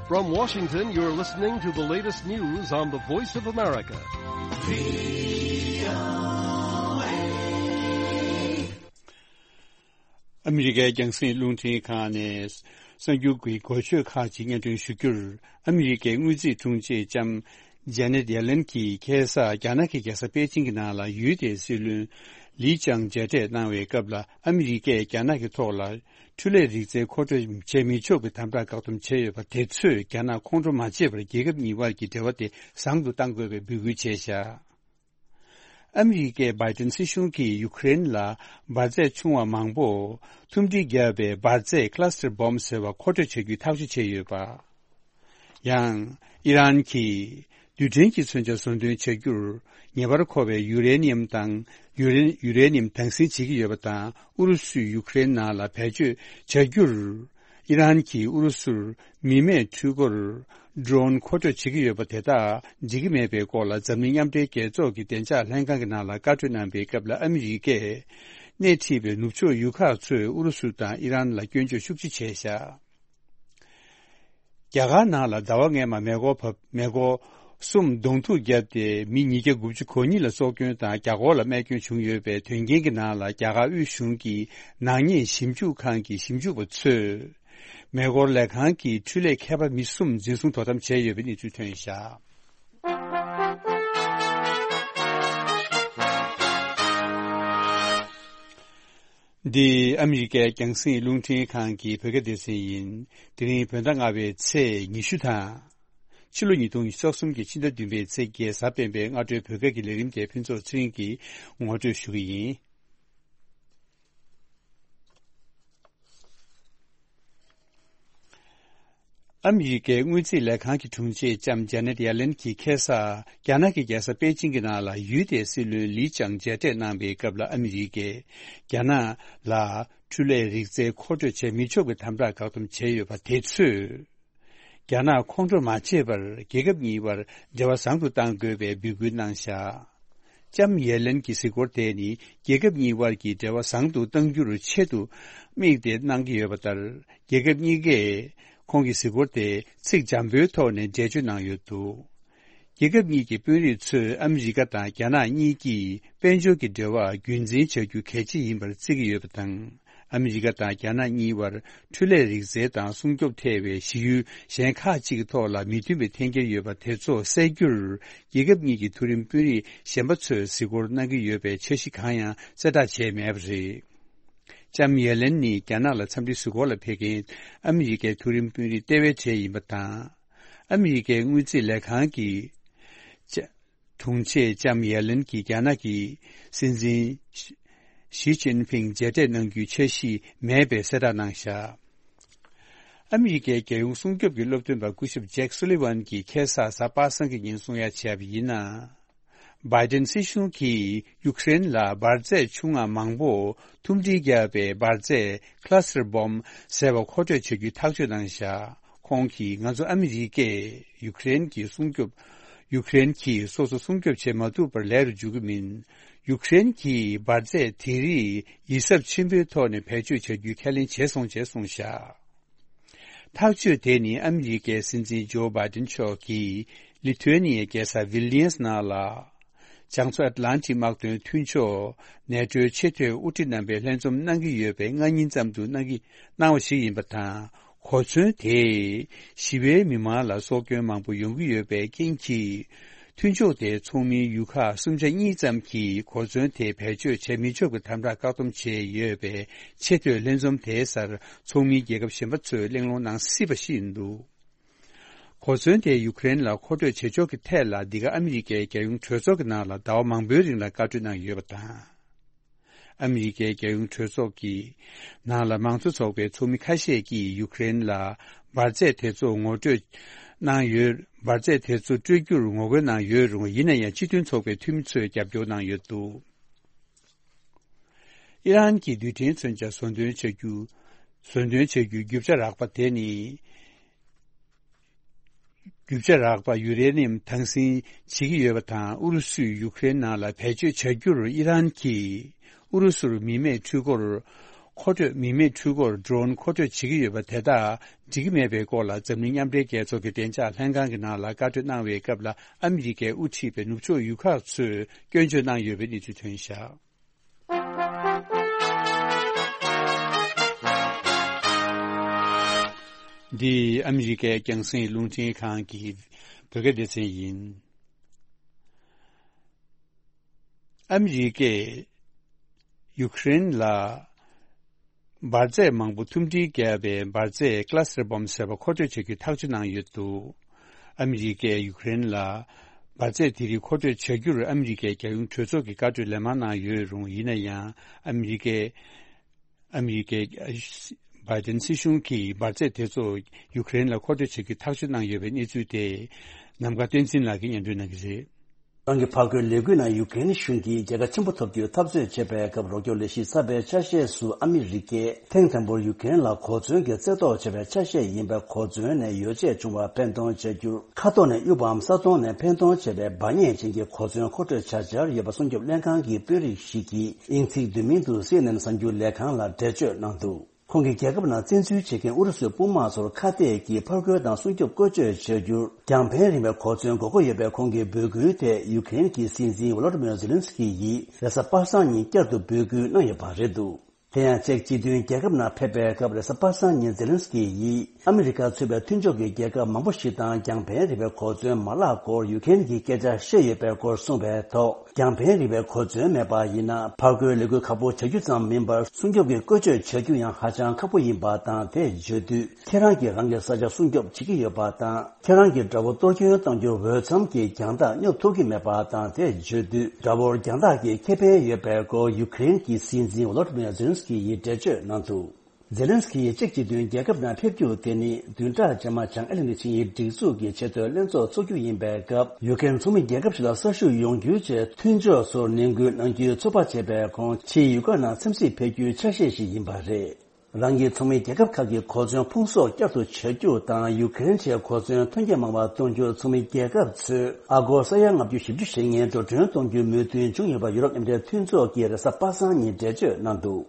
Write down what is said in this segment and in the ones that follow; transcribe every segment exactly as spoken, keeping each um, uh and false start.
From Washington, you're listening to the latest news on the Voice of America. ཨ་མི་རི་ཀའི་རྒྱང་སྲིང་རླུང་འཕྲིན་ཁང་ནས་གསར་འགྱུར་གྱི་འགོ་བརྗོད་ཁག་ཅིག་སྙན་སྒྲོན་ཞུ་རྒྱུར། ཨ་མི་རི་ཀའི་དངུལ་རྩིས་དྲུང་ཆེ་ལྕམ་ཇེ་ནེད་ཡེ་ལེན་གྱིས་ཁ་སང་རྒྱ་ནག་གི་རྒྱལ་ས་པེ་ཅིང་གི་ནང་ལ་ཡུལ་དེའི་སྲིད་བློན་ལི་ཅང་མཇལ་འཕྲད་གནང་བའི་སྐབས་ལ། ཨ་མི་རི་ཀས་རྒྱ་ནག་གི་ཐོག་ལ་འཕྲུལ་ལས་རིག་རྩལ་མཁོ་སྤྲོད་བྱེད་མི་ཆོག་པའི་དམ་དྲག་བཀག་སྡོམ་བྱས་ཡོད་པ་དེ་ཚོས་རྒྱ་ནག་ཁོང་ཁྲོ་མ་བྱེད་པར་རྒྱལ་ཁབ་གཉིས་དབར་གྱི་འབྲེལ་བ་དེ་བཟང་དུ་གཏང་དགོས་པའི་འབོད་སྐུལ་བྱས་བཞག་ཨ་མི་རི་ཀས་བྷའི་ཏིན་སྲིད་གཞུང་གིས་ཡུཀ་རེན་ལ་འབར་རྫས་ཆུང་བ་མང་པོ་ཐུམ་སྒྲིལ་བརྒྱབ་པའི་འབར་རྫས་Cluster Bomb་ཟེར་བ་མཁོ་སྤྲོད་བྱ་རྒྱུའི་ཐག་གཅོད་བྱས་ཡོད་པ། ཡང་། ཨི་རན་གྱིས་རྡུལ་ཕྲན་གྱི་མཚོན་ཆ་བཟོ་འདོན་བྱ་རྒྱུར་ངེས་པར་མཁོ་བའི་ཡུ་རེ་ནི་ཡམ་དང་། ཡུ་རེ་ཡུ་རེ་ནི་ཡམ་དྭངས་སིལ་བྱེད་ཀྱི་ཡོད་པ་དང་། ཨུ་རུ་སུས་ཡུཀ་རེན་ནང་ལ་བེད་སྤྱོད་བྱ་རྒྱུར། ཨི་རན་གྱིས་ཨུ་རུ་སུར་མི་མེད་འཕྲུལ་འཁོར་Drone་མཁོ་སྤྲོད་བྱེད་ཀྱི་ཡོད་པ་དེ་དག་འགྲིག་གི་མེད་པའི་སྐོར་ལ། འཛམ་གླིང་མཉམ་འབྲེལ་རྒྱལ་ཚོགས་ཀྱི་བདེ་འཇགས་ལྷན་ཁང་གི་ནང་ལ་བཀའ་འཁྲོལ་གནང་པའི་སྐབས་ལ། ཨ་མི་རི་ཀས་སྣེ་ཁྲིད་པའི་ནུབ་ཕྱོགས་ཡུལ་ཁག་ཚོས་ཨུ་རུ་སུ་དང་ཨི་རན་ལ་སྐྱོན་བརྗོད་ཤུགས་ཆེ་བྱས་བཞག་རྒྱ་གར་ནང་ལ་ཟླ་བ་སྔོན་མ་མེ་འཁོར་བབས། མེ་འཁོར་གསུམ་གདོང་ཐུག་བརྒྱབ་སྟེ་མི་ཉིས་བརྒྱ་དགུ་བཅུ་གོ་གཉིས་ལ་སྲོག་སྐྱོན་དང་། བརྒྱ་སྐོར་ལ་རྨས་སྐྱོན་བྱུང་ཡོད་པའི་དོན་རྐྱེན་གྱི་ནང་ལ། རྒྱ་གར་དབུས་གཞུང་གི་ནག་ཉེས་ཞིབ་འཇུག་ཁང་གི་ཞིབ་འཇུག་པ་ཚོས་མེ་འཁོར་ལས་ཁང་གི་འཕྲུལ་ལས་མཁས་པ་མི་གསུམ་འཛིན་བཟུང་དོ་དམ་བྱས་ཡོད་པའི་གནས་ཚུལ་ཐོན་བཞག་འདི་ཨ་མི་རི་ཀའི་རྒྱང་སྲིང་རླུང་འཕྲིན་ཁང་གི་བོད་སྐད་སྡེ་ཚན་ཡིན། དེ་རིང་བོད་ཟླ་ལྔ་པའི་ཚེས་ཉི་ཤུ་དང་། ཕྱི་ལོ་ཉིས་སྟོང་ཉི་ཤུ་རྩ་གསུམ་གྱི་ཕྱི་ཟླ་བདུན་པའི་ཚེས་བརྒྱད། གཟའ་སྤེན་པའི་སྔ་དྲོའི་བོད་སྐད་ཀྱི་ལས་རིམ་དེ་ཕུན་ཚོགས་ཚེ་རིང་གིས་ངོ་སྤྲོད་ཞུ་གི་ཡིན། ཨ་མི་རི་ཀའི་དངུལ་རྩིས་ལས་ཁང་གི་དྲུང་ཆེ་ལྕམ་ཇེ་ནེད་ཡེ་ལེན་གྱིས་ཁ་སང་རྒྱ་ནག་གི་རྒྱལ་ས་པེ་ཅིང་གི་ནང་ལ་ཡུལ་དེའི་སྲིད་བློན་ལི་ཅང་མཇལ་འཕྲད་གནང་པའི་སྐབས་ལ། ཨ་མི་རི་ཀས་རྒྱ་ནག་ལ་འཕྲུལ་ལས་རིག་རྩལ་མཁོ་སྤྲོད་བྱེད་མི་ཆོག་པའི་དམ་དྲག་བཀག་སྡོམ་བྱས་ཡོད་པ་དེ་ཚོས་རྒྱ་ནག་ཁོང་ཁྲོ་མ་བྱེད་པར་རྒྱལ་ཁབ་གཉིས་དབར་འབྲེལ་བ་བཟང་དུ་གཏང་དགོས་པའི་འབོད་སྐུལ་གནང་བཞག་ལྕམ་ཡེ་ལེན་གྱི་གཟིགས་སྐོར་དེ་ནི་རྒྱལ་ཁབ་གཉིས་དབར་གྱི་འབྲེལ་བ་བཟང་དུ་གཏང་རྒྱུར་ཆེད་དུ་དམིགས་ཏེ་གནང་གི་ཡོད་པ་ལྟར། རྒྱལ་ཁབ་གཉིས་ཀས་ཁོང་གི་གཟིགས་སྐོར་དེ་ཚིག་འཇམ་པོའི་ཐོག་ནས་འགྲེལ་བརྗོད་གནང་ཡོད་འདུག་རྒྱལ་ཁབ་གཉིས་ཀྱི་དཔོན་རིགས་ཚོས་ཨ་མི་རི་ཀ་དང་རྒྱ་ནག་གཉིས་ཀྱིས་དཔལ་འབྱོར་གྱི་འབྲེལ་བ་རྒྱུན་འཛིན་བྱ་རྒྱུ་གལ་ཆེ་ཡིན་པར་བརྩི་གི་ཡོད་པ་དང་། ཨ་མི་རི་ཀ་དང་རྒྱ་ནག་གཉིས་དབར་འཕྲུལ་ལས་རིག་རྩལ་དང་སྲུང་སྐྱོབ་ཐེ་བའི་གཞི་ཡུལ་གཞན་ཁག་ཅིག་གི་ཐོག་ལ་མི་མཐུན་པའི་འཐེན་འཁྱེར་ཡོད་པ་དེ་ཚོ་སེལ་རྒྱུར། རྒྱལ་ཁབ་གཉིས་ཀྱི་མཐོ་རིམ་དཔོན་རིགས་གཞན་པ་ཚོས་གཟིགས་སྐོར་གནང་གི་ཡོད་པའི་འཆར་གཞི་གང་ཡང་གསལ་བསྒྲགས་བྱས་མེད་པ་རེད། ལྕམ་ཡེ་ལེན་ནི་རྒྱ་ནག་ལ་འཚམས་འདྲིའི་གཟིགས་སྐོར་ལ་ཕེབས་མཁན་ཨ་མི་རི་ཀའི་མཐོ་རིམ་དཔོན་རིགས་ལྟེ་བའི་གྲས་ཡིན་པ་དང་། ཨ་མི་རི་ཀའི་དངུལ་རྩིས་ལས་ཁང་གི་ལྕམ་དྲུང་ཆེ་ལྕམ་ཡེ་ལེན་གྱིས་རྒྱ་ནག་གི་སྲིད་འཛིན་ཞི་ཅིན་ཕིང་མཇལ་འཕྲད་གནང་རྒྱུའི་འཆར་གཞི་མེད་པའི་གསལ་བསྒྲགས་གནང་བཞག་ཨ་མི་རི་ཀའི་རྒྱལ་ཡོངས་སྲུང་སྐྱོབ་ཀྱི་སློབ་སྟོན་པ་སྐུ་ཞབས་ཇེག་སུ་ལི་ཝན་གྱིས་ཁ་སང་གཟའ་པ་སངས་ཀྱི་ཉིན་གསུང་ཡ་བྱས་པ་ཡིན་ན། བྷའི་ཏིན་སྲིད་གཞུང་གིས་ཡུཀ་རེན་ལ་འབར་རྫས་ཆུང་ང་མང་པོ་ཐུམ་སྒྲིལ་བརྒྱབ་པའི་འབར་རྫས་Cluster Bomb་ཟེར་བ་མཁོ་སྤྲོད་བྱ་རྒྱུའི་ཐག་གཅོད་གནང་བཞག་ཁོང་གིས། ང་ཚོ་ཨ་མི་རི་ཀས་ཡུཀ་རེན་གྱི་སྲུང་སྐྱོབ། ཡུཀ་རེན་གྱིས་སོ་སོ་སྲུང་སྐྱོབ་བྱེད་མ་ཐུབ་པར་ལས་རུ་འཇུག་གི་མིན། ཡུཀ་རེན་གྱིས་འབར་རྫས་དེ་རིགས་ཡིད་གཟབ་ཆེན་པོའི་ཐོག་ནས་བེད་སྤྱོད་བྱ་རྒྱུའི་ཁས་ལེན་བྱས་སོང་ཞེས་གསུངས་བཞག་ཐག་གཅོད་དེ་ནི་ཨ་མི་རི་ཀའི་སྲིད་འཛིན་ཇོ་བྷའི་ཏིན་མཆོག་གིས་ལི་ཐུ་ཨེ་ནི་ཡའི་རྒྱལ་ས་ཝིལ་ནི་ཡས་ནང་ལ། བྱང་མཚོ་ཨེཊ་ལན་ཊིག་དམག་དོན་མཐུན་ཕྱོགས་ནེ་ཊོའི་ཆེས་མཐོའི་དབུ་ཁྲིད་རྣམ་པས་ལྷན་འཛོམས་གནང་གི་ཡོད་པའི་སྔ་ཉིན་ཙམ་དུ་གནང་གི་གནང་བ་ཞིག་ཡིན་པ་དང་། གོ་མཚོན་དེས་ཞི་བའི་མི་མང་ལ་སྲོག་སྐྱོན་མང་པོ་ཡོང་གི་ཡོད་པའི་རྐྱེན་གྱིས། མཐུན་ཕྱོགས་དེའི་ཚོགས་མིའི་ཡུལ་ཁག་སུམ་ཆ་གཉིས་ཙམ་གྱིས་གོ་མཚོན་དེ་བེད་སྤྱོད་བྱེད་མི་ཆོག་པའི་དམ་དྲག་བཀག་སྡོམ་བྱས་ཡོད་པའི་ཆེས་མཐོའི་ལྷན་འཛོམས་དེའི་སར་ཚོགས་མིའི་རྒྱལ་ཁབ་གཞན་པ་ཚོས་གླེང་སློང་གནང་སྲིད་པ་ཞིག་ཡིན་འདུག་གོ་མཚོན་དེ་ཡུཀ་རེན་ལ་མཁོ་སྤྲོད་བྱེད་ཕྱོགས་ཀྱི་ཐད་ལ། འདི་ག་ཨ་མི་རི་ཀའི་རྒྱལ་ཡོངས་གྲོས་ཚོགས་ཀྱི་ནང་ལ་ཟླ་བ་མང་པོའི་རིང་ལ་བཀའ་འཁྲོལ་གནང་ཡོད་པ་དང་། ཨ་མི་རི་ཀའི་རྒྱལ་ཡོངས་གྲོས་ཚོགས་ཀྱི་ནང་ལ་མང་གཙོ་ཚོགས་པའི་ཚོགས་མི་ཁ་ཤས་ཀྱིས་ཡུཀ་རེན་ལ་འབར་རྫས་དེ་ཚོ་ངོ་སྤྲོད་གནང་ཡོད། འབར་རྫས་དེ་ཚོ་སྤྲོད་རྒྱུར་ངོ་རྒོལ་གནང་ཡོད་རུང་། ཡིན་ན་ཡང་སྤྱི་མཐུན་ཚོགས་པའི་འཐུས་མི་ཚོས་རྒྱབ་སྐྱོར་གནང་ཡོད་འདུག་ཨི་རན་གྱི་རྡུལ་ཕྲན་མཚོན་ཆ་བཟོ་འདོན་བྱ་རྒྱུ། བཟོ་འདོན་བྱ་རྒྱུའི་རྒྱུ་ཆ་རགས་པ་དེ་ནི། རྒྱུ་ཆ་རགས་པ་ཡུ་རེ་ནི་ཡམ་དྭངས་སིལ་བྱེད་ཀྱི་ཡོད་པ་དང་། ཨུ་རུ་སུས་ཡུཀ་རེན་ནང་ལ་བེད་སྤྱོད་བྱ་རྒྱུར་ཨི་རན་གྱིས་ཨུ་རུ་སུར་མི་མེད་འཕྲུལ་འཁོར་ མཁོ་སྤྲོད་མི་མེད་འཕྲུལ་འཁོར་Drone་མཁོ་སྤྲོད་བྱེད་ཀྱི་ཡོད་པ་དེ་དག་འགྲིག་གི་མེད་པའི་སྐོར་ལ་འཛམ་གླིང་མཉམ་འབྲེལ་རྒྱལ་ཚོགས་ཀྱི་བདེ་འཇགས་ལྷན་ཁང་གི་ནང་ལ་བཀའ་འཁྲོལ་གནང་བའི་སྐབས་ལ། ཨ་མི་རི་ཀས་དབུ་ཁྲིད་པའི་ནུབ་ཕྱོགས་ཡུལ་ཁག་ཚོས་སྐྱོན་བརྗོད་གནང་ཡོད་པའི་གནས་ཚུལ་ཐོན་བཞག་འདི་ཨ་མི་རི་ཀའི་རྒྱང་སྲིང་རླུང་འཕྲིན་ཁང་གི་བོད་སྐད་སྡེ་ཚན་ཡིན། ཨ་མི་རི་ཀས་ཡུ་ཀེ་རེན་ལ་འབར་རྫས་མང་པོ་ཐུམ་སྒྲིལ་བརྒྱབ་པའི་འབར་རྫས་Cluster Bomb་ཟེར་བ་མཁོ་སྤྲོད་བྱ་རྒྱུ་ཐག་གཅོད་གནང་ཡོད་འདུག་ཨ་མི་རི་ཀས་ཡུ་ཀེ་རེན་ལ་འབར་རྫས་དེ་རིགས་མཁོ་སྤྲོད་བྱ་རྒྱུར་ཨ་མི་རི་ཀའི་རྒྱལ་ཡོངས་གྲོས་ཚོགས་ཀྱིས་བཀའ་འཁྲོལ་ལན་མང་གནང་ཡོད་རུང་། ཡིན་ན་ཡང་ཨ་མི་རི་ཀས་ཨ་མི་རི་ཀའི་བྷའི་ཏིན་སྲིད་གཞུང་གིས་འབར་རྫས་དེ་ཚོ་ཡུ་ཀེ་རེན་ལ་མཁོ་སྤྲོད་བྱེད་རྒྱུ་ཐག་གཅོད་གནང་ཡོད་པའི་གནས་ཚུལ་དེ་ནམ་མཁའ་བསྟན་འཛིན་ལགས་ཀྱིས་སྙན་སྒྲོན་གནང་གི་རེད། རང་གི་ཕར་རྒོལ་ལས་འགུལ་ནང་ཡུ་ཀེ་རེན་གཞུང་གིས་རྒྱལ་ཁ་ཆེན་པོ་ཐོབ་རྒྱུའི་འཐབ་རྩོད་བྱེད་པའི་སྐབས་རོགས་སྐྱོར་ལས་གཞི་གསར་པའི་ཆ་ཤས་སུ་ཨ་མི་རི་ཀས་ཐེངས་དང་པོར་ཡུ་ཀེ་རེན་ལ་གོ་མཚོན་གྱི་རྩེ་གཏོར་བྱས་པའི་ཆ་ཤས་ཡིན་པའི་གོ་མཚོན་ནས་ཡོ་བྱད་བྱུང་བར་ཕན་གཏོང་བྱ་རྒྱུར་མཁའ་ཐོག་ནས་གཡུག་པའམ་ས་སྟོང་ནས་འཕེན་གཏོང་བྱས་པའི་འབར་མཉེན་ཅན་གྱི་གོ་མཚོན་མཁོ་སྤྲོད་བྱ་འཆར་ཡོད་པ་སྲུང་སྐྱོབ་ལྷན་ཁང་གི་དཔོན་རིགས་ཤིག་གིས་དབྱིན་ཚིག་བསྡུས་མིང་དུ་སི་ཨེན་ཨེན་གསར་འགྱུར་ལས་ཁང་ལ་འགྲེལ་བརྗོད་གནང་འདུག་ཁོང་གིས་རྒྱལ་ཁབ་ནང་བཙན་འཛུལ་བྱེད་མཁན་ཨུ་རུ་སུའི་དཔུང་དམག་ཚོར་ཁ་གཏད་ཀྱིས་ཕར་རྒོལ་དང་སྲུང་སྐྱོབ་བཀོལ་སྤྱོད་བྱ་རྒྱུར་རྒྱང་འཕེན་རིང་བའི་གོ་མཚོན་དགོས་མཁོ་ཡོད་པའི་ཁོང་གི་འབོད་སྐུལ་དེ་ཡུ་ཀེ་རེན་གྱི་སྲིད་འཛིན་ཝོ་ལོ་ཏི་མིར་ཛེ་ལིན་སི་ཀི་ཡིས་རེས་གཟའ་པ་སངས་ཉིན་བསྐྱར་དུ་འབོད་སྐུལ་གནང་ཡོད་པ་རེད་འདུག་དེ་ཡང་ཅེཀ་སྤྱི་མཐུན་རྒྱལ་ཁབ་ནང་ཕེབས་པའི་སྐབས་རེས་གཟའ་པ་སངས་ཉིན་ཛེ་ལིན་སི་ཀི་ཡིས་ཨ་མི་རི་ཀ་ཚུད་པའི་མཐུན་ཕྱོགས་ཀྱི་རྒྱལ་ཁབ་མང་པོ་ཞིག་དང་རྒྱང་འཕེན་རིང་བའི་གོ་མཚོན་མ་བརླག་སྐོར་ཡུ་ཀེ་རེན་གྱི་སྐད་ཆ་བཤད་ཡོད་པའི་སྐོར་གསུངས་པའི་ཐོག་རྒྱང་འཕེན་རིང་བའི་གོ་མཚོན་མེད་པ་ཡིན་ན་ཕར་རྒོལ་ལས་འགུལ་ཁག་པོ་བྱ་རྒྱུ་ཙམ་མིན་པར་སྲུང་སྐྱོབ་ཀྱི་བཀོལ་སྤྱོད་བྱ་རྒྱུ་ཡང་ཧ་ཅང་ཁག་པོ་ཡིན་པ་དང་། དེ་བརྗོད་དུས་ཁྱེད་རང་གིས་རང་གི་ས་ཆ་སྲུང་སྐྱོབ་བྱེད་ཀྱི་ཡོད་པ་དང་། ཁྱེད་རང་གིས་དགྲ་བོ་གཏོར་སྐྱོན་གཏོང་རྒྱུར་འོས་འཚམ་གྱི་རྒྱང་ཐག་སྙོབ་ཐུབ་ཀྱི་མེད་པ་དང་། དེ་བརྗོད་དུས་དགྲ་བོར་རྒྱང་ཐག་གི་ཁེ་ཕན་ཡོད་པའི་སྐོར་ཡུ་ཀེ་རེན་གྱི་སྲིད་འཛིན་ཝོ་ལོ་ཏི་མིར་ཛེ་ལིན་སི་ཀི་ཡིས་འགྲེལ་བརྗོད་གནང་འདུག་ཛེ་ལིན་སི་ཀི་ཡིས་ཅེཀ་སྤྱི་མཐུན་རྒྱལ་ཁབ་ནང་ཕེབས་རྒྱུ་དེ་ནི་བདུན་ཕྲག་རྗེས་མ་བྱང་ཨེ་ལི་ནི་ཆིངས་ཡིག་སྒྲིག་འཛུགས་ཀྱི་ཆེས་མཐོའི་ལྷན་ཚོགས་འཚོགས་རྒྱུ་ཡིན་པའི་སྐབས་ཡུ་ཀེ་རེན་ཚོགས་མི་རྒྱལ་ཁབ་ཞིག་ལ་གསར་ཞུགས་ཡོང་རྒྱུའི་ཆེད་མཐུན་ཕྱོགས་ཚོར་ནན་སྐུལ་གནང་རྒྱུའི་ཚོད་དཔག་བྱས་པའི་ཁོང་ཕྱིའི་ཡུལ་ཁག་ནང་འཚམས་གཟིགས་ཕེབས་རྒྱུའི་ཆ་ཤས་ཤིག་ཡིན་པ་རེད། རང་གི་ཚོགས་མི་རྒྱལ་ཁབ་ཁག་གི་གོ་མཚོན་ཕུང་གསོག་བསྐྱར་དུ་བྱ་རྒྱུ་དང་ཡུ་ཀེ་རེན་ཆེད་གོ་མཚོན་ཐོན་སྐྱེད་མང་བ་གཏོང་རྒྱུར་ཚོགས་མི་རྒྱལ་ཁབ་ཚོས་ཨ་སྒོར་ས་ཡ་ལྔ་བཅུ་ཞེ་བརྒྱད་འགྲོ་གྲོན་གཏོང་རྒྱུའི་མོས་མཐུན་བྱུང་ཡོད་པ་ཡུ་རོབ་མཉམ་འབྲེལ་མཐུན་ཚོགས་ཀྱིས་རེས་གཟའ་པ་སངས་ཉིན་འགྲེལ་བརྗོད་གནང་འདུག་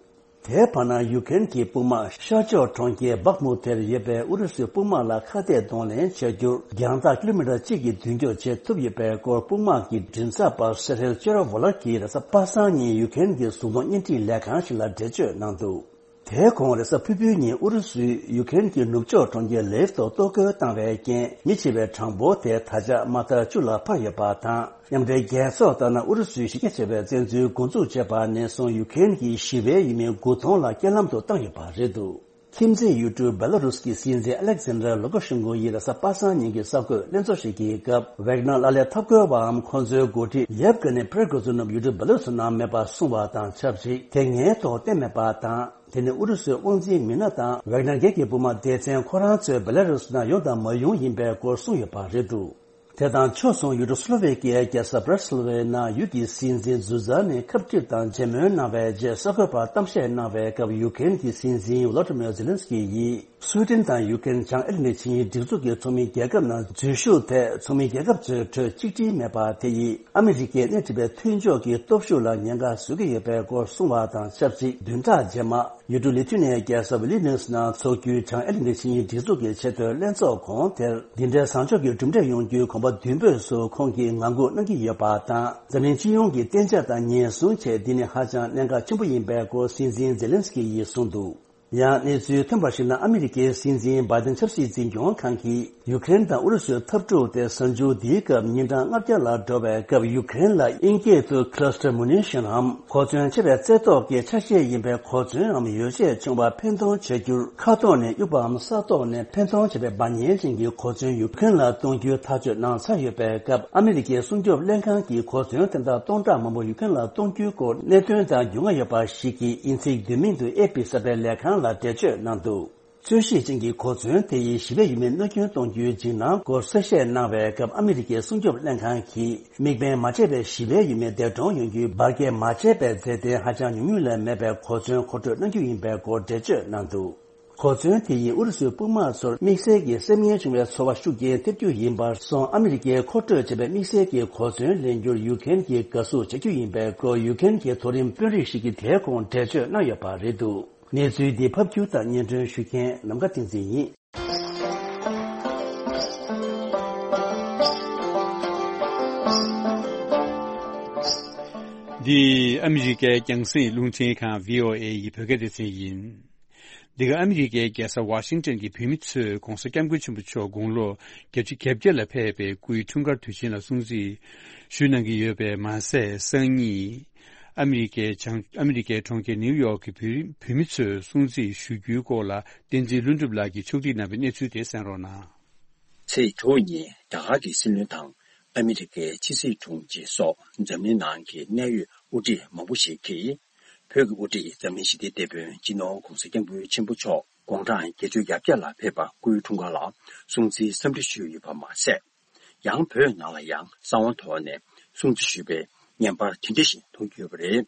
དེའི་བར་ན་ཡུ་ཀེ་རེན་གྱི་དཔུང་དམག་ཤར་ཕྱོགས་གྲོང་ཁྱེར་བྷག་མུ་ཐེར་ཡོད་པའི་ཨུ་རུ་སུའི་དཔུང་དམག་ལ་ཁ་གཏད་གདོང་ལེན་བྱ་རྒྱུར་རྒྱང་ཐག་ཀི་ལོ་མི་ཊར་གཅིག་གི་མདུན་སྐྱོད་བྱེད་ཐུབ་ཡོད་པའི་སྐོར་དཔུང་དམག་གི་མགྲིན་ཚབ་པ་སེ་རེལ་ཅེ་རོ་ཝོ་ལར་གྱིས་རེས་གཟའ་པ་སངས་ཉིན་ཡུ་ཀེ་རེན་གྱི་གཟུགས་མཐོང་བརྙན་འཕྲིན་ལས་ཁང་ཞིག་ལ་འགྲེལ་བརྗོད་གནང་འདུག་དེའི་གོང་རེས་གཟའ་ཕུར་བུའི་ཉིན་ཨུ་རུ་སུས་ཡུ་ཀེ་རེན་གྱི་ནུབ་ཕྱོགས་གྲོང་ཁྱེར་ལེབ་ཏུ་གཏོར་རྒོལ་བཏང་བའི་རྐྱེན་མི་འཆི་བའི་གྲངས་འབོར་དེ་ད་ཆ་མ་མཐའ་བཅུ་ལ་འཕར་ཡོད་པ་དང་། མཉམ་འབྲེལ་རྒྱལ་ཚོགས་ལྟར་ན་ཨུ་རུ་སུའི་གཞི་རྒྱ་ཆེ་བའི་བཙན་འཛུལ་འགོ་འཛུགས་བྱས་པ་ནས་བཟུང་ཡུ་ཀེ་རེན་གྱི་ཞི་བའི་ཡུལ་མི་དགུ་སྟོང་ལ་རྐྱེན་ལམ་དུ་བཏང་ཡོད་པ་རེད་འདུག་ཁྱིམ་མཚེས་ཡུལ་གྲུ་སྦེ་ལ་རུས་ཀྱི་སྲིད་འཛིན་ཨ་ལེག་ཛན་ཌར་ལུ་ཀ་ཤེན་ཀོ་ཡིས་རེས་གཟའ་པ་སངས་ཉིན་གྱི་གསར་འགོད་ལྷན་ཚོགས་ཤིག་གི་སྐབས། ཝེག་ནར་ལ་ལས་འཐབ་རྒོལ་བའམ་ཁོང་ཚོའི་འགོ་ཁྲིད་ཡེབ་ཀ་ནི་པྲེ་གོ་ཛུ་ནོབ་ཡུལ་གྲུ་སྦེ་ལ་རུས་ནང་མེད་པ་གསུངས་པ་དང་ཆབས་ཅིག་དེ་སྔའི་ཐོག་བསྟན་མེད་པ་དང་། དེ་ནི་ཨུ་རུ་སུའི་དབང་འཛིན་མི་སྣ་དང་ཝེག་ནར་སྒེར་གྱི་དཔུང་དམག་སྡེ་ཚན་ཁོ་རང་ཚོས་སྦེ་ལ་རུས་ནང་ཡོང་དང་མ་ཡོང་ཡིན་པའི་སྐོར་གསུངས་ཡོད་པ་རེད་འདུག་དེ་དང་ཕྱོགས་མཚུངས་ཡུལ་གྲུ་སུ་ལོ་ཝེ་ཀི་ཡའི་རྒྱལ་ས་བྷ་ར་སི་ལི་ཝེ་ནང་ཡུལ་གྱི་སྲིད་འཛིན་ཛུ་ཛ་ནི་ཁ་པར་དང་མཇལ་མོལ་གནང་བའི་རྗེས་གསར་འགོད་པར་གཏམ་བཤད་གནང་བའི་སྐབས་ཡུ་ཀེ་རེན་གྱི་སྲིད་འཛིན་ཝོ་ལོ་ཏི་མིར་ཛེ་ལིན་སི་ཀི་ཡིས། སུའེ་ཏེན་དང་ཡུ་ཀེ་རེན་བྱང་ཨེ་ལི་ནི་ཆིངས་ཡིག་སྒྲིག་འཛུགས་ཀྱི་ཚོགས་མི་རྒྱལ་ཁབ་ནང་འཛུལ་ཞུགས་ཐད་ཚོགས་མི་རྒྱལ་ཁབ་ཚོའི་ཁྲོད་གཅིག་སྒྲིལ་མེད་པ་དེ་ཡིས་ཨ་མི་རི་ཀས་སྣེ་ཁྲིད་པའི་མཐུན་ཕྱོགས་ཀྱི་སྟོབས་ཤུགས་ལ་ཉེན་ཁ་བཟོ་གི་ཡོད་པའི་སྐོར་གསུངས་པ་དང་ཆབས་ཅིག་བདུན་ཕྲག་རྗེས་མ་ཡུལ་གྲུ་ལི་ཐུ་ནི་ཡའི་རྒྱལ་ས་ཝི་ལི་ནུས་ནང་འཚོགས་རྒྱུའི་བྱང་ཨེ་ལི་ནི་ཆིངས་ཡིག་སྒྲིག་འཛུགས་ཀྱི་ཆེས་མཐོའི་ལྷན་ཚོགས་གོང་དེར་འདི་འདྲའི་བཟང་ཕྱོགས་ཀྱི་གྲུབ་འབྲས་ཡོང་རྒྱུའི་གོམ་པ་མདུན་སྤོས་སུ་ཁོང་གིས་ངང་སྒུག་གནང་གི་ཡོད་པ་དང་། འཛམ་གླིང་སྤྱི་ཡོངས་ཀྱི་གཏན་འཇགས་དང་ཉེན་སྲུང་ཆེད་འདི་ནི་ཧ་ཅང་གནད་འགག་ཆེན་པོ་ཡིན་པའི་སྐོར་སྲིད་འཛིན་ཛེ་ལིན་སི་ཀི་ཡིས་གསུངས་འདུག་ཡང་གནས་ཚུལ་ཐོན་པར་གཞིགས་ན། ཨ་མི་རི་ཀའི་སྲིད་འཛིན་བྷའི་ཏིན་ཆབ་སྲིད་འཛིན་སྐྱོང་ཁང་གིས་ཡུ་ཀེ་རེན་དང་ཨུ་རུ་སུའི་འཐབ་འཁྲུག་དེ་གཟའ་མཇུག་འདིའི་སྐབས་ཉིན་གྲངས་ལྔ་བརྒྱ་ལ་འགྲོ་བའི་སྐབས། ཡུ་ཀེ་རེན་ལ་དབྱིན་སྐད་དུ་Cluster Munition་འམ་གོ་མཚོན་ཆེ་བའི་རྩེ་ཐོག་གི་ཆ་ཤས་ཡིན་པའི་གོ་མཚོན་རམ་ཡོ་བྱད་བྱུང་བ་འཕེན་གཏོང་བྱ་རྒྱུར་མཁའ་ཐོག་ནས་གཡུག་པའམ་ས་ཐོག་ནས་འཕེན་གཏོང་བྱེད་པའི་འབར་མཉེན་ཅན་གྱི་གོ་མཚོན་ཡུ་ཀེ་རེན་ལ་གཏོང་རྒྱུའི་ཐག་གཅོད་གནང་ཚར་ཡོད་པའི་སྐབས། ཨ་མི་རི་ཀའི་སྲུང་སྐྱོབ་ལྷན་ཁང་གིས་གོ་མཚོན་དེ་དག་སྟོང་ཕྲག་མང་པོ་ཡུ་ཀེ་རེན་ལ་གཏོང་རྒྱུའི་སྐོར་གནད་དོན་དང་རྒྱུས་མངའ་ཡོད་པ་ཞིག་གིས་དབྱིན་ཚིག་བསྡུས་མིང་དུ་ཨེ་ཕི་གསར་སྤེལ་ལས་ཁང་ལ་འགྲེལ་བརྗོད་གནང་འདུག་རྩོད་གཞི་ཅན་གྱི་གོ་མཚོན་དེ་ཡིས་ཞི་བའི་ཡུལ་མི་གནོད་སྐྱོན་གཏོང་རྒྱུའི་འཇིགས་སྣང་སྐོར་གསལ་བཤད་གནང་བའི་སྐབས། ཨ་མི་རི་ཀའི་སྲུང་སྐྱོབ་ལྷན་ཁང་གིས་དམིགས་འབེན་མ་བྱས་པའི་ཞི་བའི་ཡུལ་མི་འདས་གྲོངས་ཡོང་རྒྱུའི་འབར་གས་མ་བྱས་པའི་མཛད་རྟེན་ཧ་ཅང་ཉུང་ཉུང་ལས་མེད་པའི་གོ་མཚོན་མཁོ་སྤྲོད་གནང་རྒྱུ་ཡིན་པའི་སྐོར་འགྲེལ་བརྗོད་གནང་འདུག་གོ་མཚོན་དེ་ཡིས་ཨུ་རུ་སུའི་དཔུང་དམག་ཚོར་དམིགས་བསལ་གྱི་སེམས་ངལ་བྱུང་བའི་ཚོར་བ་ཤུགས་རྐྱེན་ཐེབས་རྒྱུ་ཡིན་པར་སོང་། ཨ་མི་རི་ཀས་མཁོ་སྤྲོད་བྱས་པའི་དམིགས་བསལ་གྱི་གོ་མཚོན་ལེན་རྒྱུར་ཡུ་ཀེ་རེན་གྱིས་དགའ་བསུ་བྱ་རྒྱུ་ཡིན་པའི་སྐོར་ཡུ་ཀེ་རེན་གྱི་མཐོ་རིམ་དཔོན་རིགས་ཤིག་གིས་དེའི་གོང་འགྲེལ་བརྗོད་གནང་ཡོད་པ་རེད་འདུག་གནས་ཚུལ་འདི་ཕབ་སྒྱུར་དང་སྙན་སྒྲོན་ཞུ་མཁན་ནམ་མཁའ་བསྟན་འཛིན་ཡིན། འདི་ཨ་མི་རི་ཀའི་རྒྱང་སྲིང་རླུང་འཕྲིན་ཁང་བྷི་ཨོ་ཨེ་ཡི་བོད་སྐད་སྡེ་ཚན་ཡིན། འདི་ག་ཨ་མི་རི་ཀའི་རྒྱལ་ས་ཝ་ཤིང་ཊོན་གྱི་བོད་མི་ཚོས་༸གོང་ས་༸སྐྱབས་མགོན་ཆེན་པོ་མཆོག་དགུང་ལོ་བརྒྱད་ཅུ་གྱ་བརྒྱད་ལ་ཕེབས་པའི་སྐུའི་འཁྲུངས་སྐར་དུས་ཆེན་ལ་སྲུང་བརྩི་ཞུ་གནང་གི་ཡོད་པས་མ་ཟད། སང་ཉིན་ཨ་མི་རི་ཀའི་བྱང་ཨ་མི་རི་ཀའི་གྲོང་ཁྱེར་ནིའུ་ཡོག་གི་བོད་བོད་མི་ཚོས་སྲུང་བརྩི་ཞུ་རྒྱུའི་སྐོར་ལ་བསྟན་འཛིན་ལྷུན་གྲུབ་ལགས་ཀྱིས་ཕྱོགས་སྒྲིག་གནང་བའི་གནས་ཚུལ་དེ་གསན་རོགས་གནང་། ཚེས་དྲུག་ཉིན་རྒྱ་གར་གྱི་སྲིད་བློན་དང་ཨ་མི་རི་ཀའི་ཕྱི་སྲིད་དྲུང་ཆེ་སོགས་འཛམ་གླིང་ནང་གི་གནད་ཡོད་དབུ་ཁྲིད་མང་པོ་ཞིག་གིས། བོད་ཀྱི་དབུ་ཁྲིད་འཛམ་གླིང་ཞི་བདེའི་དེད་དཔོན་སྤྱི་ནོར་༸གོང་ས་༸སྐྱབས་མགོན་ཆེན་པོ་མཆོག་དགུང་གྲངས་བརྒྱད་ཅུ་གྱ་བརྒྱད་ལ་ཕེབས་པ་སྐུའི་འཁྲུངས་སྐར་ལ་སྲུང་བརྩིའི་འཚམས་འདྲི་ཞུས་ཡོད་པ་མ་ཟད། ཡང་བོད་ནང་ལ་ཡང་གསང་བ་ཐོག་ནས་སྲུང་བརྩི་ཞུས་པའི་བརྙན་པར་དེ་འདྲ་ཞིག་མཐོང་རྒྱུ་ཡོད་པ་རེད།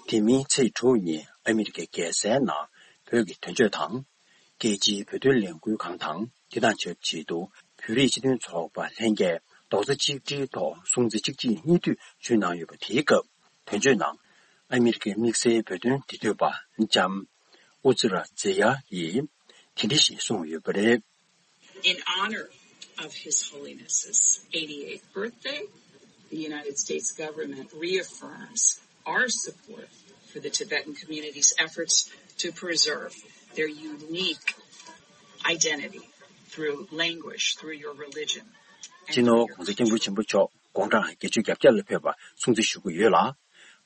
དེ་མིན་ཚེས་དྲུག་ཉིན་ཨ་མི་རི་ཀའི་རྒྱལ་སའི་ནང་བོད་ཀྱི་དོན་གཅོད་དང་། རྒྱལ་སྤྱིའི་བོད་དོན་ལས་འགུལ་ཁང་དང་དེ་དང་ཆབས་ཅིག་ཏུ་བོད་རིགས་སྤྱི་མཐུན་ཚོགས་པ་ལྷན་རྒྱས་རྡོག་རྩ་གཅིག་སྒྲིལ་ཐོག་སྲུང་བརྩི་གཅིག་རྗེས་གཉིས་མཐུད་ཞུས་གནང་ཡོད་པ། དེའི་སྐབས་དོན་གཅོད་ནང་ཨ་མི་རི་ཀའི་དམིགས་བསལ་བོད་དོན་འབྲེལ་མཐུད་པ་ལྕམ་ཨུ་ཛི་ར་ཛེ་ཡ་ཡིས་དེ་འདྲ་ཞིག་གསུངས་ཡོད་པ་རེད། In honor of His Holiness's eighty-eighth birthday, the United States government reaffirms our support for the Tibetan community's efforts to preserve their unique identity through language, through your religion, and སྤྱི་ནོར་༸གོང་ས་༸སྐྱབས་མགོན་ཆེན་པོ་མཆོག་དགུང་གྲངས་བརྒྱད་ཅུ་གྱ་བརྒྱད་ལ་ཕེབས་པ་སྲུང་བརྩི་ཞུ་གི་ཡོད་ལ།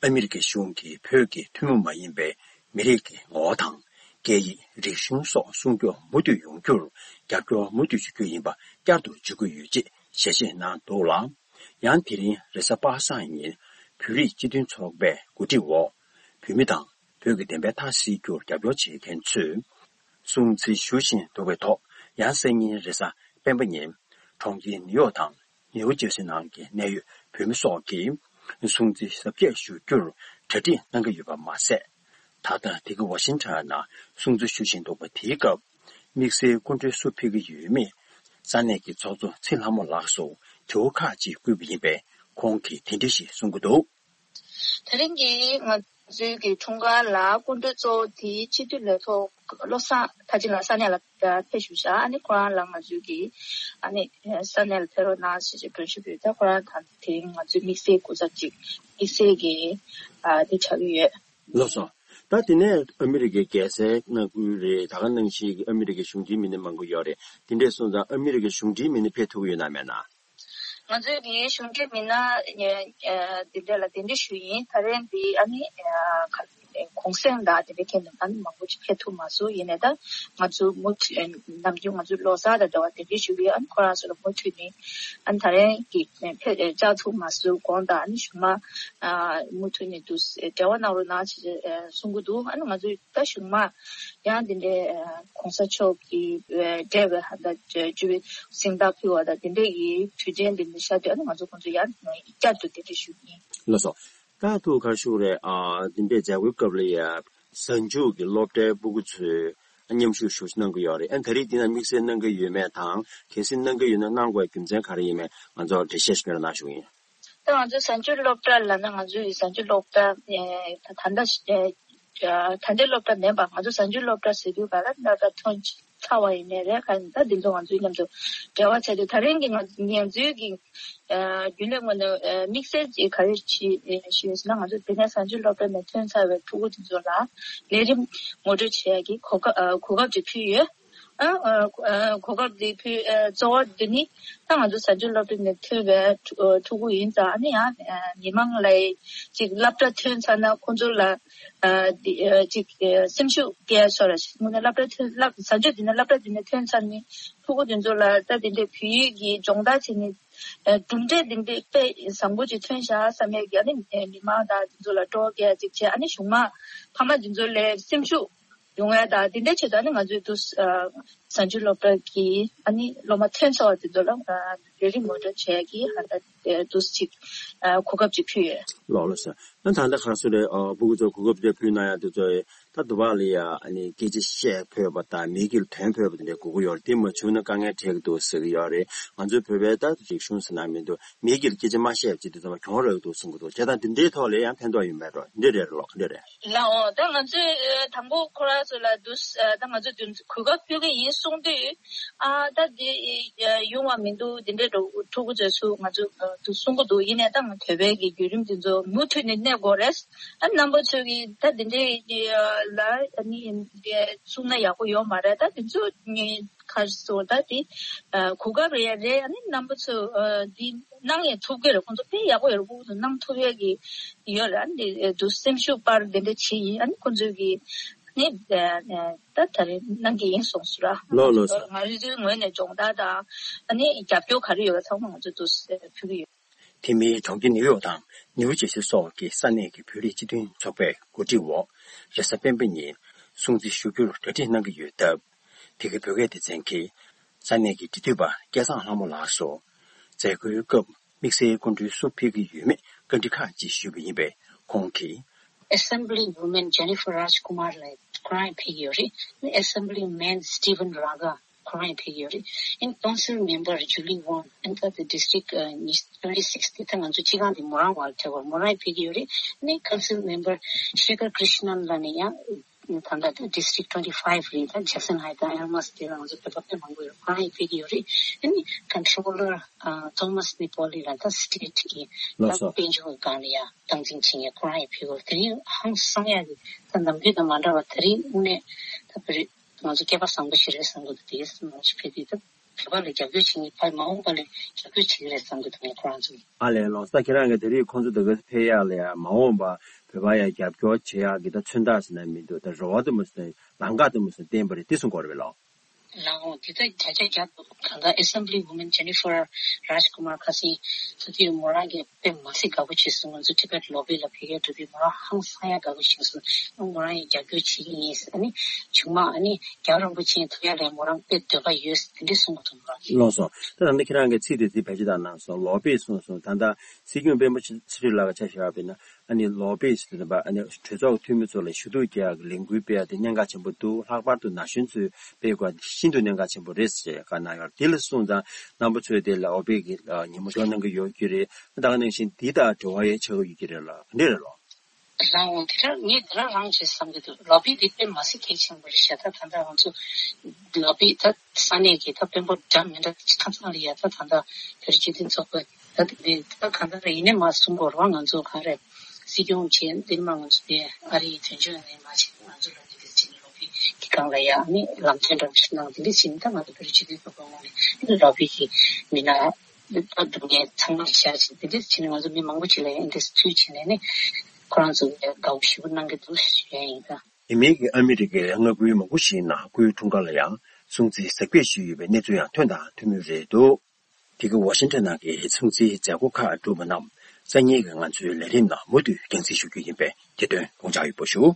ཨ་མི་རི་ཀའི་གཞུང་གིས་བོད་ཀྱི་ཐུན་མོང་མ་ཡིན་པའི་མི་རིགས་ཀྱི་ངོ་བོ་དང་། སྐད་ཡིག་རིག་གཞུང་སོགས་སྲུང་སྐྱོབ་མུ་མཐུད་ཡོང་རྒྱུར་རྒྱབ་སྐྱོར་མུ་མཐུད་ཞུ་རྒྱུ་ཡིན་པ་བསྐྱར་དུ་བརྗོད་ཀྱི་ཡོད་ཅེས་ཞལ་བཞེས་གནང་འདུག་ལ། ཡང་དེ་རིང་རེས་གཟའ་པ་སངས་ཉིན་བོད་རིགས་སྤྱི་མཐུན་ཚོགས་པའི་གོ་སྒྲིག་འོག་བོད་མི་དང་བོད་ཀྱི་བདེན་པའི་མཐའ་གསལ་རྒྱུར་རྒྱབ་སྐྱོར་བྱེད་མཁན་ཚོས་སྲུང་བརྩི་ཞུ་བཞིན་འདུག་པའི་ཐོག་ཡང་སང་ཉིན་རེས་གཟའ་སྤེན་པ་ཉིན་གྲོང་ཁྱེར་ནིའུ་ཡོག་དང་། ནིའུ་ཇར་སི་ནང་གི་གནད་ཡོད་བོད་མི་སོགས་ཀྱིས་སྲུང་བརྩི་གཟབ་རྒྱས་ཞུ་རྒྱུར་གྲ་སྒྲིག་གནང་གི་ཡོད་པ་མ་ཟད། ད་ལྟ་དེ་ག་ཝ་ཤིང་ཊོན་ནང་སྲུང་བརྩི་ཞུ་བཞིན་འདུག་པ། དེའི་སྐབས་དམིགས་བསལ་སྐུ་མགྲོན་སུ་ཕེབས་ཀྱི་ཡོད་མེད་ས་གནས་ཀྱི་ཚོགས་གཙོ་ཚེ་ལྷ་མོ་ལགས་སུ་དྲི་བ་ཁག་ཅིག་བསྐུལ་བ་ཡིན་པས། ཁོང་གིས་དེ་འདྲ་ཞིག་གསུང་གི་འདུག། དེ་རིང་གི་ང་ཚོའི་གི་འཁྲུངས་སྐར་ལ་སྐུ་མགྲོན་གཙོ་བོ་དེ་སྤྱི་འཐུས་ལས་ཐོག་བློ་བཟང་ཐར་ཕྱིན་ལགས་ས་གནས་ལ་ཕེབས་བཞུགས་ཤག། ཨ་ནི་ཁོ་རང་ལ་ང་ཚོའི་གི་ཨ་ནི་ས་གནས་ལ་ཕེབས་རོགས་གནང་ཞེས་བརྗོད་ཞུ་ཡོད། ད་ཁོ་རང་དང་དེ་རིང་ང་ཚོའི་དམིགས་བསལ་སྐུ་ཚབ་ཅིག་དམིགས་བསལ་གི་ཨ་དེ་ཆགས་ཀྱི་ཡོད། ལགས་སོ། ད་དེ་ནས་ཨ་མི་རི་ཀའི་རྒྱལ་སའི་མངའ་ཁུལ་རེད། ད་ག་ནང་བཞིན་གྱི་ཨ་མི་རི་ཀའི་གཞུང་འབྲེལ་མི་སྣ་མང་པོ་ཡོད་རེད། དེ་འདྲས་སོང་ཙང་ཨ་མི་རི་ཀའི་གཞུང་འབྲེལ་མི་སྣ་ཕེབས་ཐུབ་ཀྱི་ཡོད་ན་མེད་ན། ང་ཚོའི་གི་གཞུང་འབྲེལ་མི་སྣ་འདི་འདྲ་ལ་གདན་འདྲེན་ཞུས་ཡིན། ད་རེས་འདི་ཨ་ནི་གུང་སེང་དང་དེ་འདྲའི་ཐད་ནས་ཨ་ནི་མང་པོ་ཅིག་ཕེབས་ཐུབ་མ་སོང་། ཡིན་ནའི་ད་ང་ཚོ་མུ་མཐུད་ནམ་རྒྱུན་ང་ཚོ་ལོ་གསར་དང་འབྲེལ་བ་གདན་འདྲེན་ཞུ་གི་ཡོད། ཨ་ནི་ཁོ་རང་ཚོ་ལ་མུ་མཐུད་ནས་ཨ་ནི་ད་རེས་ཀྱི་ཕེབས་བཅར་ཐུབ་མ་སོང་དགོངས་དག་ཨ་ནི་གཞུག་མ་མུ་མཐུད་ནས་འདུག་འབྲེལ་བ་གནང་རོགས་གནང་ཞེས་གསུང་གི་འདུག། ཨ་ནི་ང་ཚོས་ད་གཞུག་མ་ཡང་འདི་འདྲའི་གོང་ས་མཆོག་གི་འབྲེལ་བའི་ཧ་ད་བཅུ་པའི་གཟེངས་རྟགས་ཕུལ་བ་དང་དེ་འདྲའི་གི་དུས་ཆེན་འདི་འདྲ་ཤར་དུས་ཨ་ནི་ང་ཚོ་ཁོང་ཚོ་ཡང་བསྐྱར་དུ་གདན་འདྲེན་ཞུ་གི་ཡིན། ལགས་སོ། ད་ཐུགས་ཁར་ཞུ་རེད། ཨ་འདི་འདྲའི་མཛད་སྒོའི་སྐབས་ལ་ཡ་གཟའ་མཇུག་གི་སློབ་གྲྭའི་སྤུ་གུ་ཚོས་མཉམ་ཞུགས་ཞུ་གནང་གི་ཡོད་རེད། ཨ་ད་རེས་འདི་ན་དམིགས་བསལ་གནང་གི་ཡོད་མེད་དང་གལ་སྲིད་གནང་གི་ཡོད་ན་གནང་དགོས་རྒྱུ་མཚན་ག་རེ་ཡིན་མེད་ང་ཚོར་འགྲེལ་བཤད་ཞིག་སྤེལ་གནང་ཞུ་གི་ཡིན། ད་ང་ཚོའི་གཟའ་མཇུག་སློབ་གྲྭ་ལབ་ན་ང་ཚོའི་གཟའ་མཇུག་སློབ་གྲྭ་ད་ལྟ་ད་ལྟའི་སློབ་གྲྭ་མིན་པ་ང་ཚོ་གཟའ་མཇུག་སློབ་གྲྭ་ཟེར་དུས་ག་ལ་སློབ་གྲྭ་ཐོན་ཚར་བ་ཡིན་ནའི་རེད། ག་ཡིན་ད་འདི་ཚོ་ང་ཚོའི་མཉམ་དུ་འབྲེལ་བ་བྱས་ཏེ་ད་རིང་གི་ང་ང་ཚོའི་གི་རྒྱུན་ལས་ངོས་ནས་དམིགས་བསལ་གྱི་ག་རེ་བྱས་ཞུས་ཟེར་ན་ང་ཚོ་དེ་ནས་གཟའ་མཇུག་སློབ་གྲྭ་ནས་ཐོན་ཚར་བའི་ཕྲུ་གུ་དེ་ཚོ་ལ་ལས་རིམ་ངོ་སྤྲོད་བྱེད་ཡ་གི་གོ་སྐབས་གོ་སྐབས་ཅིག་ཕུལ་ཡོད། ཨ་ཨ་གོ་སྐབས་འདི་ཕུལ་ཨ་གཙོ་བོ་འདི་ནི་ད་ང་ཚོ་གཟའ་མཇུག་སློབ་གྲྭ་ནས་ཐོན་པའི་ཕྲུ་ཕྲུ་གུ་ཡིན་ཙང་ཨ་ནི་ཡང་མི་མང་ལ་ཅིག་སློབ་གྲྭ་ཐོན་ཚར་ན་ཁོང་ཚོ་ལ་ཨ་འདི་ཨ་ཅིག་ཨ་སེམས་ཤུགས་སྐྱེ་ཡ་ཤོར་ར་ཞིག་དངོས་གནས་སློབ་གྲྭ་ཐོན་སློབ་གཟའ་མཇུག་འདི་ནས་སློབ་གྲྭ་འདི་ནས་ཐོན་ཚར་ནི་ཕྲུ་གུ་དེ་ཚོ་ལ་ད་དེ་འདྲའི་བོད་ཡིག་གི་སྦྱོང་བརྡར་བྱེད་ནི་ཨ་གྲུབ་འབྲས་འདི་འདྲའི་དཔེ་བཟང་པོ་ཅིག་ཐོན་ཤག་བསམ་ཡས་ཀྱི་ཨ་ནི་མི་མང་དང་དེ་ཚོ་ལ་སྤྲོ་སྐྱེ་ཡ་ཅིག་བྱས་ཨ་ནི་གཞུག་མ་ཕ་མ་དེ་ཚོ་ལ་སེམས་ཤུགས་ཡོང་ཡ་དང་དེ་འདྲའི་ཆེད་དུ་ཨ་ནི་ང་ཚོས་དུ་ཨ་གཟའ་མཇུག་སློབ་གྲྭ་གི་ཨ་ནི་སློབ་མ་ཐོན་ཚར་བ་དེ་ཚོ་ལ་ཨ་ལས་རིམ་ངོ་སྤྲོད་བྱེད་ཡ་གི་ཧ་ད་དུ་ཅིག་ཨ་གོ་སྐབས་ཅིག་ཕུལ་ཡོད། ལགས་ལགས་སོ། ཨ་ད་ལྟ་ག་སུ་རེད་ཨ་སྤུ་གུ་ཚོ་གོ་སྐབས་དེ་ཕུལ་གནང་ཡ་དེ་ཚོ་ ད་དུ་བ་ལ་ཡ་ཨ་ནི་སྐད་ཆ་བཤད་ཕོད་པ་དང་མི་སྒེར་དོན་ཕོད་པ་དེ་འདྲ་དགོས་ཀྱི་ཡོད་རེད། དེ་མ་བྱུང་ན་དཀའ་ངལ་འཕྲད་ཀྱི་འདུག་ཟེར་གྱི་ཡོད་རེད། ང་ཚོའི་བོད་པའི་ད་རིག་གཞུང་ཟེར་ན་མི་འདུག་མི་སྒེར་སྐད་ཆ་མ་བཤད་ཅིག་དེ་ཚོ་མ་གྱོང་རག་གི་འདུག་གསུང་གི་འདུག་བྱས་ཙང་དེ་འདྲའི་ཐོག་ལ་ཡང་ཕན་ཐོགས་ཡོད་མེད་འགྲོ་འདི་རེད་ལོ་འདི་རེད། ལའོ། ད་ང་ཚོས་ཨ་དང་པོ་ཁོ་རང་ཚོ་ལ་འདུག་ཨ་ད་ང་ཚོས་འདུག་གོ་སྐབས་ཕུལ་གི་ཡིན་གསུངས་དུས། ཨ་ད་འདི་ཡོང་བ་མི་འདུག་འདི་འདྲའི་འགྲོ་ཕྲུ་གུ་ཚོས་སུ་ང་ཚོ་འདུག་གསུང་གི་འདུག་ཡིན་ནའི་ད་ང་བོད་པའི་གི་བརྒྱུད་རིམ་འདི་ཚོ་མུ་མཐུད་ནས་གནས་དགོས་རེད། ཨ་རྣམ་པ་ཚོས་གི་ད་འདི་འདྲའི་ལ་ཨ་ནི་གསུང་ན་ཡག་པོ་ཡོད་མ་རེད། ད་འདི་ཚོ་ངས་ཁ་སོ་ད་དེ་གོ་སྐབས་རེད་རེད། ཨ་ནི་རྣམ་པ་ཚོ་འདི་གནང་ཡང་ཐུབ་ཀྱི་རེད། ཁོང་ཚོ་དཔེ་ཡག་པོ་ཡོད་རེད། ཁོང་ཚོ་གནང་ཐུབ་ཡས་ཀྱི་ཡོད་རེད། ཨ་ནི་འདི་འདུག་སེམས་ཤུགས་སྤར་འདི་འདྲ་བྱེད་ཡིན། ཨ་ནི་ཁོང་ཚོས་ཀྱི་ནི་ད་ད་རེས་གནང་གི་ཡིན་གསུངས་སོང་ར། ལོ་ལོ་ས། ང་རི་ཚོའི་ངོས་ནས་སྦྱོང་བརྡར་དང་ཨ་ནི་རྒྱབ་སྐྱོར་ག་རེ་ཡོད་པ་ཚང་མ་ང་ཚོ་འདུག་ཕུལ་གྱི་ཡོད། དེ་མིན་གྲོང་ཁྱེར་ནིའུ་ཡོག་དང་ནིའུ་ཇེ་སི་སོགས་ཀྱི་ས་གནས་ཀྱི་བོད་རིགས་སྤྱི་མཐུན་ཚོགས་པའི་གོ་སྒྲིག་འོག་རེས་གཟའ་སྤེན་པ་ཉིན་སྲུང་བརྩི་ཞུ་རྒྱུར་གྲ་སྒྲིག་གནང་གི་ཡོད་སྟབས། དེ་གའི་བོད་སྐད་སྡེ་ཚན་གྱིས་ས་གནས་ཀྱི་འབྲེལ་མཐུད་པ་སྐལ་བཟང་ལྷ་མོ་ལགས་སུ་མཛད་སྒོའི་སྐབས་དམིགས་བསལ་སྐུ་མགྲོན་སུ་ཕེབས་ཀྱི་ཡོད་མེད་བཀའ་འདྲི་ཁག་ཅིག་ཞུས་པ་ཡིན་པས། ཁོང་གིས། Assembly Woman Jennifer Rajkumar ལགས་ཁོ་རང་ཡང་ཕེབས་ཀྱི་ཡོད་རེད། ཨ་ནི་Assembly Man Steven Raga ཁོ་རང་ཡང་ཕེབས་ཀྱི་ཡོད་རེད། ཨ་ནི་Council Member Julie Wong ཨ་ནི་ད་ལྟ་District ཨ་ཉི་twenty six དེ་ད་ང་ཚོ་སྤྱི་ཁང་དེ་མོ་རང་བར་ཐེ་བར་མོ་རང་ཡང་ཕེབས་ཀྱི་ཡོད་རེད། ཨ་ནི་Council Member Shekhar Krishnan ལགས་ནས་ཡང་ད་ལྟ་ད་District twenty five རེད། ད་Jackson Heights དང་Elmhurst དེ་ལ་ང་ཚོ་བོད་པ་དཔེ་མང་པོ་ཡོད། ཁོ་རང་ཡང་ཕེབས་ཀྱི་ཡོད་རེད། ཨ་ནི་Controller ཨ་Thomas Napoli ལགས་ད་State གི་ལགས་ད་སོ། དཔལ་འབྱོར་གྱི་སྒང་ལ་ཡང་སྟངས་འཛིན་བྱེད་མཁན་ཁོ་རང་ཡང་ཕེབས་ཀྱི་ཡོད། དེ་རིང་ཧང་སང་ཡག་གི་ད་ནམ་རྒྱུན་དང་མ་འདྲ་བ་དེ་རིང་དངོས་གནས་ད་བོད་རིགས་ང་ཚོ་སྐལ་པ་བཟང་པོ་ཞིག་རེད་བསམ་གྱི་འདུག་དེ་ཡིན་ཙང་ང་ཚོ་ཕེབས་དུས་ད་བོད་པ་ལ་རྒྱབ་སྐྱོར་བྱེད་མཁན་ཕ་མ་འོངས་པ་ལ་རྒྱབ་སྐྱོར་བྱེད་ཀྱི་རེད་བསམ་གྱི་འདུག་ངས་ཁོ་རང་ཚོ་ལ། ཨ་ལས་ལོ་ས། ཁྱེད་རང་གིས་དེ་རིང་ཁོང་ཚོ་དེ་ག་ཕེབས་ཡག་ལ་ཡང་མ་འོངས་པ་བོད་པ་ཡང་རྒྱབ་སྐྱོར་བྱེད་ཡག་གི་ད་མཚོན་རྟགས་ཟེར་ན་མི་འདུག་ད་རེ་བ་དུ་མ་ཟེར་ལམ་ཁ་དུ་མ་ཟེར་བསྟན་པ་རེད། དེ་གསུང་དགོས་རེད་པས་ལོ། ལའོ། འདི་ལྟར་བརྒྱ་ཆ་བརྒྱ་གང་ལྟར་Assembly Woman Jennifer Rajkumar ཁ་སང་ཚོ་དུས་མོ་རང་གིས་དཔེ་མ་སྲིད་དགའ་པོ་བྱས་སོང་། ང་ཚོ་Tibet Lobby ལ་ཕེབས་ཡག་འགྲོ་དུས་མོ་རང་ཧང་སང་ཡག་དགའ་པོ་བྱས་སོང་། ཨ་མོ་རང་ཡང་རྒྱབ་སྐྱོར་བྱེད་ཀྱི་ཡིན། ཨ་ནི་ཆུང་མ་ཨ་ནི་རྒྱལ་བ་རིན་པོ་ཆེ་ཐུག་ཡག་ལ་མོ་རང་དཔེ་འདོད་པ་ཡོད་དེ་འདྲས་གསུང་གི་འདུག་མོ་རང་གིས། ལགས་སོ། ད་ད་ལྟ་ཁྱེད་རང་གིས་ཚིག་དེ་ཚིག་བེད་སྤྱོད་བཏང་གནང་སོང་། Lobby གསུངས་སོང་། ད་ལྟ་སྲིད་སྐྱོང་སྤེན་པ་ཚེ་རིང་ལགས་ཀྱི་ཆ་བཞག་པ་ཡིན་ན། ཨ་ནི་Lobby ཟེར་དུས་ཨ་ནི་གྲོས་ཚོགས་འཐུས་མི་ཚོ་ལ་ཞུ་གཏུག་རྒྱག་གི་ལས་འགུལ་སྤེལ་ཡག་དེ་གནད་འགག་ཆེན་པོ་འདུག་ལྷག་པར་དུ་ན་གཞོན་ཚོས་སྤེལ་དགོས་པ་དེ་ཤིན་ཏུ་གནད་འགག་ཆེན་པོ་རེད་ཅེས་བཀའ་གནང་ཡོད། དེ་ལ་སོང་ཙང་རྣམ་པ་ཚོས་དེ་ལ་Lobby གི་ཉིན་མོ་ཞོགས་གནང་གི་ཡོད་ཀྱི་རེད། ད་ག་ནང་བཞིན་འདི་དང་འབྲེལ་བ་ཡང་ཆགས་ཀྱི་ཡོད་ཀྱི་རེད་ལ་ག་འདྲ་རེད་ལོ། རང་འོང་དེ་རང་ངས་དེ་རང་རང་བྱེད་བསམ་གྱི་འདུག Lobby འདི་དཔེ་མ་སྲིད་གལ་ཆེན་པོ་རེད་ཤག་ད་ད་ལྟ་ང་ཚོ་Lobby ད་ས་གནས་ཀྱི་ད་དཔོན་པོ་འདྲ་མི་འདྲ་ཁ་ཚང་ལ་ཡ་ད་ད་ལྟ་བོད་རིགས་སྤྱི་མཐུན་ཚོགས་པ། ད་དེ་ད་གང་ལྟར་ཡིན་ནའི་མ་གསུང་དགོས་རེད་པ། ང་ཚོ་ག་རེ་སྲིད་སྐྱོང་བྱས་འདིར་མ་ང་ཚོ་དེ་ཨ་རིའི་དོན་གཅོད་ནས་མ་བྱས་ང་ཚོ་ལ་འདི་འདྲ་བྱས་ནས་Lobby གི་སྒང་ལ་ཡ་ཨ་ནི་ལམ་སྟོན་འདྲ་བོ་ཞིག་གནང་འདི་འདྲ་བྱས་ནས་ད་ང་ཚོ་བོད་རིགས་སྤྱི་མཐུན་ཚོགས་པ་ངོས་ནས་Lobby གི་མི་སྣ་ད་སྡུག་བསྔལ་ཚང་མ་བཞག་བྱས་འདི་འདྲ་བྱས་ནས་ང་ཚོ་མི་མང་པོ་ཅིག་ལ་ཡ་འདི་འདྲ་ཚུལ་བྱས་ནས་ནི་ཁོ་རང་ཚོ་ཡ་དགའ་པོ་ཞེ་པོ་གནང་གི་འདུག་ཞུ་ཡ་ཡིན་ད། དེ་མིན་གྱི་ཨ་མི་རི་ཀའི་མངའ་ཁུལ་མང་པོ་ཞིག་ནང་སྐུའི་འཁྲུངས་སྐར་ལ་ཡང་སྲུང་བརྩི་གཟབ་རྒྱས་ཞུས་ཡོད་པའི་གནས་ཚུལ་ཡང་ཐོན་དང་ཐོན་མུས་རེད་འདུག་དེ་གའི་ཝ་ཤིང་ཊོན་ནང་གི་སྲུང་བརྩིའི་མཛད་སྒོ་ཁག་གྲུབ་པ་རྣམས་སང་ཉིན་གྱི་ང་ཚོའི་ལས་རིམ་ནང་མུ་མཐུད་རྒྱང་སྲིང་ཞུ་རྒྱུ་ཡིན་པས་དེ་དོན་དགོངས་འཇགས་ཡོད་པ་ཞུ།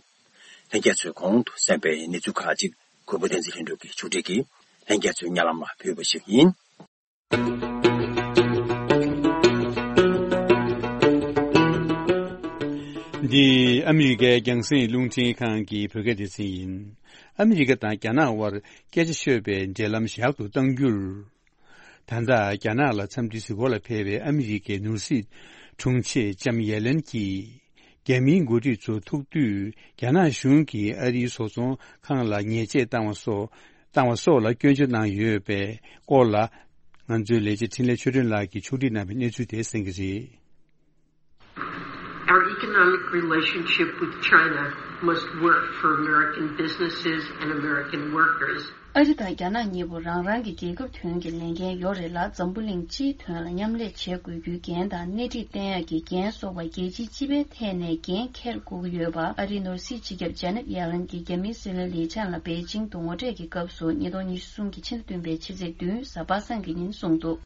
ལྷན་རྒྱས་ཚོས་གོང་དུ་གསན་པའི་གནས་ཚུལ་ཁག་ཅིག་གུས་པ་བསྟན་འཛིན་ལྷུན་གྲུབ་ཀྱིས་ཕྱོགས་སྒྲིག་གིས་ལྷན་རྒྱས་ཚོའི་སྙན་ལམ་ལ་ཕུལ་བ་ཞིག་ཡིན། འདི་ཨ་མི་རི་ཀའི་རྒྱང་སྲིང་རླུང་འཕྲིན་ཁང་གི་བོད་སྐད་སྡེ་ཚན་ཡིན། ཨ་མི་རི་ཀ་དང་རྒྱ་ནག་དབར་སྐད་ཆ་ཤོད་པའི་འབྲེལ་ལམ་ཞར་དུ་གཏང་རྒྱུར། ད་ལྟ་རྒྱ་ནག་ལ་འཚམས་འདྲི་གཟིགས་སྐོར་ལ་ཕེབས་པའི་ཨ་མི་རི་ཀའི་ནོར་སྲིད་དྲུང་ཆེ་ལྕམ་ཡེ་ལེན་གྱིས། རྒྱ་མིའི་འགོ་ཁྲིད་ཚོ་ཐུག་དུས་རྒྱ་ནག་གཞུང་གིས་ཨ་རིའི་བཟོ་ཚོང་ཁང་ལ་ཉེས་ཆད་བཏང་བ་སོགས་བཏང་བ་སོགས་ལ་སྐྱོན་བརྗོད་གནང་ཡོད་པའི་སྐོར་ལ། ང་ཚོའི་ལས་བྱེད་འཕྲིན་ལས་ཆོས་སྒྲོན་ལགས་ཀྱིས་ཕྱོགས་སྒྲིག་གནང་བའི་གནས་ཚུལ་དེ་གསན་གྱི་རེད། Our economic relationship with China must work for American businesses and American workers. ཨ་རི་དང་རྒྱ་ནག་གཉིས་པོ་རང་རང་གི་རྒྱལ་ཁབ་དོན་གྱི་ལས་འགན་ཡོད་རེད་ལ། འཛམ་བུ་གླིང་སྤྱིའི་དོན་ལ་མཉམ་ལས་བྱེད་དགོས་རྒྱུའི་འགན་དང་སྣེ་ཁྲིད་བསྟན་ཡག་གི་འགན་སོགས་པ་རྒྱལ་སྤྱིའི་སྤྱི་པའི་ཐད་ནས་འགན་འཁྱེར་དགོས་ཀྱི་ཡོད་པ་ཨ་རིའི་ནོར་སྲིད་སྤྱི་ཁྱབ་ཇ་ནེབ་ཡེ་ལན་གྱིས་རྒྱ་མིའི་སྲིད་བློན་ལི་ཆན་ལ་པེ་ཅིང་དུ་ངོ་སྤྲོད་ཀྱི་སྐབས་སུ་ཉིས་སྟོང་ཉི་ཤུ་གསུམ་གྱི་ཕྱི་ཟླ་བདུན་པའི་ཕྱི་ཚེས་བདུན་གཟའ་པ་སངས་ཀྱི་ཉིན་གསུངས་འདུག་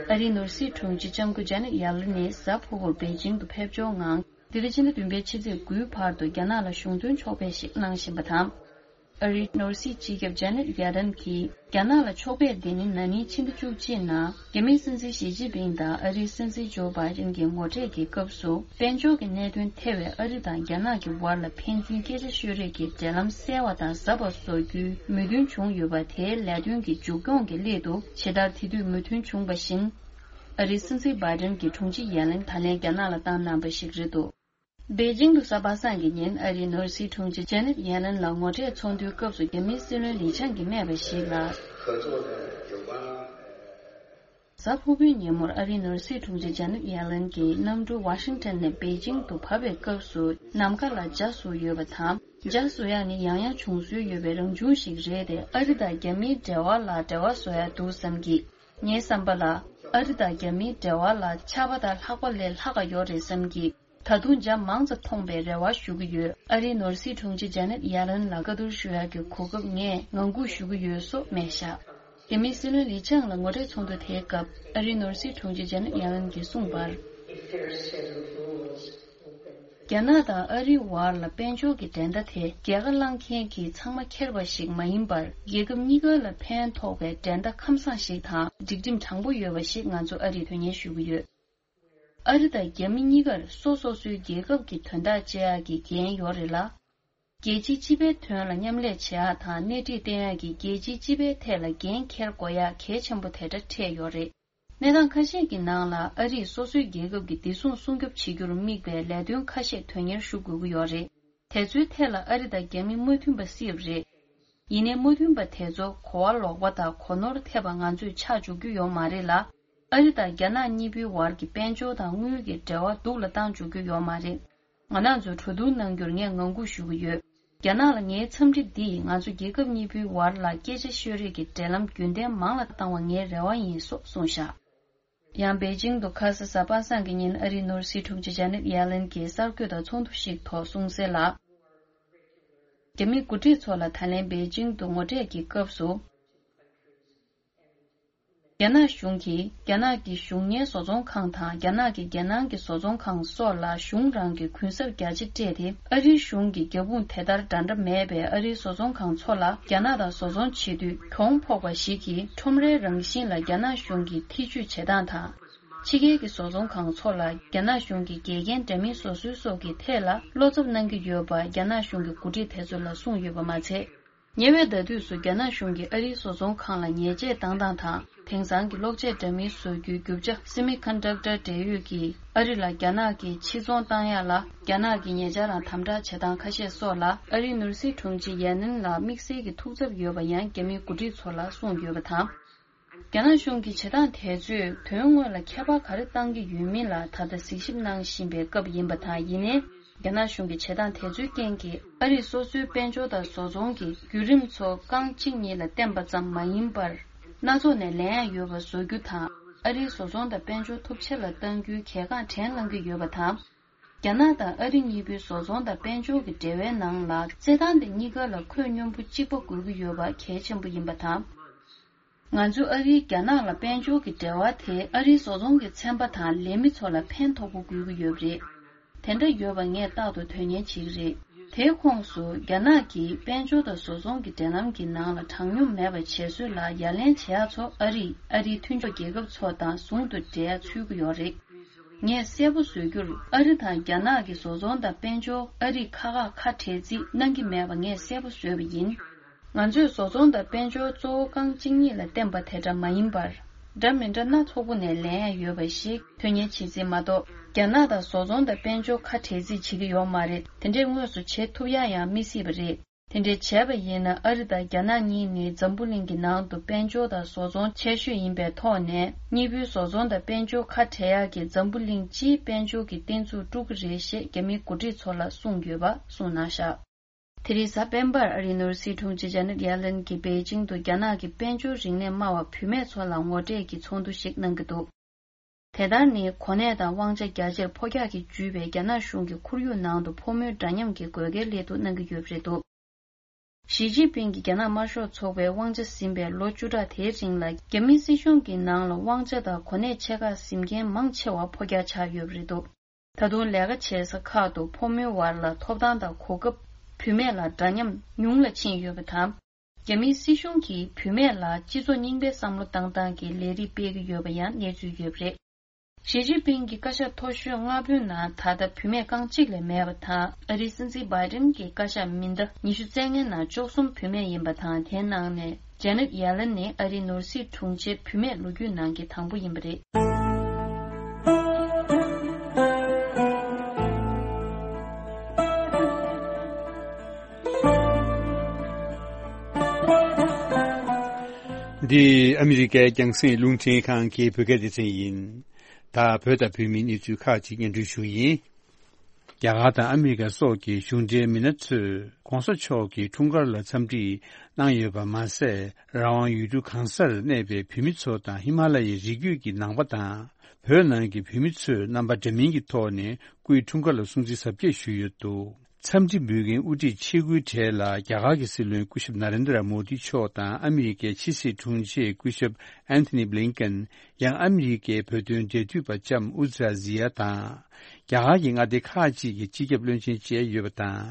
ཨ་རིའི་ནོར་སྲིད་དྲུང་ཆེ་ལྕམ་སྐུ་ཇ་ནེབ་ཡེ་ལན་ནི་གཟའ་ཕུར་བུར་པེ་ཅིང་དུ་ཕེབས་འབྱོར་ངང་། འདི་ཟླ་ཕྱི་ཟླ་བདུན་པའི་ཕྱི་ཚེས་དགུའི་བར་དུ་རྒྱ་ནག་ལ་གཞུང་དོན་ཕྱོགས་ཕེབས་ཤིག་གནང་བཞིན་པ་དང་། ཨ་རིའི་ནོར་སྲིད་སྤྱི་ཁྱབ་ཇེ་ནེཊ་ཡེ་ལན་གྱིས། རྒྱ་ནག་ལ་ཕྱོགས་ཕེབས་འདི་ནི་ན་ནིང་ཕྱི་ཟླ་བཅུ་གཅིག་ནང་རྒྱ་མིའི་སྲིད་འཛིན་ཞི་ཅིན་ཕིང་དང་ཨ་རིའི་སྲིད་འཛིན་ཇོ་བྷའི་ཌེན་གྱི་ངོ་འཕྲད་ཀྱི་སྐབས་སུ། དཔལ་འབྱོར་གྱི་གནད་དོན་ཐེ་བའི་ཨ་རི་དང་རྒྱ་ནག་གི་བར་ལ་ཕན་ཚུན་སྐད་ཆ་ཤོད་རེས་ཀྱི་འབྲེལ་ལམ་གསལ་བ་དང་ཟབ་པ་བཟོ་རྒྱུའི་མོས་མཐུན་བྱུང་ཡོད་པ། དེའི་ལས་དོན་གྱི་མཇུག་སྐྱོང་གི་སླད་དུ། ཇི་ལྟར་དེ་དུས་མོས་མཐུན་བྱུང་བ་བཞིན། ཨ་རིའི་སྲིད་འཛིན་བྷའི་ཌེན་གྱིས་དྲུང་ཆེ་ཡེ་ལན་ད་ལན་རྒྱ་ནག་ལ་བཏང་གནང་པ་ཞིག་རེད་འདུག་པེ་ཅིང་དུ་གཟའ་པ་སངས་ཀྱི་ཉིན་ཨ་རིའི་ནོར་སྲིད་དྲུང་ཆེ་ཇེ་ནེཊ་ཡེ་ལན་ལ་ངོ་འཕྲད་ཚོགས་འདུའི་སྐབས་སུ་རྒྱ་མིའི་སྲིད་བློན་ལི་ཆང་གིས་སྨྲས་པ་ཞིག་ལ། གཟའ་ཕུར་བུའི་ཉིན་མོར་ཨ་རིའི་ནོར་སྲིད་དྲུང་ཆེ་ཇེ་ནེཊ་ཡེ་ལན་གྱིས་གནམ་གྲུ་ཝ་ཤིང་ཊོན་ནས་པེ་ཅིང་དུ་བབས་པའི་སྐབས་སུ། ནམ་མཁའ་ལ་འཇའ་ཟུག་ཡོད་པ་དང་། འཇའ་ཟུག་ཡག་ནི་ཡང་ཡང་བྱུང་སྲོལ་ཡོད་པའི་རང་བྱུང་ཞིག་རེད་དེ། ཨ་རི་དང་རྒྱ་མིའི་འབྲེལ་བ་ལ་འབྲེལ་བ་བཟོ་ཡག་འདུག་བསམ་གི། ངའི་བསམ་པ་ལ། ཨ་རི་དང་རྒྱ་མིའི་འབྲེལ་བ་ལ་ཆར་པ་དང་ལྷགས་པ་ལས་ལྷག་ག་ཡོད་རེད་བསམ་གི། ད་དུང་འཇའ་མང་ཙམ་མཐོང་པའི་རེ་བ་ཞུ་གི་ཡོད། ཨ་རིའི་ནོར་སྲིད་དྲུང་ཆེ་ཇེ་ནེཊ་ཡེ་ལན་ལ་བཀའ་བསྡུར་ཞུ་ཡག་གི་གོ་སྐབས་ངས་ངང་སྒུག་ཞུ་གི་ཡོད་སོགས་སྨྲས་བཞག་རྒྱ་མིའི་སྲིད་བློན་ལི་ཆང་ལ་ངོ་འཕྲད་ཚོགས་འདུ་དེའི་སྐབས་ཨ་རིའི་ནོར་སྲིད་དྲུང་ཆེ་ཇེ་ནེཊ་ཡེ་ལན་གྱིས་གསུངས་པར། རྒྱ་ནག་དང་ཨ་རིའི་བར་ལ་དཔལ་འབྱོར་གྱི་འགྲན་ཟླ་དེ་རྒྱལ་ཁ་བླངས་མཁན་གྱིས་ཚང་མ་འཁྱེར་བ་ཞིག་མ་ཡིན་པར། རྒྱལ་ཁབ་གཉིས་ཀ་ལ་ཕན་ཐོགས་པའི་འགྲན་ཟླ་ཁམས་བཟང་ཞིག་དང་སྒྲིག་ཁྲིམས་དྲང་པོ་ཡོད་པ་ཞིག་ང་ཚོ་ཨ་རིས་དོན་གཉེར་ཞུ་གི་ཡོད། ཨ་རི་དང་རྒྱ་མི་གཉིས་ཀར་སོ་སོ་སོའི་རྒྱལ་ཁབ་ཀྱི་དོན་དག་བྱེད་ཡག་གི་འགན་ཡོད་རེད་ལ། རྒྱལ་སྤྱིའི་སྤྱི་པའི་དོན་ལ་མཉམ་ལས་བྱེད་ཡག་དང་སྣེ་ཁྲིད་བསྟེན་ཡག་གི་རྒྱལ་སྤྱིའི་སྤྱི་པའི་ཐད་ལ་འགན་འཁྱེར་དགོས་ཡག་གལ་ཆེན་པོ་དེ་འདྲ་འཕྲད་ཡོད་རེད། གནས་སྟངས་ཁ་ཤས་ཀྱི་ནང་ལ་ཨ་རིས་སོ་སོའི་རྒྱལ་ཁབ་ཀྱི་བདེ་སྲུང་སྲུང་སྐྱོབ་བྱེད་རྒྱུར་དམིགས་པའི་ལས་དོན་ཁ་ཤས་དོན་གཉེར་ཞུ་དགོས་ཀྱི་ཡོད་རེད། དེ་ཚོའི་ཐད་ལ་ཨ་རི་དང་རྒྱ་མི་མོས་མཐུན་པ་སྲིད་པ་རེད། ཡིན་ནའི་མོས་མཐུན་པ་དེ་ཚོ་གོ་བ་ལོག་པ་དང་གོ་ནོར་ཐེབས་པ་ང་ཚོས་ཆགས་འཇུག་རྒྱུ་ཡོད་མ་རེད་ལ། ཨ་རི་དང་རྒྱ་ནག་གཉིས་པོའི་བར་གྱི་དཔལ་འབྱོར་དང་དངུལ་གྱི་འབྲེལ་བ་སྡུག་ལ་བཏང་འཇུག་རྒྱུ་ཡོད་མ་རེད། ང་རང་ཚོས་གྲོས་བསྡུར་གནང་རྒྱུར་ངས་ངང་སྒུག་ཞུ་གི་ཡོད། རྒྱ་ནག་ལ་ངའི་འཚམས་འདྲི་འདིས་ང་ཚོ་རྒྱལ་ཁབ་གཉིས་པོའི་བར་ལ་སྐད་ཆ་ཤོད་རེས་ཀྱི་འབྲེལ་ལམ་རྒྱུན་ལྡན་མང་ལ་བཏང་བ་ངའི་རེ་བ་ཡིན་སོགས་གསུངས་བཞག་ཡང་པེ་ཅིང་དུ་ཁ་ས་གཟའ་པ་སངས་ཀྱི་ཉིན་ཨ་རིའི་ནོར་སྲིད་དྲུང་ཆེ་ཇེ་ནེཊ་ཡེ་ལན་གྱིས་གསར་འགོད་དང་ཚོགས་འདུ་ཞིག་ཐོག་གསུངས་གསལ་ལ། རྒྱ་མི་འགོ་ཁྲིད་ཚོ་ལ་ད་ལན་པེ་ཅིང་དུ་ངོ་འཕྲད་ཀྱི་སྐབས་སུ། རྒྱ་ནག་གཞུང་གིས་རྒྱ་ནག་གི་གཞུང་གཉེར་བཟོ་ཚོང་ཁང་དང་རྒྱ་ནག་གི་རྒྱལ་ནང་གི་བཟོ་ཚོང་ཁང་སོགས་ལ་གཞུང་རང་གི་གུན་གསབ་རྒྱ་ཆེ་སྤྲད་དེ། ཨ་རིའི་གཞུང་གི་རྒྱབ་དཔུང་དེ་ལྟར་འདྲ་འདྲ་མེད་པའི་ཨ་རིའི་བཟོ་ཚོང་ཁང་ཚོ་ལ་རྒྱ་ནག་དང་བཟོ་ཚོང་བྱེད་དུས་གྱོང་ཕོག་པ་ཞིག་གིས་ཁྲོམ་རའི་རང་བཞིན་ལ་རྒྱ་ནག་གཞུང་གིས་ཐེ་ཇུས་བྱེད་སྟངས་དང་། ཕྱི་རྒྱལ་གྱི་བཟོ་ཚོང་ཁང་ཚོ་ལ་རྒྱ་ནག་གཞུང་གིས་འགལ་རྐྱེན་འདྲ་མིན་བཟོ་སྲོལ་སོགས་ཀྱི་ཐད་ལ་བློ་འཚབ་གནང་གི་ཡོད་པ་རྒྱ་ནག་གཞུང་གི་འགོ་ཁྲིད་དེ་ཚོ་ལ་གསུངས་ཡོད་པ་མ་ཚད། ཉེ་བའི་ཟླ་དུས་སུ་རྒྱ་ནག་གཞུང་གིས་ཨ་རིའི་བཟོ་ཚོང་ཁང་ལ་ཉེས་ཆད་བཏང་སྟངས་དང་། དེང་སང་གི་གློག་ཆས་འདྲ་མིན་བཟོ་རྒྱུའི་རྒྱུ་ཆ་སེ་མི་ཀོན་ཌག་ཊར་འབྲེལ་ཡོད་ཀྱིས་ཨ་རི་ལ་རྒྱ་ནག་གིས་ཕྱིར་ཚོང་བཏང་ཡག་ལ་རྒྱ་ནག་གིས་ཉེ་ཆར་རང་དམ་དྲག་བྱེད་སྟངས་ཁ་ཤས་སོགས་ལ་ཨ་རིའི་ནོར་སྲིད་དྲུང་ཆེ་ཡེ་ལན་ལ་དམིགས་བསལ་གྱི་ཐུགས་འཚབ་ཡོད་པ་ཡང་རྒྱ་མིའི་འགོ་ཁྲིད་ཚོ་ལ་གསུངས་ཡོད་པ་དང་། རྒྱ་ནག་གཞུང་གི་བྱེད་སྟངས་དེ་ཚོས་དོན་དངོས་ལ་ཁྱད་པར་ག་རེ་བཏང་གི་ཡོད་མིན་ལ་ད་ལྟ་གཟིགས་ཞིབ་གནང་བཞིན་པའི་སྐབས་ཡིན་པ་དང་། ཡིན་ནའི། རྒྱ་ནག་གཞུང་གི་བྱེད་སྟངས་དེ་ཚོའི་རྐྱེན་གྱིས་ཨ་རིས་སོ་སོའི་དཔལ་འབྱོར་དང་བཟོ་ཚོང་གི་བརྒྱུད་རིམ་ཚོ་རྐང་གཅིག་གཉིས་ལ་བརྟེན་པ་ཙམ་མ་ཡིན་པར། སྣ་ཚོགས་ནས་ལེན་ཡག་ཡོད་པ་བཟོ་རྒྱུ་དང་། ཨ་རིའི་བཟོ་ཚོང་དང་དཔལ་འབྱོར་ཐོབ་ཆེ་ལ་གཏང་རྒྱུའི་གལ་འགངས་དྲན་བསླང་གི་ཡོད་པ་དང་། རྒྱ་ནག་དང་ཨ་རི་གཉིས་པོའི་བཟོ་ཚོང་དང་དཔལ་འབྱོར་གྱི་འབྲེལ་བའི་ནང་ལ་རྩེད་ཐང་དེ་གཉིས་ཀ་ལ་ཁོད་སྙོམས་པོ་གཅིག་པ་དགོས་ཀྱི་ཡོད་པ་གལ་ཆེན་པོ་ཡིན་པ་དང་། ང་ཚོས་ཨ་རིའི་རྒྱ་ནག་ལ་དཔལ་འབྱོར་གྱི་འབྲེལ་བ་དེ་ཨ་རིའི་བཟོ་ཚོང་གི་ཚན་པ་དང་ལས་མི་ཚོ་ལ་ཕན་ཐོགས་པོ་དགོས་ཀྱི་ཡོད་པ་རེད། དེ་འདྲ་ཡོད་པ་ངས་རྟག་ཏུ་དོན་གཉེར་བྱེད་ཀྱི་རེད། དེའི་ཁོངས་སུ་རྒྱ་ནག་གིས་དཔལ་འབྱོར་དང་བཟོ་ཚོང་གི་འབྲེལ་ལམ་གྱི་ནང་ལ་དྲང་སྙོམས་མེད་པ་བྱེད་སྲོལ་ལ་ཡ་ལན་བྱེད་ཡག་ཚོ་ཨ་རིས་ཨ་རིའི་མཐུན་ཕྱོགས་རྒྱལ་ཁབ་ཚོ་དང་ཟུང་དུ་འབྲེལ་ཚུལ་གྱི་ཡོད་རེད། ངས་གསལ་པོ་བཟོ་རྒྱུར་ཨ་རི་དང་རྒྱ་ནག་གི་བཟོ་ཚོང་དང་དཔལ་འབྱོར་ཨ་རིས་ཁ་ཁ་ཁ་བྲལ་རྩིས་གནང་གི་མེད་པ་ངས་གསལ་པོ་བཟོས་པ་ཡིན། ང་ཚོས་བཟོ་ཚོང་དང་དཔལ་འབྱོར་གཙོ་བོ་རྐང་གཅིག་གཉིས་ལ་བརྟེན་པ་དེ་འདྲ་མ་ཡིན་པར། འདྲ་མི་འདྲ་སྣ་ཚོགས་པོ་ནས་ལེན་ཡག་ཡོད་པ་ཞིག་དོན་གཉེར་བྱེད་རྩིས་མ་གཏོགས། རྒྱ་ནག་དང་བཟོ་ཚོང་དང་དཔལ་འབྱོར་ཁ་བྲལ་རྩིས་བྱེད་ཀྱི་ཡོད་མ་རེད། དེ་འདྲས་དངོས་སུ་བྱེད་ཐུབ་ཡག་ཡང་མི་སྲིད་པ་རེད། དེ་འདྲས་བྱས་པ་ཡིན་ན་ཨ་རི་དང་རྒྱ་ནག་གཉིས་ནི་འཛམ་བུ་གླིང་གི་ནང་དུ་དཔལ་འབྱོར་དང་བཟོ་ཚོང་ཆེ་ཤོས་ཡིན་པའི་ཐོག་ནས། གཉིས་པོའི་བཟོ་ཚོང་དང་དཔལ་འབྱོར་ཁ་བྲལ་ཡག་གིས་འཛམ་བུ་གླིང་སྤྱིའི་དཔལ་འབྱོར་གྱི་བསྟན་ཚུགས་དཀྲུག་གི་རེད་ཞེས་རྒྱ་མིའི་འགོ་ཁྲིད་ཚོ་ལ་གསུངས་ཡོད་པ་གསུངས་གནང་བཞག་དེ་རིང་གཟའ་སྤེན་པར་ཨ་རིའི་ནོར་སྲིད་དྲུང་ཆེ་ཇེ་ནེཊ་ཡེ་ལེན་གྱིས་པེ་ཅིང་དུ་རྒྱ་ནག་གི་དཔལ་འབྱོར་རིག་གནས་སྨྲ་བ་བུད་མེད་ཚོ་ལ་ངོ་སྤྲོད་ཀྱི་ཚོགས་འདུ་ཞིག་གནང་གི་འདུག་དེ་ལྟར་ནི་གོ་གནས་དང་དབང་ཆ་རྒྱ་ཆེར་འཕོ་འགྱག་གིས་བརྒྱུད་པའི་རྒྱ་ནག་གཞུང་གི་ཁོར་ཡུག་ནང་དུ་ཕོ་མོའི་འདྲ་མཉམ་གྱི་དགོས་གལ་སླད་དུ་གནང་གི་ཡོད་པ་རེད་འདུག་ཞི་ཅིན་ཕིང་གིས་རྒྱ་ནག་དམར་ཤོག་ཚོགས་པའི་དབང་ཆ་ཟིན་པའི་ལོ་བཅུ་ཕྲག་དེའི་རིང་ལ་རྒྱ་མིའི་སྲིད་གཞུང་གི་ནང་ལ་དབང་ཆ་དང་གོ་གནས་ཆེ་ཁག་ཟིན་མཁན་མང་ཆེ་བ་ཕོ་རྒྱག་ཆགས་ཡོད་པ་རེད་འདུག་ད་དུང་ལས་ཀ་བྱེད་ས་ཁག་ཏུ་ཕོ་མོའི་བར་ལ་ཐོབ་ཐང་དང་གོ་སྐབས་ བུད་མེད་ལ་འདྲ་མཉམ་ཉུང་ལ་ཕྱིན་ཡོད་པ་དང་། རྒྱ་མིའི་སྲིད་གཞུང་གིས་བུད་མེད་ལ་སྤྱི་ཚོགས་རྙིང་པའི་བསམ་བློ་བཏང་སྟངས་ཀྱི་ལས་རིགས་སྤེལ་གྱི་ཡོད་པ་ཡང་གནས་ཚུལ་ཡོད་པ་རེད། ཞི་ཅིན་ཕིང་གི་བཀའ་ཤག་མཐོ་ཤོས་ལྔ་པོའི་ནང་ད་ལྟ་བུད་མེད་རྐང་གཅིག་ལས་མེད་པ་དང་། ཨ་རིའི་སྲིད་འཛིན་བྷའི་ཏིན་གྱི་བཀའ་ཤག་མི་སྣ་ཉི་ཤུ་རྩ་ལྔའི་ནང་བཅུ་གསུམ་བུད་མེད་ཡིན་པ་དང་། དེའི་ནང་ནས་ཇེ་ནེད་ཡེ་ལན་ནི་ཨ་རིའི་ནོར་སྲིད་དྲུང་ཆེའི་བུད་མེད་ལོ་རྒྱུས་ནང་གི་དང་པོ་ཡིན་པ་རེད། འདི་ཨ་མི་རི་ཀའི་རྒྱང་སྲིང་རླུང་འཕྲིན་ཁང་གི་བོད་སྐད་སྡེ་ཚན་ཡིན། ད་བོད་དང་བོད་མིའི་གནས་ཚུལ་ཁག་ཅིག་སྙན་སྒྲོན་ཞུ་ཡིན། རྒྱ་གར་དང་ཨ་མི་རི་ཀ་སོགས་ཀྱི་གཞུང་འབྲེལ་མི་སྣ་ཚོས་༸གོང་ས་མཆོག་གི་འཁྲུངས་སྐར་ལ་འཚམས་འདྲི་གནང་ཡོད་པ་མ་ཟད། རང་དབང་ཡུལ་གྲུ་གང་སར་གནས་པའི་བོད་མི་ཚོ་དང་ཧི་མ་ལ་ཡའི་རི་རྒྱུད་ཀྱི་ནང་པ་དང་། བོད་ནང་གི་བོད་མི་ཚོས་རྣམ་པ་འདྲ་མིན་གྱི་ཐོག་ནས་སྐུའི་འཁྲུངས་སྐར་ལ་སྲུང་བརྩི་གཟབ་རྒྱས་ཞུས་ཡོད་འདུག་འཚམས་འདྲི་འབུལ་མཁན་དབུ་ཁྲིད་ཆེ་དགུའི་གྲས་ལ་རྒྱ་གར་གྱི་སྲིད་བློན་སྐུ་ཞབས་ན་རེན་དྲ་མོ་དི་མཆོག་དང་ཨ་མི་རི་ཀའི་ཕྱི་སྲིད་དྲུང་ཆེ་སྐུ་ཞབས་ཨན་ཐོ་ནི་བྷི་ལིན་ཀན། ཡང་ཨ་མི་རི་ཀའི་བོད་དོན་འབྲེལ་མཐུད་པ་ལྕམ་ཨུ་ཛི་ར་ཛི་ཡ་དང་། རྒྱ་གར་གྱི་མངའ་སྡེ་ཁག་ཅིག་གི་སྤྱི་ཁྱབ་བློན་ཆེན་བཅས་ཡོད་པ་དང་།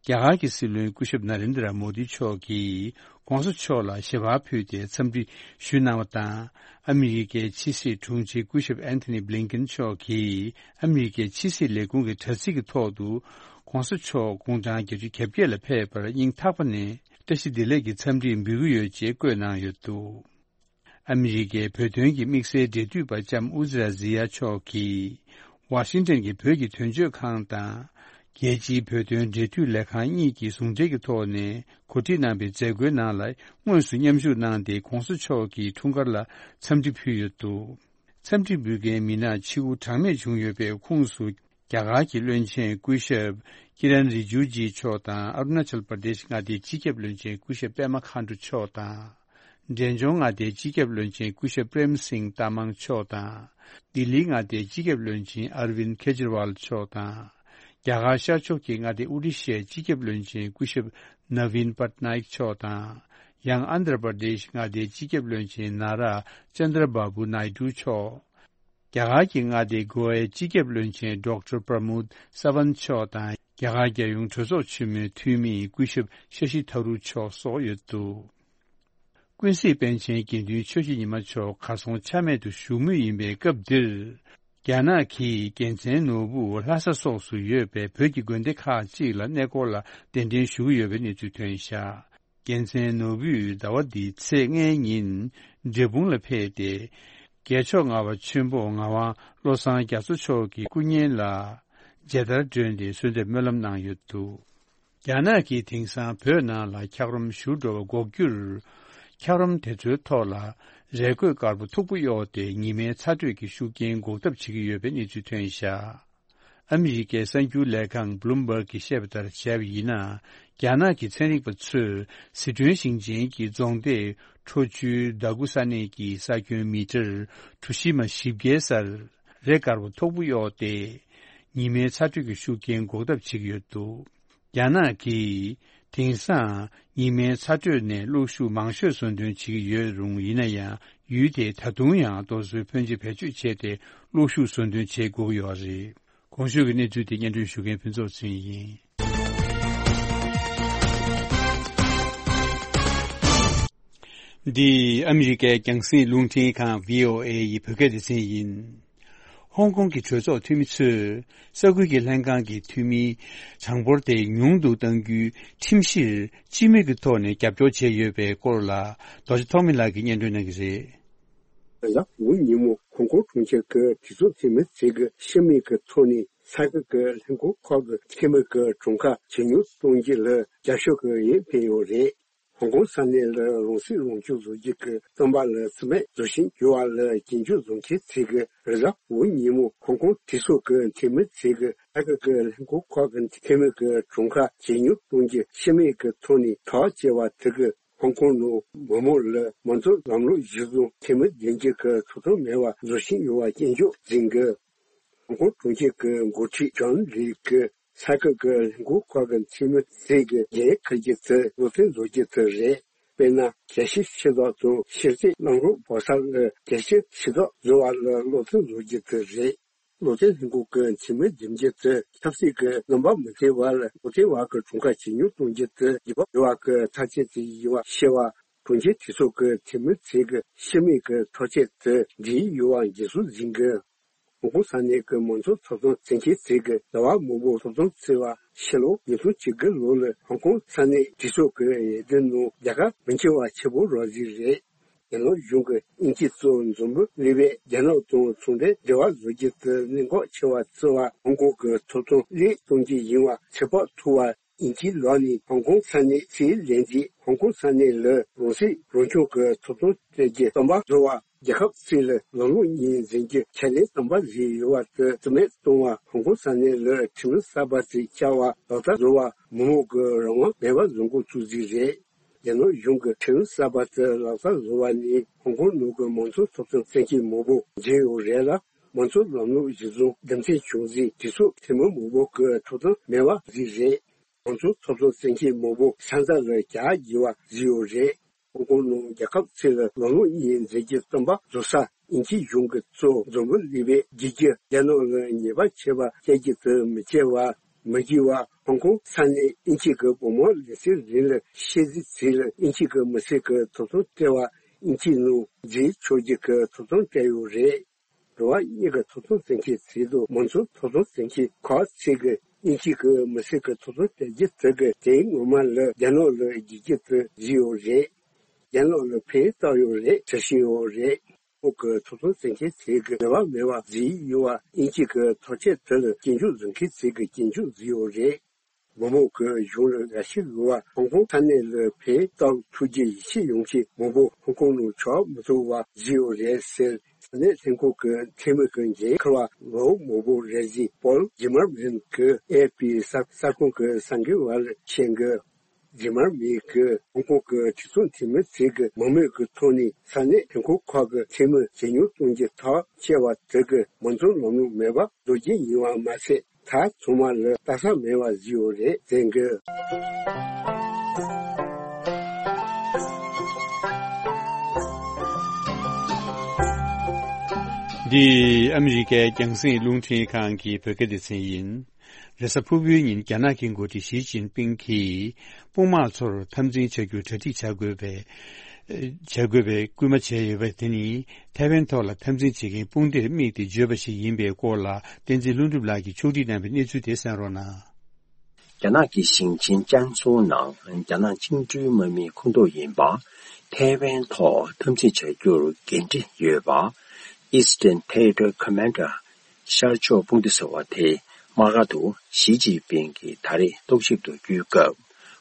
རྒྱ་གར་གྱི་སྲིད་བློན་སྐུ་ཞབས་ན་རེན་དྲ་མོ་དི་མཆོག་གིས་༸གོང་ས་མཆོག་ལ་ཞལ་པར་ཕུལ་ཏེ་འཚམས་འདྲི་ཞུས་གནང་བ་དང་། ཨ་མི་རི་ཀའི་ཕྱི་སྲིད་དྲུང་ཆེ་སྐུ་ཞབས་ཨན་ཐོ་ནི་བྷི་ལིན་ཀན་མཆོག་གིས་ཨ་མི་རི་ཀའི་ཕྱི་སྲིད་ལས་ཁུངས་ཀྱི་དྲ་ཚིགས་ཀྱི་ཐོག་ཏུ་༸གོང་ས་མཆོག་དགུང་གྲངས་བརྒྱད་ཅུ་གྱ་བརྒྱད་ལ་ཕེབས་པར་སྙིང་ཐག་པ་ནས་བཀྲ་ཤིས་བདེ་ལེགས་ཀྱི་འཚམས་འདྲི་འབུལ་གྱི་ཡོད་ཅེས་བཀོད་གནང་ཡོད་འདུག་ཨ་མི་རི་ཀའི་བོད་དོན་གྱི་དམིགས་བསལ་འབྲེལ་མཐུད་པ་ལྕམ་ཨུ་ཛི་ར་ཛི་ཡ་མཆོག་གིས་ཝ་ཤིང་ཏན་གྱི་བོད་ཀྱི་དོན་གཅོད་ཁང་དང་། རྒྱལ་སྤྱིའི་བོད་དོན་འབྲེལ་མཐུད་ལས་ཁང་གཉིས་ཀྱིས་ཟུང་འབྲེལ་གྱི་ཐོག་ནས་གོ་སྒྲིག་གནང་པའི་མཛད་སྒོའི་ནང་ལ་དངོས་སུ་མཉམ་ཞུགས་གནང་སྟེ།༸གོང་ས་མཆོག་གི་འཁྲུངས་སྐར་ལ་འཚམས་འདྲི་ཕུལ་ཡོད་འདུག་འཚམས་འདྲི་འབུལ་མཁན་མི་སྣ་ཆིག་དགུ་གྲངས་མེད་བྱུང་ཡོད་པའི་ཁོངས་སུ། རྒྱ་གར་གྱི་བློན་ཆེན་སྐུ་ཞབས་ཀི་རན་རི་ཇུ་ཇི་མཆོག་དང་། ཨ་རུ་ན་ཅལ་པར་དེཤ་མངའ་སྡེའི་སྤྱི་ཁྱབ་བློན་ཆེན་སྐུ་ཞབས་པད་མ་མཁའ་འགྲོ་མཆོག་དང་། འབྲས་ལྗོངས་མངའ་སྡེའི་སྤྱི་ཁྱབ་བློན་ཆེན་སྐུ་ཞབས་པྲེམ་སིང་ཏ་མང་མཆོག་དང་། ལྡི་ལིའི་མངའ་སྡེའི་སྤྱི་ཁྱབ་བློན་ཆེན་ཨར་ཝིན་ཁེ་ཇི་རི་ཝལ་མཆོག་དང་། རྒྱ་གར་ཤར་ཕྱོགས་ཀྱི་མངའ་སྡེ་ཨོ་རི་ཤའི་སྤྱི་ཁྱབ་བློན་ཆེན་སྐུ་ཞབས་ནཱ་ཝིན་པཏ་ནཱ་ཡིག་མཆོག་དང་། ཡང་ཨན་དྷྲ་པར་དེཤ་མངའ་སྡེའི་སྤྱི་ཁྱབ་བློན་ཆེན་ན་ར་ཅན་དྲ་བྷ་བུ་ནཱི་ཌུ་མཆོག་རྒྱ་གར་གྱི་མངའ་སྡེ་གོ་ཝའི་སྤྱི་ཁྱབ་བློན་ཆེན་ཌོག་ཊར་པྲ་མོད་སཱ་ཝན་མཆོག་དང་། རྒྱ་གར་རྒྱལ་ཡོངས་གྲོས་ཚོགས་ཆེན་མོའི་འཐུས་མི་སྐུ་ཞབས་ཤ་ཤི་ཐ་རུ་མཆོག་སོགས་ཡོད་འདུག་ཀུན་གཟིགས་པཎ་ཆེན་དགེ་འདུན་ཆོས་ཀྱི་ཉི་མ་མཆོག་གར་སོང་ཆ་མེད་དུ་བཞུགས་མུས་ཡིན་པའི་སྐབས་འདིར། རྒྱ་ནག་གིས་རྒྱལ་མཚན་ནོར་བུ་ལྷ་ས་སོགས་སུ་ཡོད་པའི་བོད་ཀྱི་དགོན་སྡེ་ཁག་ཅིག་ལ་གནས་སྐོར་ལ་གདན་འདྲེན་ཞུ་གི་ཡོད་པའི་གནས་ཚུལ་ཐོན་བཞག་རྒྱལ་མཚན་ནོར་བུས་ཟླ་བ་འདིའི་ཚེས་ལྔའི་ཉིན་འབྲས་སྤུངས་ལ་ཕེབས་ཏེ། རྒྱལ་མཆོག་ལྔ་པ་ཆོས་འབོག་ངག་དབང་བློ་བཟང་རྒྱ་མཚོ་མཆོག་གི་སྐུ་བརྙན་ལ་མཇལ་དར་སྒྲོན་ཏེ་གསོལ་འདེབས་སྨོན་ལམ་གནང་ཡོད་འདུག་རྒྱ་ནག་གིས་དེང་སང་བོད་ནང་ལ་འཁྱགས་རོམ་བཞུར་འགྲོ་བ་འགོག་རྒྱུར། འཁྱགས་རོམ་དེ་ཚོའི་ཐོག་ལ་རས་གོས་དཀར་པོ་མཐུག་པོ་གཡོགས་ཏེ་ཉི་མའི་ཚ་དྲོད་ཀྱི་ཤུགས་རྐྱེན་འགོག་ཐབས་བྱེད་ཀྱི་ཡོད་པའི་གནས་ཚུལ་ཐོན་བཞག་ཨ་མི་རི་ཀའི་གསར་འགྱུར་ལས་ཁང་བྷི་ལུམ་བྷག་གིས་བཤད་པ་ལྟར་བྱས་པ་ཡིན་ན། རྒྱ་ནག་གི་ཚན་རིག་པ་ཚོས་ཟི་ཁྲོན་ཞིང་ཆེན་གྱི་རྫོང་སྡེ་ཁྲོ་ཆུའི་ཟླ་དགུ་ས་གནས་ཀྱི་ས་ཁྱོན་མི་ཊར་གྲུ་བཞི་མ་བཞི་བརྒྱའི་སར་རས་དཀར་པོ་མཐུག་པོ་གཡོགས་ཏེ། ཉི་མའི་ཚ་དྲོད་ཀྱི་ཤུགས་རྐྱེན་འགོག་ཐབས་བྱེད་ཀྱི་ཡོད་འདུག་རྒྱ་ནག་གིས་དེང་སང་ཉི་མའི་ཚ་དྲོད་ནས་གློག་ཤུགས་མང་ཤོས་བཟོ་འདོན་བྱེད་ཀྱི་ཡོད་རུང་། ཡིན་ན་ཡང་ཡུལ་དེས་ད་དུང་ཡང་རྡོ་སོལ་ཕོན་ཆེ་བེད་སྤྱོད་བྱས་ཏེ་གློག་ཤུགས་བཟོ་འདོན་བྱེད་དགོས་ཀྱི་ཡོད་རེད། གོང་ཞུས་ཀྱི་གནས་ཚུལ་དེ་སྙན་སྒྲོན་ཞུ་མཁན་ཕུན་ཚོགས་ཚེ་རིང་ཡིན། འདི་ཨ་མི་རི་ཀའི་རྒྱང་སྲིང་རླུང་འཕྲིན་ཁང་བྷི་ཨོ་ཨེ་ཡི་བོད་སྐད་སྡེ་ཚན་ཡིན། ཧོང་ཀོང་གི་གྲོས་ཚོགས་འཐུས་མི་ཚོས་ས་ཁུལ་གྱི་ལྷན་ཁང་གི་འཐུས་མིའི་གྲངས་འབོར་དེ་ཉུང་དུ་གཏང་རྒྱུའི་ཁྲིམས་གཞིར་སྤྱི་མོས་ཀྱི་ཐོག་ནས་རྒྱབ་སྐྱོར་བྱས་ཡོད་པའི་སྐོར་ལ། རྡོ་རྗེ་ཐོགས་མེད་ལགས་ཀྱིས་སྙན་སྒྲོན་གནང་གི་རེད། ལ་འོ་ཉིན་མོ་ཧོང་ཀོང་གྲོང་ཁྱེར་གྱི་གྲོས་ཚོགས་འཐུས་མི་ཚོས་ཀྱི་སྤྱི་མོས་ཀྱི་ཐོག་ནས་ས་ཁུལ་གྱི་ལྷན་ཁང་ཁག་གི་འཐུས་མི་གྱི་གྲངས་ཀ་ཇེ་ཉུང་གཏོང་རྒྱུ་ལ་རྒྱབ་སྐྱོར་གྱི་འོས་འཕེན་ཡོད་རེད། ཧོང་ཀོང་ས་གནས་ལ་རང་སྲིད་རང་སྐྱོང་བཟོ་རྒྱུ་གི་བསམ་པ་ལ་བརྩི་མེད་བཟོ་བཞིན་ཡོད་པ་ལ་སྐྱོན་བརྗོད་བཟོ་མཁན་ཚོས་ཀྱི་རེད་ལ། འོ་ཉིན་མོ་ཧོང་ཀོང་གྲོས་ཚོགས་ཀྱི་འཐུས་མི་ཚོས་ཀྱི་ས་ཁུལ་གྱི་ལྷན་ཁང་ཁག་གི་འཐུས་མི་གི་གྲངས་ཀ་ཇེ་ཉུང་གཏོང་རྒྱུ་སྤྱི་མོས་ཀྱི་ཐོག་ནས་ཐག་བཅད་པ་དེ་གིས་ཧོང་ཀོང་ནང་མི་མང་ལ་མི་འདོད་ལམ་ལུགས་གཞིར་བཟུང་འཐུས་མི་འདེམས་རྒྱུ་གི་ཐོབ་ཐང་མེད་པ་བཟོ་བཞིན་ཡོད་པ་སྐྱོན་བརྗོད་མཛད་ཀྱི། ཧོང་ཀོང་གྲོང་ཁྱེར་གྱི་འགོ་ཁྲིད་ཇོན་ལི་གིས་ས་ཁུལ་གྱི་ལྷན་ཁང་ཁག་གི་འཐུས་མི་ཚོས་ཀྱི་འགན་འཁུར་རྒྱུ་དེ་བློ་བརྟན་བཟོ་རྒྱུ་དེ་རེད། དཔེར་ན། གལ་སྲིད་ཕྱི་ཐག་དང་ཕྱི་རྩིས་གནང་རོགས་བོ་ས་ལ་གལ་སྲིད་ཕྱི་ཐག་བཟོ་བ་ལ་བློ་བརྟན་བཟོ་རྒྱུ་དེ་རེད། བློ་བརྟན་ལྷན་ཁང་གི་འཐུས་མི་འདེམས་རྒྱུ་དེ་ཆབ་སྲིད་ཀྱི་རྣམ་པ་མི་མཐུན་པ་ལ་བློ་བརྟན་བར་གྱི་གྲོངས་ཁ་ཇེ་ཉུང་གཏོང་རྒྱུ་དེ་རྒྱུ་བ་ཡོད་པ་གི་ཐག་བཅད་དེ་ཡིན་པ་ཤེས་པ། གྲོང་ཁྱེར་གྲོས་ཚོགས་ཀྱི་འཐུས་མི་ཚོས་ཀྱི་ཤི་རྨས་ཀྱི་ཐག་བཅད་དེ་འདིའི་ཡོད་པ་འགན་སྲུང་འཛིན་གྱི། ཧོང་ཀོང་ས་གནས་ཀྱི་མང་གཙོ་ཐོབ་ཐང་བཙན་ཁྱབ་ཚོགས་ཀྱི་ཟླ་བ་མང་པོ་ཐོབ་ཐང་བརྩི་བ་ཕྱི་ལོ་ཉིས་སྟོང་བཅུ་དགུ་ལོ་ལ་ཧོང་ཀོང་ས་གནས་གྲོས་ཚོགས་ཀྱི་འོས་བསྡུ་ནང་རྒྱལ་ཁ་མི་འཁྱེར་བ་ཆེ་བོ་རག་ཟིག་རེད། རྒྱ་ནག་གཞུང་གིས་དབྱིན་ཇི་གཙོས་འཛམ་བུ་གླིང་པས་རྒྱ་ནག་དང་ཚོང་འབྲེལ་འབྲེལ་བ་བཟོ་རྒྱུ་དེ་གནད་འགག་ཆེ་བ་བརྩི་བ། ཧོང་ཀོང་གི་ཐོབ་ཐང་བརླག་གཏོང་རྒྱུ་ཡིན་པ་ཚོད་དཔག་ཐུབ་པ། དབྱིན་ཇིའི་ལག་ནས་ཧོང་ཀོང་ས་གནས་ཕྱིར་ལེན་རྗེས་ཧོང་ཀོང་ས་གནས་ལ་རང་སྲིད་རང་སྐྱོང་གི་ཐོབ་ཐང་སྤྲད་རྒྱུ་བསམ་པ་བཟོ་བ། རྒྱལ་ཁབ་ཚོས་ལ་ལམ་ལུགས་གཉིས་འཛིན་རྒྱུ་ཁས་ལེན་བསམ་པ་བཟོས་ཡོད་པ་དེ་རྩིས་མེད་གཏོང་བ། ཧོང་ཀོང་ས་གནས་ལ་ཁྲིམས་ལུགས་གསར་པ་ཞིག་བསྐྱར་བ་ལག་བསྟར་བཟོ་བ། མི་མང་གི་རང་དབང་མེད་པ་བཟོ་འགོ་བཙུགས་རྩིས་རེད། རྒྱ་ནག་གཞུང་གིས་ཁྲིམས་ལུགས་གསར་པ་དེ་ལག་བསྟར་བཟོ་བ་ནས་ཧོང་ཀོང་ནང་གི་མང་གཙོ་ཐོབ་ཐང་བཙན་ཤེད་མང་པོ་འཛིན་ཡོད་རེད་ལ། མང་གཙོ་ལམ་ལུགས་གཞི་བཟུང་རྒྱུ་མཚན་བྱུང་རྗེས་གྲོས་ཚོགས་འཐུས་མི་མང་པོ་གི་ཐོབ་ཐང་མེད་པ་བཟོས་རེད། མང་གཙོ་ཐོབ་ཐང་བཙན་ཤེད་མང་པོ་ས་མཚམས་ལ་གྱར་དགོས་པ་བཟོས་ཡོད་རེད། ཧོང་ཀོང་ནང་རྒྱལ་ཁབ་ཚོས་ལ་ལམ་ལུགས་གཉིས་འཛིན་རྒྱུ་བསམ་པ་བཟོ་ས་དབྱིན་ཇིའི་གཞུང་གིས་གཙོས་འཛམ་བུ་གླིང་པས་བརྒྱུད་རྒྱུ། རྒྱ་ནག་ལ་ཉེས་པ་ཆེ་བ་བཀལ་རྒྱུ་དེ་མི་བྱེད་པ་མི་བྱེད་པ། ཧོང་ཀོང་ས་གནས་དབྱིན་ཇི་གི་བོད་དམག་ལས་སའི་རིང་ལ་ཤི་རྗེས་ཚེ་ལ་དབྱིན་ཇི་གི་མི་སེར་གྱི་ཐོབ་ཐང་སྤྲད་པ། དབྱིན་ཇིའི་ནང་འཛུལ་ཆོག་རྒྱུ་གི་ཐོབ་ཐང་སྤྲད་ཡོད་རེད། འགྲོ་བ་མིའི་ཐོབ་ཐང་བཙན་ཤེད་ཚོགས་དང་མང་གཙོ་ཐོབ་ཐང་བཙན་ཤེད་ཁག་ཚོས་ཀྱིས་དབྱིན་ཇི་གི་མི་སེར་གྱི་ཐོབ་ཐང་སྤྲད་རྒྱུ་དེ་གི་དོན་ངོ་མ་ལ་རྒྱ་ནག་ལ་བརྒྱུད་རྒྱུ་དེ་བཟོས་ཡོད་རེད། རྒྱ་ནག་ལ་ཕན་བཏགས་ཡོད་རེད་ཟེར་བཞིན་ཡོད་རེད། ཧོང་ཀོང་གི་ཐོབ་ཐང་བཙན་ཤེད་ཚོས་ཀྱིས་ནུས་པ་མེད་པ་བཟོས་ཡོད་པ། དབྱིན་ཇི་གི་ཐག་གཅོད་དེ་ལ་སྐྱོན་བརྗོད་བཟོ་མཁན་ཚོས་ཀྱིས་སྐྱོན་བརྗོད་བཟོས་ཡོད་རེད། མི་མང་གིས་གཞུང་ལ་དགའ་ཞེན་ཡོད་པ། ཧོང་ཀོང་ས་གནས་ལ་ཕན་བཏགས་ཐུབ་རྒྱུ་ཡིད་ཆེས་ཡོང་མཁན་མང་པོ་ཧོང་ཀོང་ནང་ཆགས་མི་ཐུབ་པ་བཟོས་ཡོད་རེད་ཟེར། ས་གནས་ལྷན་ཁང་གི་འཐུས་མི་གི་འགན་འཁུར་བ་ལོ་མང་པོ་རེད་ཟེར། པོལ་ཇི་མར་མན་གྱིས་ཨེ་ཨེཕ་པི་གསར་གསར་ཁང་གི་གསར་འགོད་པ་ལ་བཤད་འདུག་ཇི་མར་མན་གྱིས་ཧོང་ཀོང་གི་གྲོས་ཚོགས་འཐུས་མི་ཚོས་ཀྱི་མང་མོས་ཀྱི་ཐོག་ནས་ས་གནས་ལྷན་ཁང་ཁག་གི་འཐུས་མི་ཇེ་ཉུང་གཏོང་རྒྱུའི་ཐག་བཅད་པ་དེ་གིས་མང་གཙོའི་ལམ་ལུགས་མེད་པ་བཟོ་རྒྱུ་ཡིན་པ་མ་ཟད། ད་ཚང་མ་ལ་ལྟ་ས་མེད་པ་བཟོས་ཡོད་རེད་ཟེར་གི། འདི་ཨ་མི་རི་ཀའི་རྒྱང་སྲིང་རླུང་འཕྲིན་ཁང་གི་བོད་སྐད་སྡེ་ཚན་ཡིན། རེས་གཟའ་ཕུར་བུའི་ཉིན་རྒྱ་ནག་གི་འགོ་ཁྲིད་ཞི་ཅིན་ཕིང་གིས་དཔུང་དམག་ཚོར་འཐབ་འཛིང་བྱ་རྒྱུར་གྲ་སྒྲིག་བྱ་དགོས་པའི་བྱ་དགོས་པའི་སྐུལ་མ་བྱས་ཡོད་པ་དེ་ནི་ཐའེ་ཝན་ཐོག་ལ་འཐབ་འཛིང་བྱེད་མཁན་དཔུང་སྡེར་དམིགས་ཏེ་བརྗོད་པ་ཞིག་ཡིན་པའི་སྐོར་ལ་བསྟན་འཛིན་ལྷུན་གྲུབ་ལགས་ཀྱིས་ཕྱོགས་སྒྲིག་གནང་བའི་གནས་ཚུལ་དེ་གསན་རོགས་གནང་། རྒྱ་ནག་གི་ཞིང་ཆེན་ཅན་སུའུ་ནང་རྒྱ་ནག་བཅིངས་འགྲོལ་དམག་མིའི་ཁོངས་གཏོགས་ཡིན་པ། ཐའེ་ཝན་ཐོག་འཐབ་འཛིང་བྱ་རྒྱུར་འགན་འཁྲི་ཡོད་པ། Eastern Territory Commander ཤར་ཕྱོགས་དཔུང་སྡེ་ཟེར་བ་དེ་དམག་སྒར་དུ་ཞི་ཅིན་ཕིང་གིས་ད་རེས་རྟོག་ཞིབ་ཏུ་བསྐྱོད་སྐབས།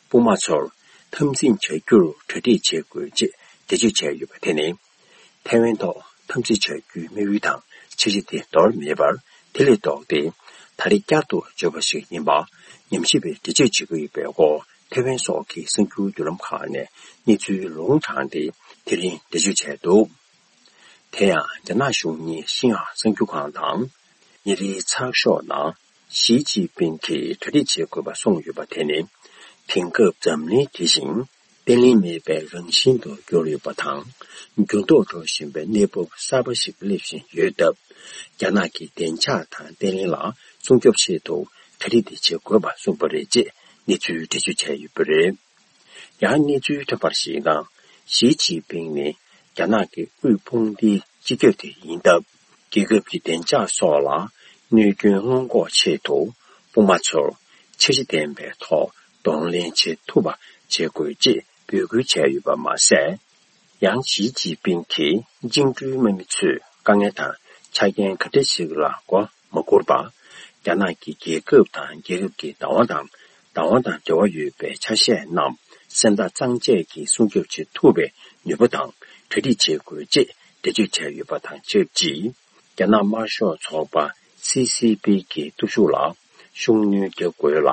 དཔུང་དམག་ཚོར་འཐབ་འཛིང་བྱ་རྒྱུར་གྲ་སྒྲིག་བྱེད་དགོས་ཅེས་འགྲེལ་བརྗོད་བྱས་ཡོད་པ་དེ་ནི། ཐའེ་ཝན་ཐོག་འཐབ་འཛིང་བྱ་རྒྱུའི་དམིགས་ཡུལ་དང་འཆར་གཞི་དེ་འདོར་མེད་པར། དེ་ལས་ལྡོག་སྟེ། ད་རེས་བསྐྱར་དུ་བརྗོད་པ་ཞིག་ཡིན་པ། ཉམས་ཞིབ་པས་འགྲེལ་བརྗོད་བྱེད་ཀྱི་ཡོད་པའི་སྐོར། ཐའེ་ཝན་སོགས་ཀྱི་གསར་འགྱུར་བརྒྱུད་ལམ་ཁག་ནས་གནས་ཚུལ་ལུང་དྲངས་ཏེ། དེ་རིང་འགྲེལ་བརྗོད་བྱས་འདུག་དེ་ཡང་། རྒྱ་ནག་གཞུང་གཉིས་ཤིན་ཧྭ་གསར་འགྱུར་ཁང་དང་། ཉིན་རེའི་ཚགས་ཤོག་ནང་། ཞི་ཅིན་ཕིང་གིས་གྲ་སྒྲིག་བྱེད་དགོས་པ་གསུངས་ཡོད་པ་དེ་ནི། དེང་སྐབས་འཛམ་གླིང་དེ་བཞིན། བརྟན་ལྷིང་མེད་པའི་རང་བཞིན་དུ་གྱུར་ཡོད་པ་དང་། འགྱུར་ལྡོག་འགྲོ་བཞིན་པའི་གནས་བབ་གསར་པ་ཞིག་སླེབས་བཞིན་ཡོད་སྟབས། རྒྱ་ནག་གི་བདེ་འཇགས་དང་བརྟན་ལྷིང་ལ་སྲུང་སྐྱོབ་ཆེད་དུ་གྲ་སྒྲིག་དེ་བྱེད་དགོས་པ་གསུངས་པ་རེད་ཅེས་གནས་ཚུལ་འགྲེལ་བརྗོད་བྱས་ཡོད་པ་རེད། ཡང་གནས་ཚུལ་ཐོན་པར་གཞིགས་ན། ཞི་ཅིན་ཕིང་ནི་རྒྱ་ནག་གི་དབུས་དཔུང་སྡེའི་སྤྱི་ཁྱབ་དེ་ཡིན་སྟབས། རྒྱལ་ཁབ་ཀྱི་བདེ་འཇགས་སོགས་ལ་གནོད་སྐྱོན་སྔོན་འགོག་ཆེད་དུ། དཔུང་དམག་ཚོར་འཆར་གཞི་ལྡན་པའི་ཐོག་གདོང་ལེན་བྱེད་ཐུབ་པ་བྱེད་དགོས་ཅེས་འབོད་སྐུལ་བྱས་ཡོད་པ་མ་ཟད། ཡང་ཞི་ཅིན་ཕིང་གིས་བཅིངས་འགྲོལ་དམག་མི་ཚོས་དཀའ་ངལ་དང་ཆ་རྐྱེན་ག་འདྲ་ཞིག་ལ་མགོ་མ་སྒུར་བར། རྒྱ་ནག་གི་རྒྱལ་ཁབ་དང་རྒྱལ་ཁབ་ཀྱི་བདག་དབང་དང་བདག་དབང་དང་འབྲེལ་བ་ཡོད་པའི་ཆ་ཤས་རྣམས་སེམས་ཐག་གཙང་བཅད་ཀྱིས་སྲུང་སྐྱོབ་བྱེད་ཐུབ་པའི་ནུས་པ་དང་གྲ་སྒྲིག་བྱེད་དགོས་ཅེས་འགྲེལ་བརྗོད་བྱས་ཡོད་པ་དང་ཆབས་ཅིག་རྒྱ་ནག་དམར་ཤོག་ཚོགས་པ་སི་སི་པི་གི་སྟོབས་ཤུགས་ལ་ཤུགས་སྣོན་རྒྱག་དགོས་ལ།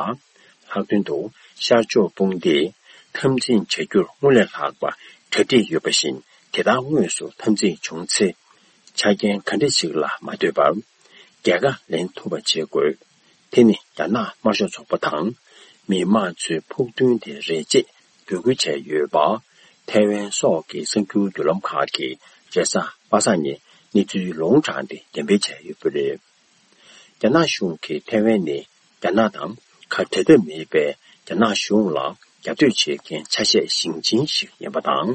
ལྷག་དོན་དུ་ཤར་ཕྱོགས་དཔུང་སྡེས་འཐབ་འཛིང་བྱ་རྒྱུར་སྔོན་ལས་ལྷག་པ་གྲ་སྒྲིག་ཡོད་པ་བཞིན། དེ་ལྟར་དངོས་སུ་འཐབ་འཛིང་བྱུང་ཚེ། ཆ་རྐྱེན་ག་འདྲ་ཞིག་ལ་མ་ལྟོས་པར། རྒྱལ་ཁ་ལེན་ཐུབ་པ་བྱེད་དགོས། དེ་ནི་རྒྱ་ནག་དམར་ཤོག་ཚོགས་པ་དང་། མི་དམངས་ཚོའི་ཕུགས་འདུན་དེ་རེད་ཅེས་འབོད་སྐུལ་བྱས་ཡོད་པ། ཐའེ་ཝན་སོགས་ཀྱི་གསར་འགྱུར་བརྒྱུད་ལམ་ཁག་གིས་རེས་གཟའ་པ་སངས་ཉིན་གནས་ཚུལ་ལུང་དྲངས་ཏེ་འགྲེམས་སྤེལ་བྱས་ཡོད་པ་རེད། རྒྱ་ནག་གཞུང་གིས་ཐའེ་ཝན་ནི་རྒྱ་ནག་དང་ཁ་བྲལ་ཐབས་མེད་པའི་རྒྱ་ནག་གཞུང་ལ་རྒྱབ་གཏོད་བྱེད་མཁན་ཆ་ཤས་ཞེང་ཆེན་ཞིག་ཡིན་པ་དང་།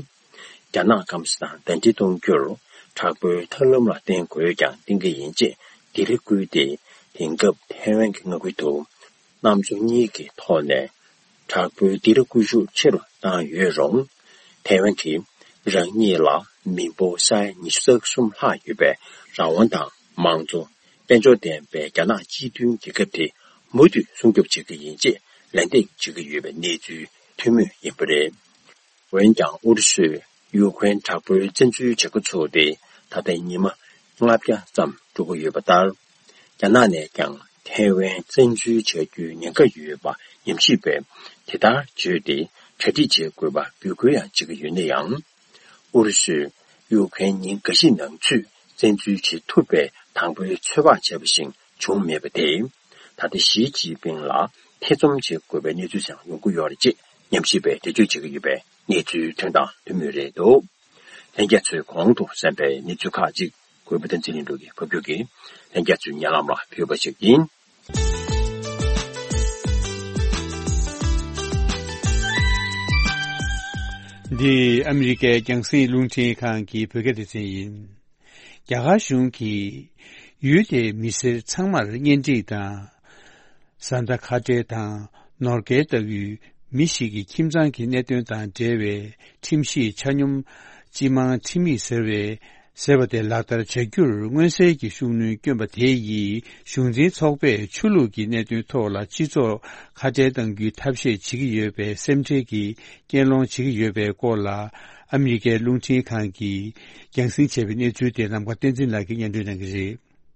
རྒྱ་ནག་སྐམ་ས་དང་ཟླ་སྒྲིལ་གཏོང་རྒྱུར་དྲག་པོའི་ཐབས་ལམ་ལ་བརྟེན་དགོས་ཀྱང་བརྟེན་གྱི་ཡིན་ཅེས་འདི་རེ་བསྐུལ་ཏེ། དེང་སྐབས་ཐའེ་ཝན་གྱི་མངའ་ཁུལ་དུ་གནམ་མཚོ་གཉིས་ཀྱི་ཐོག་ནས་དྲག་པོའི་འདི་རེ་བསྐུལ་ཤུགས་ཆེ་རུ་བཏང་ཡོད་རུང་། ཐའེ་ཝན་གྱིས་རང་ཉིད་ལ་མི་འབོར་ས་ཡ་ཉི་ཤུ་རྩ་གསུམ་ལྷག་ཡོད་པའི་རང་དབང་དང་། མང་གཙོ། དཔལ་འབྱོར་ལྡན་པའི་རྒྱ་ནག་སྤྱི་མཐུན་རྒྱལ་ཁབ་དེ་མུ་མཐུད་སྲུང་སྐྱོབ་བྱེད་ཀྱི་ཡིན་ཅེས་ལན་འདེབས་བྱེད་ཀྱི་ཡོད་པའི་གནས་ཚུལ་ཐོན་མུས་ཡིན་པ་རེད། འོན་ཀྱང་ཨུ་རུ་སུས་ཡུ་ཁུ་རེན་དྲག་པོའི་བཙན་འཛུལ་བྱེད་འགོ་ཚུགས་ཏེ་ད་ལྟ་ཉི་མ་ལྔ་བརྒྱ་ཙམ་འགྲོ་གི་ཡོད་པ་ལྟར། རྒྱ་ནག་ནས་ཀྱང་ཐའེ་ཝན་བཙན་འཛུལ་བྱ་རྒྱུའི་ཉེན་ཁ་ཡོད་པ་ཉམས་ཞིབ་པས་དེ་ལྟར་བརྗོད་དེ་གྲ་སྒྲིག་བྱེད་དགོས་པ་འབོད་སྐུལ་ཡང་བྱེད་ཀྱི་ཡོད་ན་ཡང་། ཨུ་རུ་སུས་ཡུ་ཁུ་རེན་ཉིན་འགའ་ཞིག་ནང་ཚུད་བཙན་འཛུལ་བྱེད་ཐུབ་པའི་དང་པོའི་ཚོད་དཔག་བྱས་པ་བཞིན་བྱུང་མེད་པ་དེས། ད་ལྟ་ཞི་ཅིན་ཕིང་ལ་ཐེ་ཚོམ་བྱེད་དགོས་པའི་གནས་ཚུལ་ཀྱང་ཡོང་གི་ཡོད་རེད་ཅེས་ཉམས་ཞིབ་པས་འགྲེལ་བརྗོད་བྱེད་ཀྱི་ཡོད་པའི་གནས་ཚུལ་ཐོན་དང་ཐོན་མུས་རེད་འདུག། ལྷན་རྒྱས་ཚོས་གོང་དུ་གསན་པའི་གནས་ཚུལ་ཁག་ཅིག་གུས་པ་བསྟན་འཛིན་ལྷུན་གྲུབ་ཀྱིས་ཕབ་སྒྱུར་གྱིས་ལྷན་རྒྱས་ཚོའི་སྙན་ལམ་ལ་ཕུལ་བ་ཞིག་ཡིན། འདི་ཨ་མི་རི་ཀའི་རྒྱང་སྲིང་རླུང་འཕྲིན་ཁང་གི་བོད་སྐད་སྡེ་ཚན་ཡིན། རྒྱ་གར་གཞུང་གིས་ཡུལ་དེའི་མི་སེར་ཚང་མར་གཉེན་སྒྲིག་དང་། བཟའ་ཟླ་ཁ་བྲལ་དང་ནོར་སྐལ་ལྟ་བུའི་མི་ཞིག་གི་ཁྱིམ་ཚང་གི་གནད་དོན་དང་འབྲེལ་བའི་ཁྲིམས་ཞིབ་ཆ་སྙོམས་སྤྱི་དམངས་ཁྲིམས་ཡིག་ཟེར་བའི་ཟེར་བ་དེ་ལག་བསྟར་བྱ་རྒྱུར་མངོན་གསལ་གྱི་ཤུགས་སྣོན་བསྐྱོན་པ་དེ་ཡིས་གཞུང་འཛིན་ཚོགས་པས་ཆོས་ལུགས་ཀྱི་གནད་དོན་ཐོག་ལ་སྤྱི་ཚོགས་ཁ་བྲལ་གཏང་རྒྱུའི་ཐབས་ཤེས་བྱེད་ཀྱི་ཡོད་པའི་སེམས་ཁྲལ་གྱི་སྐྱོན་སློང་བྱེད་ཀྱི་ཡོད་པའི་སྐོར་ལ། ཨ་མི་རི་ཀའི་རླུང་འཕྲིན་ཁང་གིས་རྒྱང་སྲིང་བྱས་པའི་གནས་ཚུལ་དེ་ནམ་མཁའ་བསྟན་འཛིན་ལགས་ཀྱིས་སྙན་སྒྲོན་གནང་གི་རེད། རྒྱ་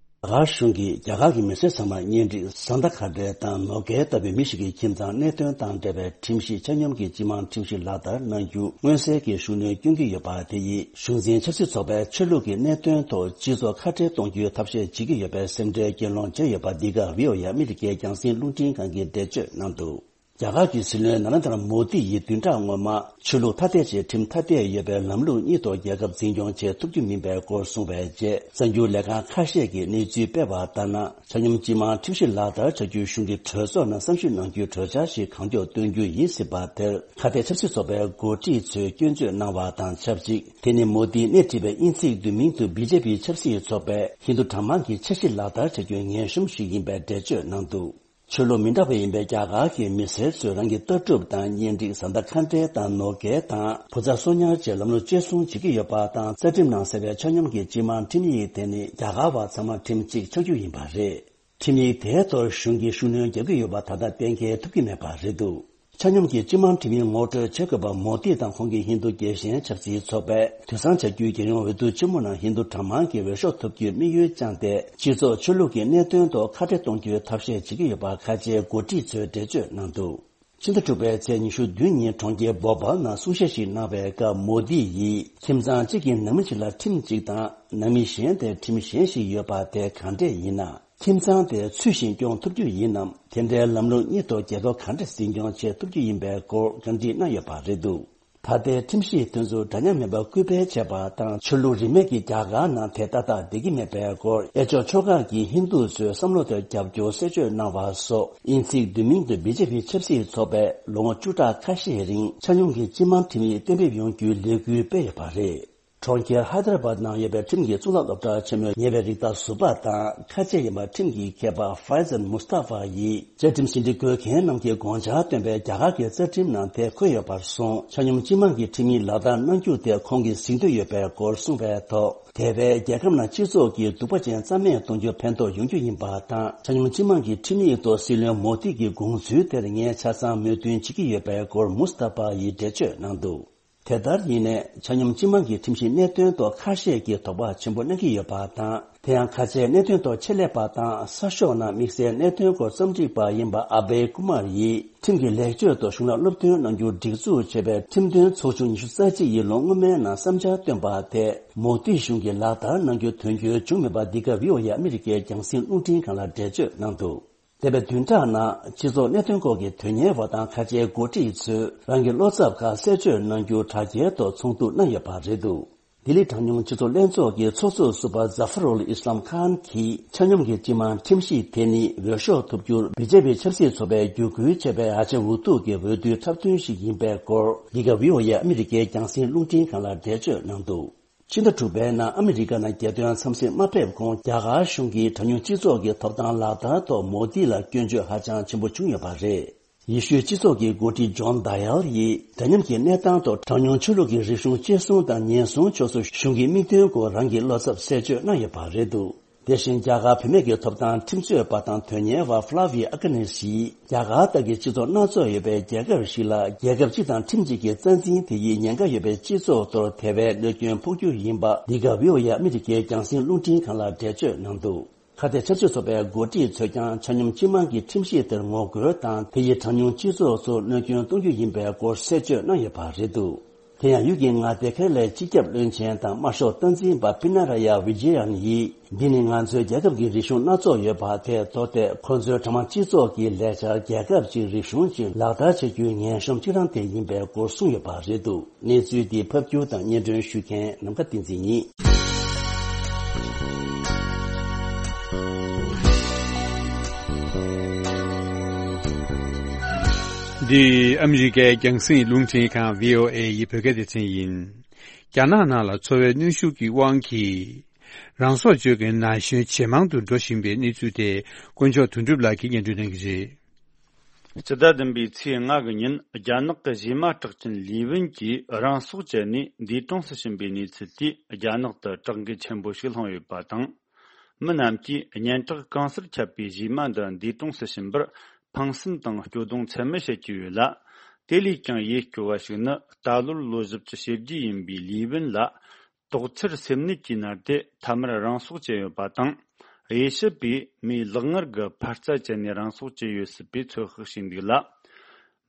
གར་གཞུང་གིས་རྒྱ་གར་གྱི་མི་སེར་ཚང་མར་གཉེན་སྒྲིག་བཟའ་ཟླ་ཁ་བྲལ་དང་ནོར་སྐལ་ལྟ་བུའི་མི་ཞིག་གི་ཁྱིམ་ཚང་གནད་དོན་དང་འབྲེལ་བའི་ཁྲིམས་ཞིབ་ཆ་སྙོམས་ཀྱི་སྤྱི་དམངས་ཁྲིམས་ཞིབ་ལག་བསྟར་གནང་རྒྱུ་མངོན་གསལ་གྱི་ཤུགས་སྣོན་བསྐྱོན་གྱི་ཡོད་པ་དེ་ཡིས་གཞུང་འཛིན་ཆབ་སྲིད་ཚོགས་པས་ཆོས་ལུགས་ཀྱི་གནད་དོན་ཐོག་སྤྱི་ཚོགས་ཁ་བྲལ་གཏོང་རྒྱུའི་ཐབས་ཤེས་བྱེད་ཀྱི་ཡོད་པའི་སེམས་ཁྲལ་སྐྱོན་སློང་བྱས་ཡོད་པ། འདི་ག་བྷི་ཨོ་ཨེ་ཨ་མི་རི་ཀའི་རྒྱང་སྲིང་རླུང་འཕྲིན་ཁང་གིས་འགྲེལ་བརྗོད་གནང་འདུག། རྒྱ་གར་གྱི་སྲིད་བློན་ནཱ་རེན་དྲ་མོ་དི་ཡིས་བདུན་ཕྲག་སྔོན་མ་ཆོས་ལུགས་ཐ་དད་ཅེས་ཁྲིམས་ཐ་དད་ཡོད་པའི་ལམ་ལུགས་གཉིས་ཐོག་རྒྱལ་ཁབ་འཛིན་སྐྱོང་བྱེད་ཐུབ་རྒྱུ་མིན་པའི་སྐོར་གསུངས་པའི་རྗེས། གསར་འགྱུར་ལས་ཁང་ཁ་ཤས་ཀྱིས་གནས་ཚུལ་སྤེལ་བ་ལྟར་ན། ཆ་སྙོམས་སྤྱི་དམངས་ཁྲིམས་ཞིབ་ལག་བསྟར་བྱ་རྒྱུའི་གཞུང་གི་གྲོས་ཚོགས་ནང་བསམ་ཞིབ་གནང་རྒྱུའི་གྲོས་འཆར་ཞིག་གང་མགྱོགས་བཏོན་རྒྱུ་ཡིན་སྲིད་པ་དེར། ཁ་གཏད་ཆབ་སྲིད་ཚོགས་པའི་འགོ་ཁྲིད་ཚོས་སྐྱོན་བརྗོད་གནང་བ་དང་ཆབས་ཅིག། དེ་ནི་མོ་དིས་སྣེ་ཁྲིད་པའི་དབྱིན་ཚིག་བསྡུས་མིང་དུ་བི་ཇེ་པི་ཆབ་སྲིད་ཚོགས་པས་ཧིན་རྡུ་གྲངས་མང་གི་ཆ་ཤས་ལག་བསྟར་བྱ་རྒྱུའི་ངན་གཤོམ་ཞིག་ཡིན་པའི་འགྲེལ་བརྗོད་གནང་འདུག། ཆོས་ལུགས་མི་འདྲ་བ་ཡིན་པའི་རྒྱ་གར་གྱི་མི་སེར་ཚོས་རང་གི་ལྟ་གྲུབ་དང་གཉེན་སྒྲིག་བཟའ་ཟླ་ཁ་བྲལ་དང་ནོར་སྐལ་དང་བུ་ཚ་སོ་ཉར་བཅས་ལམ་ལུགས་གཅེས་སྲུང་བྱེད་ཀྱི་ཡོད་པ་དང་། རྩ་ཁྲིམས་ནང་གསལ་བའི་ཆ་སྙོམས་ཀྱི་སྤྱི་དམངས་ཁྲིམས་ཡིག་དེ་ནི་རྒྱ་གར་བ་ཚང་མར་ཁྲིམས་གཅིག་ཆགས་རྒྱུ་ཡིན་པ་རེད། ཁྲིམས་ཡིག་དེའི་ཐོག་གཞུང་གིས་ཤུགས་སྣོན་རྒྱག་གི་ཡོད་པ་ད་ལྟ་གཏན་འཁེལ་ཐུབ་ཀྱི་མེད་པ་རེད་འདུག། ཆ་སྙོམས་ཀྱི་སྤྱི་དམངས་ཁྲིམས་ཡིག་ངོ་སྤྲོད་བྱེད་དགོས་པ། མོ་དི་དང་ཁོང་གི་ཧིན་རྡུ་རྒྱལ་ཞེན་ཆབ་སྲིད་ཚོགས་པས་དུས་སང་བྱ་རྒྱུའི་རྒྱལ་ཡོངས་འོས་བསྡུ་ཆེན་མོ་ནང་ཧིན་རྡུ་གྲངས་མང་གིས་འོས་ཤོག་ཐོབ་རྒྱུའི་དམིགས་ཡུལ་བཅངས་ཏེ། སྤྱི་ཚོགས་ཆོས་ལུགས་ཀྱི་གནད་དོན་ཐོག་ཁ་བྲལ་གཏོང་རྒྱུའི་ཐབས་ཤེས་བྱེད་ཀྱི་ཡོད་པ་ཁ་ཆེའི་འགོ་ཁྲིད་ཚོས་འགྲེལ་བརྗོད་གནང་འདུག། ཕྱི་ཟླ་དྲུག་པའི་ཚེས་ཉི་ཤུ་བདུན་ཉིན་གྲོང་ཁྱེར་བོ་པལ་ནང་གསུང་བཤད་ཞིག་གནང་བའི་སྐབས། མོ་དི་ཡིས་ཁྱིམ་ཚང་གཅིག་གི་ནང་མི་གཅིག་ལ་ཁྲིམས་གཅིག་དང་ནང་མི་གཞན་དེར་ཁྲིམས་གཞན་ཞིག་ཡོད་པ་དེ་གང་འདྲས་ཡིན་ན། ཁྱིམ་ཚང་དེ་ཚུལ་བཞིན་སྐྱོང་ཐུབ་རྒྱུ་ཡིན་ནམ། དེ་འདྲའི་ལམ་ལུགས་གཉིས་ཐོག་རྒྱལ་ཁབ་ག་འདྲ་འཛིན་སྐྱོང་བྱེད་ཐུབ་རྒྱུ་ཡིན་པའི་སྐོར་བཀའ་འདྲི་གནང་ཡོད་པ་རེད་འདུག། ད་ལྟའི་ཁྲིམས་གཞི་དེ་ཚོ་འདྲ་མཉམ་མེད་པར་སྐུལ་སྤེལ་བྱས་པ་དང་། ཆོས་ལུགས་རིས་མེད་ཀྱི་རྒྱ་གར་ནང་དེ་ཏག་ཏག་བསྡད་ཀྱི་མེད་པའི་སྐོར། གཡས་ཕྱོགས་ཕྱོགས་ཁག་གི་ཧིན་རྡུ་ཚོའི་བསམ་བློ་དེར་རྒྱབ་སྐྱོར་གསལ་བརྗོད་གནང་བ་སོགས། དབྱིན་ཚིག་བསྡུས་མིང་དུ་བི་ཇེ་པི་ཆབ་སྲིད་ཚོགས་པས་ལོ་ངོ་བཅུ་ཕྲག་ཁ་ཤས་རིང་ཆ་སྙོམས་ཀྱི་སྤྱི་དམངས་ཁྲིམས་ཡིག་གཏན་འབེབས་ཡོང་རྒྱུའི་ལས་འགུལ་སྤེལ་ཡོད་པ་རེད། གྲོང་ཁྱེར་ཧའི་ད་ར་བཱད་ནང་ཡོད་པའི་ཁྲིམས་ཀྱི་གཙུག་ལག་སློབ་གྲྭ་ཆེན་མོའི་ཉེ་བའི་རིགས་བདག་ཟུར་པ་དང་། ཁ་ཆེ་ཡིན་པ་ཁྲིམས་ཀྱི་མཁས་པ་ཧྥའི་ཛན་མུ་སྟ་ཧྥ་ཡིས། བཅའ་ཁྲིམས་ཟིན་བྲིས་འགོད་མཁན་རྣམས་ཀྱིས་དགོངས་འཆར་བཏོན་པའི་རྒྱ་གར་གྱི་རྩ་ཁྲིམས་ནང་དེ་འཁོད་ཡོད་པར་སོང་། ཆ་སྙོམས་སྤྱི་དམངས་ཀྱི་ཁྲིམས་ཡིག་ལག་བསྟར་གནང་རྒྱུ་དེ་ཁོང་གིས་གཟིགས་འདོད་ཡོད་པའི་སྐོར་གསུངས་པའི་ཐོག། དེ་བས་རྒྱལ་ཁབ་ནང་སྤྱི་ཚོགས་ཀྱི་སྡུག་པ་ཅན་རྩ་མེད་གཏོང་རྒྱུར་ཕན་ཐོགས་ཡོང་རྒྱུ་ཡིན་པ་དང་། ཆ་སྙོམས་སྤྱི་དམངས་ཀྱི་ཁྲིམས་ཡིག་ཐོག་སྲིད་བློན་མོ་དི་གི་དགོངས་ཚུལ་དེར་ངས་ཆ་ཚང་མོས་མཐུན་བྱེད་ཀྱི་ཡོད་པའི་སྐོར་མུ་སྟ་ཕ་ཡིས་འགྲེལ་བརྗོད་གནང་འདུག། དེ་ལྟར་ཡིན་ནའི། ཆ་སྙོམས་སྤྱི་དམངས་ཀྱི་ཁྲིམས་གཞིའི་གནད་དོན་ཐོག་ཁ་ཤས་ཀྱིས་དོགས་པ་ཆེན་པོ་གནང་གི་ཡོད་པ་དང་། དེ་ཡང་ཁ་ཆེའི་གནད་དོན་ཐོག་ཆེད་ལས་པ་དང་གསར་ཤོག་ནང་དམིགས་བསལ་གནད་དོན་སྐོར་རྩོམ་སྒྲིག་པ་ཡིན་པ་ཨ་བྷེ་ཀུ་མར་ཡིས། ཁྲིམས་ཀྱི་ལེགས་བཅོས་ཐོག་གཞུང་ལ་སློབ་སྟོན་གནང་རྒྱུར་སྒྲིག་འཛུགས་བྱས་པའི་ཁྲིམས་དོན་ཚོགས་ཆུང་ཉི་ཤུ་རྩ་གཅིག་ཡིས་ལོ་སྔོན་མའི་ནང་བསམ་འཆར་བཏོན་པ་དེ། མོ་དི་གཞུང་གིས་ལག་བསྟར་གནང་རྒྱུ་དོན་འཁྱོལ་བྱུང་མེད་པ། འདི་ག་བྷི་ཨོ་ཨེ་ཨ་མི་རི་ཀའི་རྒྱང་སྲིང་རླུང་འཕྲིན་ཁང་ལ་འགྲེལ་བརྗོད་གནང་འདུག། འདས་པའི་བདུན་ཕྲག་ནང་སྤྱི་ཚོགས་གནད་དོན་སྐོར་གྱི་དོན་གཉེར་བ་དང་ཁ་ཆེའི་འགོ་ཁྲིད་ཚོས་རང་གི་བློ་འཚབ་ཁག་གསལ་བརྗོད་གནང་རྒྱུ་དྲ་རྒྱའི་ཐོག་ཚོགས་འདུ་གནང་ཡོད་པ་རེད་འདུག། ལྡི་ལི་གྲངས་ཉུང་སྤྱི་ཚོགས་ལྷན་ཚོགས་ཀྱི་ཚོགས་གཙོ་ཟུར་པ་ཛ་ཧྥ་རུལ་ཨི་སི་ལམ་ཁཱན་གྱིས་ཆ་སྙོམས་ཀྱི་སྤྱི་དམངས་ཁྲིམས་གཞི་དེ་ནི་འོས་ཤོག་ཐོབ་རྒྱུར་བི་ཇེ་པི་ཆབ་སྲིད་ཚོགས་པས་བརྒྱུད་སྐུལ་བྱས་པའི་ཨ་ཆ་འུ་ཐུག་གི་འོས་བསྡུའི་འཁྲབ་སྟོན་ཞིག་ཡིན་པའི་སྐོར། འདི་ག་ཝི་ཨོ་ཨེ་ཨ་མི་རི་ཀའི་རྒྱང་སྲིང་རླུང་འཕྲིན་ཁང་ལ་འགྲེལ་བརྗོད་གནང་འདུག་ཕྱི་ཟླ་དྲུག་པའི་ནང་ཨ་མི་རི་ཀ་ནང་རྒྱལ་དོན་འཚམས་གཟིགས་མ་ཕེབས་གོང་རྒྱ་གར་གཞུང་གིས་གྲངས་ཉུང་སྤྱི་ཚོགས་ཀྱི་ཐོབ་ཐང་ལག་བསྟར་ཐོག་མོ་དི་ལ་སྐྱོན་བརྗོད་ཧ་ཅང་ཆེན་པོ་བྱུང་ཡོད་པ་རེད། ཡེ་ཤུའི་སྤྱི་ཚོགས་ཀྱི་འགོ་ཁྲིད་ཇོན་ཌ་ཡལ་ཡིས་འདྲ་མཉམ་གྱི་གནས་སྟངས་ཐོག་གྲངས་ཉུང་ཆོས་ལུགས་ཀྱི་རིག་གཞུང་གཅེས་སྲུང་དང་ཉེན་སྲུང་ཕྱོགས་སུ་གཞུང་གི་དམིགས་དོན་སྐོར་རང་གི་བློ་འཚབ་གསལ་བརྗོད་གནང་ཡོད་པ་རེད་འདུག་དེ་བཞིན་རྒྱ་གར་བུད་མེད་ཀྱི་ཐོབ་ཐང་ཁྲིམས་རྩོད་པ་དང་དོན་གཉེར་བ་ཧྥ་ལ་ཝི་ཨ་ཀ་ནེ་ཤིས་རྒྱ་གར་ལྟར་གྱི་སྤྱི་ཚོགས་སྣ་ཚོགས་ཡོད་པའི་རྒྱལ་ཁབ་ཞིག་ལ་རྒྱལ་ཁབ་སྤྱི་དང་ཁྲིམས་གཅིག་གི་རྩ་འཛིན་དེ་ཡིས་ཉེན་ཁ་ཡོད་པའི་སྤྱི་ཚོགས་ཐོག་དེ་བས་གནོད་སྐྱོན་ཕོག་རྒྱུ་ཡིན་པ་འདི་ག་ཝི་ཨོ་ཨེ་ཨ་མི་རི་ཀའི་རྒྱང་སྲིང་རླུང་འཕྲིན་ཁང་ལ་འགྲེལ་བརྗོད་གནང་འདུག་ཁ་གཏད་ཆབ་སྲིད་ཚོགས་པའི་འགོ་ཁྲིད་ཚོས་ཀྱང་ཆ་སྙོམས་སྤྱི་དམངས་ཀྱི་ཁྲིམས་གཞི་དེར་ངོ་རྒོལ་དང་དེ་ཡིས་གྲངས་ཉུང་སྤྱི་ཚོགས་སུ་གནོད་སྐྱོན་གཏོང་རྒྱུ་ཡིན་པའི་སྐོར་གསལ་བརྗོད་གནང་ཡོད་པ་རེད་འདུག་དེ་ཡང་ཡུལ་གྱི་མངའ་སྡེ་ཁག་ལས་སྤྱི་ཁྱབ་བློན་ཆེན་དང་དམར་ཤོག་སྟངས་འཛིན་པ་པི་ན་ར་ཡ་ཝི་ཇེ་ཡན་ཡིས། འདི་ནི་ང་ཚོའི་རྒྱལ་ཁབ་ཀྱི་རིག་གཞུང་སྣ་ཚོགས་ཡོད་པ་དེ་གཙོ་བོ་ཁོ་ཚོའི་གྲངས་མང་སྤྱི་ཚོགས་ཀྱི་ལས་འཆར་རྒྱལ་ཁབ་ཀྱི་རིག་གཞུང་ཅིག་ལག་བསྟར་བྱེད་རྒྱུའི་ངན་གཤོམ་གཅིག་རང་དེ་ཡིན་པའི་སྐོར་གསུངས་ཡོད་པ་རེད་འདུག་གནས་ཚུལ་འདི་ཕབ་སྒྱུར་དང་སྙན་སྒྲོན་ཞུ་མཁན་ནམ་མཁའ་བསྟན་འཛིན་ཡིན། འདི་ཨ་མི་རི་ཀའི་རྒྱང་སྲིང་རླུང་འཕྲིན་ཁང་ཝི་ཨོ་ཨེ་ཡི་བོད་སྐད་སྡེ་ཚན་ཡིན། རྒྱ་ནག་ནང་ལ་འཚོ་བའི་གནོན་ཤུགས་ཀྱི་དབང་གིས། རང་སྲོག་གཅོད་མཁན་ན་གཞོན་ཇེ་མང་དུ་འགྲོ་བཞིན་པའི་གནས་ཚུལ་དེ་དཀོན་མཆོག་དོན་གྲུབ་ལགས་ཀྱིས་སྙན་སྒྲོན་གནང་གི་རེད། སྤྱི་ཟླ་བདུན་པའི་ཚེས་ལྔ་གི་ཉིན་རྒྱ་ནག་གི་གཞས་མ་གྲགས་ཅན་ལི་ཝུན་གྱིས་རང་སྲོག་བཅད་ནས་འདས་གྲོངས་སུ་ཕྱིན་པའི་གནས་ཚུལ་དེས་རྒྱ་ནག་ཏུ་གྲགས་འགུལ་ཆེན་པོ་ཞིག་བསླངས་ཡོད་པ་དང་། མི་རྣམས་ཀྱིས་སྙན་གྲགས་གང་སར་ཁྱབ་པའི་གཞས་མ་འདི་འདས་གྲོངས་སུ་ཕྱིན་པར་ཕངས་སེམས་དང་སྐྱོ་གདུང་ཚད་མེད་བྱེད་ཀྱི་ཡོད་ལ། དེ་ལས་ཀྱང་ཡིད་སྐྱོ་བ་ཞིག་ནི་ད་ལོར་ལོ་བཞི་བཅུ་ཞེ་བརྒྱད་ཡིན་པའི་ལི་ཝུན་ལ། དོགས་འཚེར་སེམས་ནད་ཀྱིས་མནར་ཏེ་མཐའ་མར་རང་སྲོག་བཅད་ཡོད་པ་དང་། དབྱེ་ཞིབ་པས་མིའི་ལག་ངར་གྱི་འཕར་རྩ་བཅད་ནས་རང་སྲོག་བཅད་ཡོད་སྲིད་པའི་ཚོད་དཔག་བྱས་འདུག་ལ།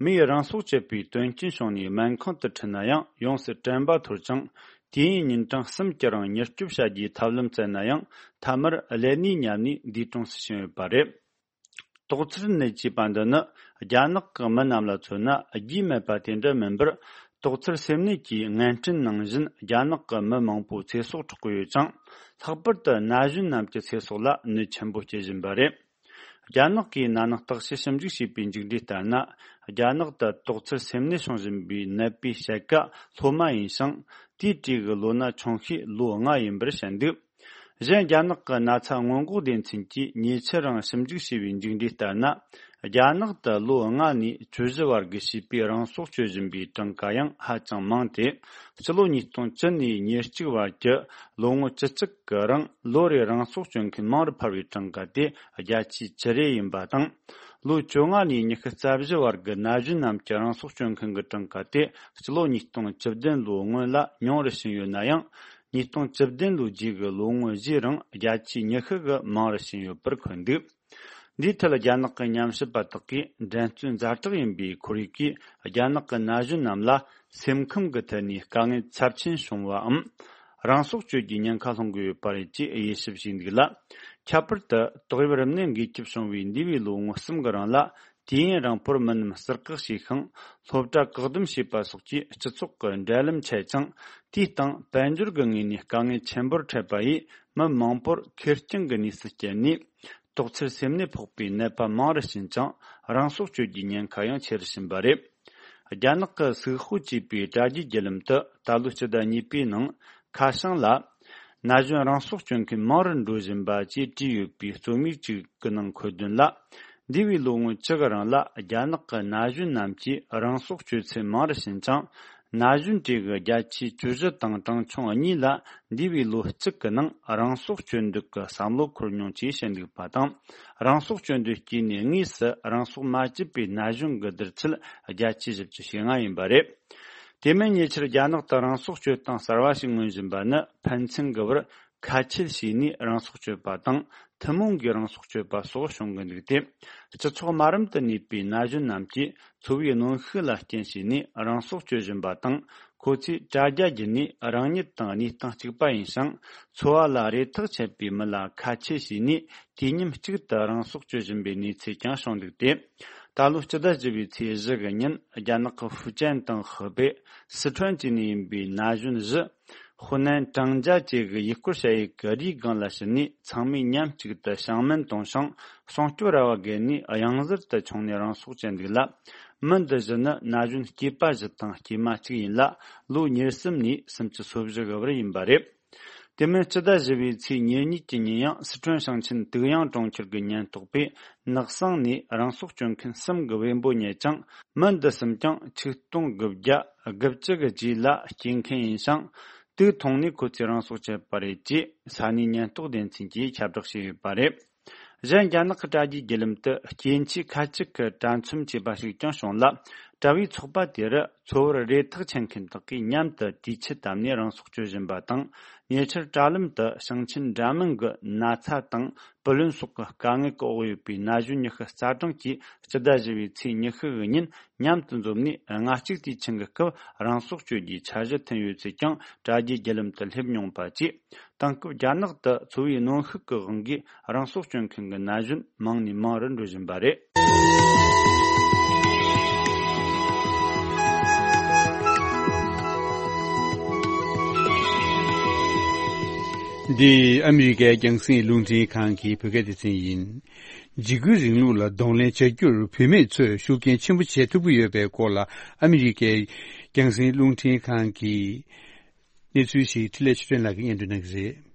མིས་རང་སྲོག་བཅད་པའི་དོན་རྐྱེན་བྱུང་ནས་སྨན་ཁང་དུ་ཁྲིད་ན་ཡང་ཡོངས་སུ་དྲན་པ་འཐོར་ཅིང་། དུས་ཡུན་ཉིན་གྲངས་གསུམ་གྱི་རིང་མྱུར་སྐྱོབ་བྱ་རྒྱུའི་ཐབས་ལམ་བཙལ་ན་ཡང་མཐའ་མར་ཀླད་ནད་ཉམས་ནས་འདས་གྲོངས་སུ་ཕྱིན་ཡོད་པ་རེད། དོགས་འཚེར་ནད་ཅེས་པ་འདི་ནི་རྒྱ་ནག་གི་མི་རྣམས་ལ་མཚོན་ན་རྒྱུས་མེད་པ་དེ་འདྲ་མིན་པར། དོགས་འཚེར་སེམས་ནད་ཀྱིས་ངན་སྐྲན་ནང་བཞིན་རྒྱ་ནག་གི་མི་མང་པོའི་ཚེ་སྲོག་འཕྲོག་གི་ཡོད་ཅིང་། ལྷག་པར་དུ་ན་གཞོན་རྣམས་ཀྱི་ཚེ་སྲོག་ལ་གནོད་ཆེན་པོ་སྐྱེལ་བཞིན་པ་རེད། རྒྱ་ནག་གིས་ན་ནིང་བརྟག་དཔྱད་ཞིབ་འཇུག་བྱས་པའི་མཇུག་འབྲས་ལྟར་ན། རྒྱ་ནག་ཏུ་དོགས་འཚེར་སེམས་ནད་བྱུང་བཞིན་པའི་ནད་པའི་དཔྱད་ཀ་སློབ་མ་ཡིན་ཞིང་། དེའི་གྲས་ཀྱི་ལོ་ན་ཆུང་ཤོས་ལོ་ལྔ་ཡིན་པར་བཤད་འདུག་གཞན་རྒྱ་ནག་གི་ན་ཚ་སྔོན་འགོག་སྡེ་ཚན་གྱིས་ཉེ་ཆར་རང་ཞིབ་འཇུག་བྱས་པའི་མཇུག་འབྲས་ལྟར་ན། རྒྱ་ནག་ཏུ་ལོ་ལྔ་ནས་བཅུ་བཞི་བར་གྱི་བྱིས་པས་རང་སྲོག་གཅོད་བཞིན་པའི་གྲངས་ཀ་ཡང་ཧ་ཅང་མང་སྟེ། སྤྱི་ལོ་ཉིས་སྟོང་བཅུ་ནས་ཉེར་གཅིག་བར་གྱི་ལོ་ངོ་བཅུ་གཅིག་གི་རིང་ལོ་རེར་རང་སྲོག་གཅོད་མཁན་མང་རུ་འཕར་བའི་གྲངས་ཀ་དེ་བརྒྱ་ཆའི་བཅུ་རེ་ཡིན་པ་དང་། ལོ་བཅོ་ལྔ་ནས་ཉི་ཤུ་རྩ་བཞི་བར་གྱི་ན་གཞོན་རྣམས་ཀྱི་རང་སྲོག་གཅོད་མཁན་གྱི་གྲངས་ཀ་དེ་སྤྱི་ལོ་ཉིས་སྟོང་བཅུ་བདུན་ལོའི་སྔོན་ལ་ཉུང་རུ་ཕྱིན་ཡོད་ན་ཡང་། ཉིས་སྟོང་བཅུ་བདུན་ལོའི་རྗེས་ཀྱི་ལོ་ངོ་བཞིའི་རིང་བརྒྱ་ཆའི་ཉི་ཤུ་གིས་མང་རུ་ཕྱིན་ཡོད་པར་འཁོད་འདུག་འདིའི་ཐད་རྒྱ་ནག་གི་ཉམས་ཞིབ་པ་དག་གིས་འགྲན་རྩོད་ཛ་དྲག་ཡིན་པའི་ཁོར་ཡུག་གིས་རྒྱ་ནག་གི་ན་གཞོན་རྣམས་ལ་སེམས་ཁམས་ཀྱི་ཐད་ནས་དཀའ་ངལ་ཚབས་ཆེན་བྱུང་བའམ། རང་སྲོག་གཅོད་རྒྱུའི་ཉེན་ཁ་སློང་གི་ཡོད་པ་རེད་ཅེས་དབྱེ་ཞིབ་བྱས་འདུག་ལ། ཁྱད་པར་དུ་ཏོག་དབྱིབས་རིམས་ནད་འགོས་ཁྱབ་བྱུང་བའི་འདས་པའི་ལོ་ངོ་གསུམ་གྱི་རིང་ལ། དུས་ཡུན་རིང་པོར་མི་རྣམས་ཟུར་བཀག་བྱས་ཤིང་། སློབ་གྲྭ་བཀག་སྡོམ་བྱས་པ་སོགས་ཀྱིས་སྤྱི་ཚོགས་ཀྱི་འབྲེལ་ལམ་ཆད་ཅིང་། དུས་དང་དཔལ་འབྱོར་གྱི་ངོས་ནས་དཀའ་ངལ་ཆེན་པོར་འཕྲད་པ་ཡིས། མི་མང་པོར་ཁེར་རྐྱང་གི་གནས་སུ་བསྐྱལ་ནས། དོགས་འཚེར་སེམས་ནད་ཕོག་པའི་ནད་པ་མང་རུ་ཕྱིན་ཅིང་། རང་སྲོག་གཅོད་རྒྱུའི་ཉེན་ཁ་ཡང་ཆེ་རུ་ཕྱིན་པ་རེད། རྒྱ་ནག་གི་སུའུ་ཧོ་ཅེས་པའི་དྲ་རྒྱའི་བརྒྱུད་ལམ་དུ་ད་ལོའི་སྤྱི་ཟླ་གཉིས་པའི་ནང་། ཁ་བྱང་ལ། ན་གཞོན་རང་སྲོག་གཅོད་མཁན་མང་རུ་འགྲོ་བཞིན་པ་ཅེས་བྲིས་ཡོད་པའི་རྩོམ་ཡིག་ཅིག་གི་ནང་འཁོད་དོན་ལ། འདས་པའི་ལོ་ངོ་བཅུ་གི་རིང་ལ་རྒྱ་ནག་གི་ན་གཞོན་རྣམས་ཀྱིས་རང་སྲོག་གཅོད་ཚུལ་མང་རུ་ཕྱིན་ཅིང་། ན་གཞོན་གྲས་ཀྱི་བརྒྱ་ཆའི་བཅུ་བཞི་དང་གྲངས་ཆུང་གཉིས་ལ་འདས་པའི་ལོ་གཅིག་གི་ནང་རང་སྲོག་གཅོད་འདོད་ཀྱི་བསམ་བློ་འཁོར་མྱོང་ཅེས་བཤད་འདུག་པ་དང་། རང་སྲོག་གཅོད་འདོད་སྐྱེས་ནས་དངོས་སུ་རང་སྲོག་མ་བཅད་པའི་ན་གཞོན་གྱི་བསྡུར་ཚད་བརྒྱ་ཆའི་བཞི་བཅུ་ཞེ་ལྔ་ཡིན་པ་རེད། དེ་མིན་ཉེ་ཆར་རྒྱ་ནག་ཏུ་རང་སྲོག་གཅོད་སྟངས་གསར་བ་ཞིག་མངོན་བཞིན་པ་ནི་ཕན་ཚུན་གྱི་བར་ཁ་ཆད་བྱས་ནས་རང་སྲོག་གཅོད་པ་དང་། ཐུན་མོང་གིས་རང་སྲོག་གཅོད་པ་སོགས་བྱུང་གི་འདུག་སྟེ། སྤྱི་ཚོགས་དམའ་རིམ་དུ་གནས་པའི་ན་གཞོན་རྣམས་ཀྱིས་འཚོ་བའི་གནོན་ཤུགས་ལ་རྐྱེན་བྱས་ནས་རང་སྲོག་གཅོད་བཞིན་པ་དང་། ཁོ་ཚོས་དྲ་རྒྱ་བརྒྱུད་ནས་རང་ཉིད་དང་གནས་སྟངས་གཅིག་པ་ཡིན་ཞིང་། འཚོ་བ་ལ་རེ་ཐག་ཆད་པའི་མི་ལ་ཁ་ཆད་བྱས་ནས། དུས་མཉམ་གཅིག་ཏུ་རང་སྲོག་གཅོད་བཞིན་པའི་གནས་ཚུལ་ཀྱང་བྱུང་འདུག་སྟེ། ད་ལོའི་སྤྱི་ཟླ་བཞི་པའི་ཚེས་བཞི་གི་ཉིན་རྒྱ་ནག་གི་ཧྥུ་ཅན་དང་ཧི་པེ། སི་ཁྲོན་བཅས་ནས་ཡིན་པའི་ན་གཞོན་བཞི། ཧུ་ནན་ཀྲང་ཇ་བཅས་ཀྱི་ཡུལ་སྐོར་ཞ་ཡི་གི་རིའི་སྒང་ལ་ཕྱིན་ནས། ཚང་མས་མཉམ་གཅིག་ཏུ་ཞིང་སྨན་བཏུང་ཞིང་སྲུང་སྐྱོབ་ར་བ་བརྒལ་ནས། གཡང་གཟར་དུ་མཆོངས་ནས་རང་སྲོག་བཅད་འདུག་ལ། མི་འདི་བཞི་ནི་ན་གཞོན་སྐྱེས་པ་བཞི་དང་སྐྱེས་མ་གཅིག་ཡིན་ལ། ལོ་ཉེར་གསུམ་ནས་སུམ་ཅུ་སོ་བཞི་གི་བར་ཡིན་པ་རེད། དེ་མིན་སྤྱི་ཟླ་བཞི་པའི་ཚེས་ཉེར་གཉིས་ཀྱི་ཉིན་ཡང་སི་ཁྲོན་ཞིང་ཆེན་དུག་ཡང་གྲོང་ཁྱེར་གྱི་ཉེན་རྟོག་པས་ནགས་གསེང་ནས་རང་སྲོག་གཅོད་མཁན་གསུམ་གྱི་བེམ་པོ་རྙེད་ཅིང་། མི་འདི་གསུམ་ཀྱང་ཆིག་སྟོང་དགུ་བརྒྱ་དགུ་བཅུ་གི་རྗེས་ལ་སྐྱེས་མཁན་ཡིན་ཞིང་། དེ་མཐོང་ནས་ཁོ་ཚོས་རང་སྲོག་བཅད་པ་རེད་ཅེས་ས་གནས་ཉེན་རྟོག་སྡེ་ཚན་གྱིས་ཁྱབ་བསྒྲགས་བྱས་ཡོད་པ་རེད། གཞན་རྒྱ་ནག་གི་དྲ་རྒྱའི་བརྒྱུད་ལམ་དུ་སྐྱེ་འཆི་ཁ་ཅིག་གི་དྲ་མཚམས་ཆད་པ་ཞིག་ཀྱང་བྱུང་ལ། དྲ་བའི་ཚོགས་པ་དེ་རུ་འཚོ་བར་རེ་ཐག་ཆད་མཁན་དག་གིས་མཉམ་དུ་དུས་ཆད་བཏབ་ནས་རང་སྲོག་གཅོད་བཞིན་པ་དང་། ཉེ་ཆར་དྲ་ལམ་དུ་ཞིང་ཆེན་འདྲ་མིན་གྱི་ན་ཚ་དང་བུ་ལོན་སོགས་ཀྱི་དཀའ་ངལ་གྱི་འོག་ཡོད་པའི་ན་གཞོན་ཉི་ཤུ་རྩ་གྲངས་ཀྱིས་སྤྱི་ཟླ་བཞི་པའི་ཚེས་ཉི་ཤུ་གི་ཉིན་མཉམ་དུ་འཛོམས་ནས། ལྔ་གཅིག་དུས་ཆེན་གྱི་སྐབས་རང་སྲོག་གཅོད་རྒྱུའི་འཆར་གཞི་བཏིང་ཡོད་ཚུལ་ཀྱང་དྲ་རྒྱའི་བརྒྱུད་ལམ་དུ་སླེབས་མྱོང་པ་བཅས། དེང་སྐབས་རྒྱ་ནག་ཏུ་འཚོ་བའི་གནོན་ཤུགས་ཀྱི་དབང་གིས་རང་སྲོག་གཅོད་མཁན་གྱི་ན་གཞོན་མང་ནས་མང་རུ་འགྲོ་བཞིན་པ་རེད། འདི་ཨ་མི་རི་ཀའི་རྒྱང་སྲིང་རླུང་འཕྲིན་ཁང་གི་བོད་སྐད་སྡེ་ཚན་ཡིན། འཇིགས་སྐུལ་རིང་ལུགས་ལ་གདོང་ལེན་བྱ་རྒྱུར་བུད་མེད་ཚོས་ཤུགས་རྐྱེན་ཆེན་པོ་བྱེད་ཐུབ་ཀྱི་ཡོད་པའི་སྐོར་ལ། ཨ་མི་རི་ཀའི་རྒྱང་སྲིང་རླུང་འཕྲིན་ཁང་གིས་གནས་ཚུལ་ཞིག་འཕྲིན་ལས་ཆོས་སྒྲོན་ལགས་ཀྱིས་སྙན་སྒྲོན་གནང་གི་རེད།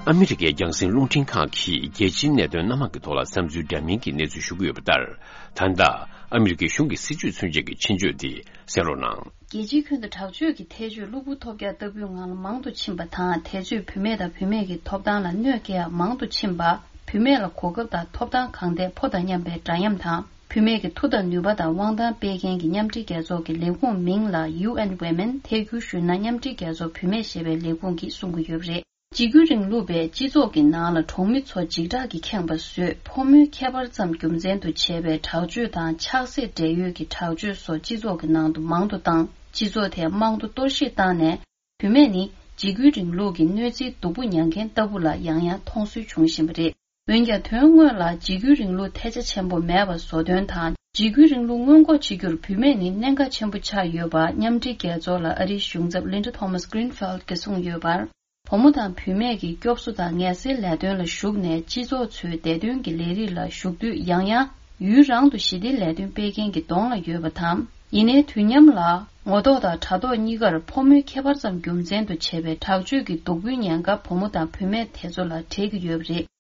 ཨ་མི་རི་ཀའི་རྒྱང་སྲིང་རླུང་འཕྲིན་ཁང་གིས་རྒྱལ་སྤྱིའི་གནད་དོན་སྣ་མང་གི་ཐོག་ལ་བསམ་ཚུལ་འདྲ་མིན་གྱི་གནས་ཚུལ་ཞུ་གི་ཡོད་པ་ལྟར། ད་ལྟ་ཨ་མི་རི་ཀའི་གཞུང་གི་སྲིད་ཇུས་མཚོན་བྱེད་ཀྱི་ཆེད་བརྗོད་དེ་གསན་རོགས་གནང་། རྒྱལ་སྤྱིའི་ཁྱོན་དུ་དྲག་སྤྱོད་ཀྱི་ཐལ་སྤྱོད་གློ་བུར་ཐོལ་རྒྱག་ལྟ་བུའི་ངང་ལ་མང་དུ་ཕྱིན་པ་དང་། དེ་ཚོས་བུད་མེད་དང་བུད་མེད་ཀྱི་ཐོབ་ཐང་ལ་གནོད་སྐྱེལ་ཡག་མང་དུ་ཕྱིན་པ། བུད་མེད་ལ་གོ་སྐབས་དང་ཐོབ་ཐང་གང་ཐད་ཕོ་དང་མཉམ་པའི་འདྲ་མཉམ་དང་། བུད་མེད་ཀྱི་མཐུ་དང་ནུས་པ་དང་དབང་ཐང་སྤེལ་མཁན་གྱི་མཉམ་འབྲེལ་རྒྱལ་ཚོགས་ཀྱི་ལས་ཁུངས་མིང་ལ་ཡུ་ཨེན་ཝི་མེན། ཐད་ཀར་ཞུས་ན་མཉམ་འབྲེལ་རྒྱལ་ཚོགས་བུད་མེད་ཞེས་པའི་ལས་ཁུངས་ཀྱིས་གསུང་གི་ཡོད་པ་རེད། འཇིགས་སྐུལ་རིང་ལུགས་པས་སྤྱི་ཚོགས་ཀྱི་ནང་ལ་གྲོང་མི་ཚོ་འཇིགས་སྐྲག་གིས་ཁེངས་པ་བཟོས། ཕོ་མོའི་ཁྱད་པར་ཙམ་རྒྱུ་མཚན་དུ་བྱས་པའི་དྲག་སྤྱོད་དང་ཆགས་སྲེད་འབྲེལ་ཡོད་ཀྱི་དྲག་སྤྱོད་སོགས་སྤྱི་ཚོགས་ཀྱི་ནང་དུ་མང་དུ་བཏང་། སྤྱི་ཚོགས་དེ་དམངས་གཙོ་གཏོར་བཤིག་བཏང་ནས། བུད་མེད་ནི་འཇིགས་སྐུལ་རིང་ལུགས་ཀྱི་གནོད་འཚེའི་སྡུག་པོ་མྱང་མཁན་ལྟ་བུ་ལ་ཡང་ཡང་མཐོང་སྲོལ་བྱུང་བཞིན་པ་རེད། འོན་ཀྱང་། དོན་དངོས་ལ་འཇིགས་སྐུལ་རིང་ལུགས་ཐལ་ཆ་ཆེན་པོ་མེད་པ་བཟོ་དོན་དང་། འཇིགས་སྐུལ་རིང་ལུགས་སྔོན་འགོག་བྱེད་རྒྱུར་བུད་མེད་ནི་གནད་འགག་ཆེན་པོ་ཆགས་ཡོད་པ། མཉམ་འབྲེལ་རྒྱལ་ཚོགས་ལ་ཨ་རིའི་གཞུང་ཚབ་Linda Thomas Greenfield་གྱིས་གསུངས་ཡོད་པར། བུ་མོ་དང་བུད་མེད་ཀྱི་སྐྱོབ་གསོ་དང་ངལ་སེལ་ལས་དོན་ལ་ཞུགས་ནས། སྤྱི་ཚོགས་ཚོའི་བདེ་དོན་གྱི་ལས་རིགས་ལ་ཞུགས་དུས། ཡང་ཡང་ཡུན་རིང་དུ་ཞི་བདེའི་ལས་དོན་སྤེལ་མཁན་གྱི་གདོང་ལ་ཡོད་པ་དང་། ཡིན་ནའི་དུས་མཉམ་ལ། ངོ་ཐོག་དང་དྲ་ཐོག་གཉིས་ཀར་ཕོ་མོའི་ཁྱད་པར་ཙམ་རྒྱུ་མཚན་དུ་བྱས་པའི་དྲག་སྤྱོད་ཀྱི་སྡུག་པོའི་ཉེན་ཁ་བུ་མོ་དང་བུད་མེད་དེ་ཚོ་ལ་འཕྲད་ཀྱི་ཡོད་པ་རེད།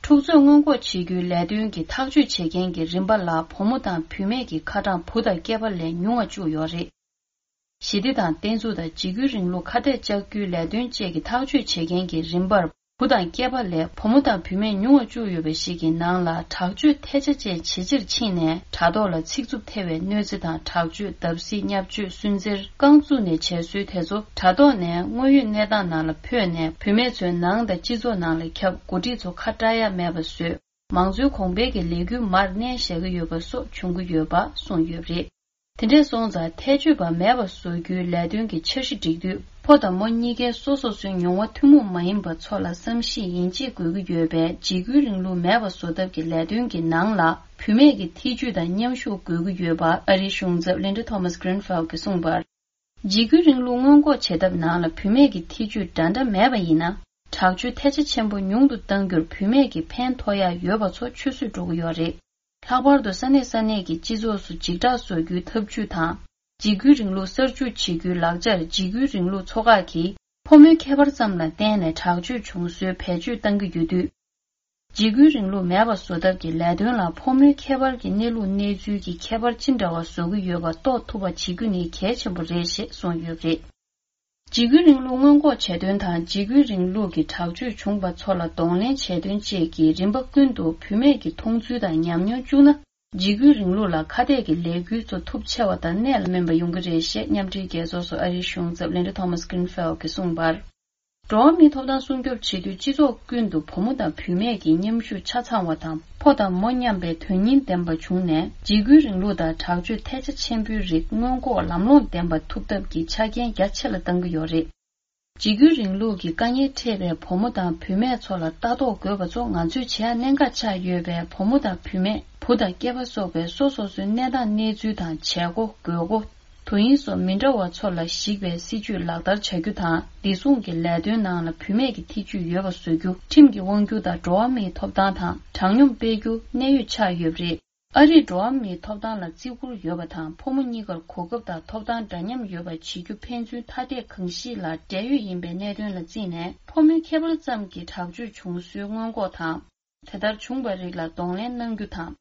འཁྲུག་རྩོད་སྔོན་འགོག་བྱེད་རྒྱུའི་ལས་དོན་གྱི་ཐག་གཅོད་བྱེད་མཁན་གྱི་རིམ་པ་ལ། བུ་མོ་དང་བུད་མེད་ཀྱི་ཁ་གྲངས་བུ་དང་སྐྱེས་པ་ལས་ཉུང་བ་བཅུག་ཡོད་རེད། ཞི་བདེ་དང་བརྟན་ཚུགས་དང་འཇིགས་སྐུལ་རིང་ལུགས་ཁ་གཏད་གཅོག་རྒྱུའི་ལས་དོན་བཅས་ཀྱི་ཐག་གཅོད་བྱེད་མཁན་གྱི་རིམ་པར། བུ་དང་སྐྱེས་པ་ལས་བུ་མོ་དང་བུད་མེད་ཉུང་བ་བཅུག་ཡོད་པ་ཞིག་གི་ནང་ལ། དྲག་སྤྱོད་ཐལ་ཆ་ཅན་ཇེ་ཆེར་ཕྱིན་ནས། དྲ་ཐོག་ལ་ཚིག་རྩུབ་ཐེ་བའི་གནོད་འཚེ་དང་། དྲག་སྤྱོད། བརྡབ་གསིག་བརྙས་བཅོས། སུན་གཙེར། རྐང་བཙུགས་ནས་བྱེད་སྲོལ་དེ་ཚོ་དྲ་ཐོག་ནས་དངོས་ཡོད་གནས་སྟངས་ནང་ལ་འཕོས་ནས། བུད་མེད་ཚོའི་ནང་དང་སྤྱི་ཚོགས་ནང་ལ་ཁྱབ། འགོ་ཁྲིད་ཚོ་ཁ་བྲལ་ཡ་མེད་པ་བཟོས། མང་གཙོའི་གོང་འཕེལ་གྱི་ལས་འགུལ་མར་མནན་བཞག་གི་ཡོད་པ་སོགས་བྱུང་གི་ཡོད་པ་གསུངས་ཡོད་པ་རེད། དེ་འདྲས་སོང་ཙང་། ཐལ་སྤྱོད་པ་མེད་པ་བཟོ་རྒྱུའི་ལས་དོན་གྱི་འཆར་གཞི་སྒྲིག་དུས། ཕོ་དང་མོ་གཉིས་ཀའི་སོ་སོ་སོའི་མྱོང་བ་ཐུན་མོང་མ་ཡིན་པ་ཚོ་ལ་བསམ་གཞིག་ཡིན་གཅིག་དགོས་ཀྱི་ཡོད་པས། འཇིགས་སྐུལ་རིང་ལུགས་མེད་པ་བཟོ་ཐབས་ཀྱི་ལས་དོན་གྱི་ནང་ལ། བུད་མེད་ཀྱི་ཐེ་ཇུས་དང་མཉམ་ཞུགས་དགོས་ཀྱི་ཡོད་པ། ཨ་རིའི་གཞུང་ཚབ་Linda Thomas Greenfield གྱིས་གསུངས་པར། འཇིགས་སྐུལ་རིང་ལུགས་སྔོན་འགོག་བྱེད་ཐབས་ནང་ལ། བུད་མེད་ཀྱི་ཐེ་ཇུས་འདྲ་འདྲ་མེད་པ་ཡིན་ན། དྲག་སྤྱོད་ཐལ་ཆ་ཆེན་པོ་ཉུང་དུ་གཏང་རྒྱུར་བུད་མེད་ཀྱི་ཕན་ཐོགས་ཡ་ཡོད་པ་ཚོ་ཆུད་ཟོས་འགྲོ་གི་ཡོད་རེད། ལྷག་པར་དུ་ས་གནས་ས་གནས་ཀྱི་སྤྱི་ཚོགས་སུ་འཇིགས་སྐྲག་བཟོ་རྒྱུའི་ཐབས་ཇུས་དང་། འཇིགས་སྐུལ་རིང་ལུགས་གསར་འཇུག་བྱེད་རྒྱུའི་ལག་ཆར། འཇིགས་སྐུལ་རིང་ལུགས་ཚོགས་ཁག་གིས་ཕོ་མོའི་ཁྱད་པར་ཙམ་ལ་བརྟེན་ནས་དྲག་སྤྱོད་བྱུང་སྲོལ་བེད་སྤྱོད་གཏང་གི་ཡོད་དུས། འཇིགས་སྐུལ་རིང་ལུགས་མེད་པ་བཟོ་ཐབས་ཀྱི་ལས་དོན་ལ། ཕོ་མོའི་ཁྱད་པར་གྱི་གནས་ལུགས་གནས་ཚུལ་གྱི་ཁྱད་པར་ཅི་འདྲ་བ་བཟོ་གི་ཡོད་པ་རྟོགས་ཐུབ་པ་བྱེད་རྒྱུ་ནི་གལ་ཆེན་པོ་རེད་ཞེས་གསུངས་ཡོད་པ་རེད། འཇིགས་སྐུལ་རིང་ལུགས་སྔོན་འགོག་བྱེད་དོན་དང་། འཇིགས་སྐུལ་རིང་ལུགས་ཀྱི་དྲག་སྤྱོད་བྱུང་བ་ཚོ་ལ་གདོང་ལེན་བྱེད་དོན་བཅས་ཀྱི་རིམ་པ་ཀུན་ཏུ་བུད་མེད་ཀྱི་མཐོང་ཚུལ་དང་ཉམས་མྱོང་བཅུག་ན། འཇིགས་སྐུལ་རིང་ལུགས་ལ་ཁ་གཏད་ཀྱི་ལས་འགུལ་ཚོ་ཐུབ་ཆེ་བ་དང་གནད་ལ་སྨིན་པ་ཡོང་གི་རེད་ཞེས་མཉམ་འབྲེལ་རྒྱལ་ཚོགས་སུ་ཨ་རིའི་གཞུང་ཚབ་Linda Thomas Greenfield གྱིས་གསུངས་པར། འགྲོ་བ་མིའི་ཐོབ་ཐང་སྲུང་སྐྱོབ་བྱེད་དུས། སྤྱི་ཚོགས་ཀུན་ཏུ་བུ་མོ་དང་བུད་མེད་ཀྱི་མཉམ་ཞུགས་ཆ་ཚང་བ་དང་། ཕོ་དང་མོ་མཉམ་པའི་དོན་སྙིང་ལྡན་པ་བྱུང་ནས། འཇིགས་སྐུལ་རིང་ལུགས་དང་དྲག་སྤྱོད་ཐལ་ཆ་ཆེན་པོའི་རིགས་སྔོན་འགོག་ལམ་ལྷོང་ལྡན་པ་ཐུབ་ཐབས་ཀྱི་ཆ་རྐྱེན་རྒྱ་ཆེ་ལ་གཏང་གི་ཡོད་རེད། འཇིགས་སྐུལ་རིང་ལུགས་ཀྱི་དཀའ་ངལ་འཕྲད་པའི་བུ་མོ་དང་བུད་མེད་ཚོ་ལ་ལྟ་རྟོག་དགོས་པ་ཚོ་ང་ཚོས་བྱེད་ཡ་གནད་འགག་ཆགས་ཡོད་པས། བུ་མོ་དང་བུད་མེད། བུ་དང་སྐྱེས་པ་སོགས་པའི་སོ་སོ་སོའི་གནས་སྟངས་གནས་ཚུལ་དང་བྱེད་སྒོ་དགོས་མཁོ། དུས་ཡུན་སོགས་མི་འདྲ་བ་ཚོ་ལ་གཞིགས་པའི་སྲིད་ཇུས་ལག་བསྟར་བྱ་རྒྱུ་དང་། བདེ་སྲུང་གི་ལས་དོན་ནང་ལ་བུད་མེད་ཀྱི་ཐེ་ཇུས་ཡོད་པ་བཟོ་རྒྱུ། ཁྲིམས་ཀྱི་དབང་སྒྱུར་དང་འགྲོ་བ་མིའི་ཐོབ་ཐང་དང་དྲང་སྙོམས་སྤེལ་རྒྱུ་གནད་ཡོད་ཆགས་ཡོད་པ་རེད། ཨ་རིས་འགྲོ་བ་མིའི་ཐོབ་ཐང་ལ་བརྩི་བཀུར་ཡོད་པ་དང་། ཕོ་མོ་གཉིས་ཀར་གོ་སྐབས་དང་ཐོབ་ཐང་འདྲ་མཉམ་ཡོད་པ་བྱེད་རྒྱུ་ཕན་ཚུན་ཐ་དད་གང་ཞིག་ལ་འབྲེལ་ཡོད་ཡིན་པའི་གནད་དོན་ལ་བརྩིས་ནས། ཕོ་མོའི་ཁྱད་པར་ཙམ་གྱིས་དྲག་སྤྱོད་བྱུང་སྲོལ་སྔོན་འགོག་དང་། དེ་ལྟར་བྱུང་བའི་རིགས་ལ་གདོང་ལེན་གནང་རྒྱུ་དང་།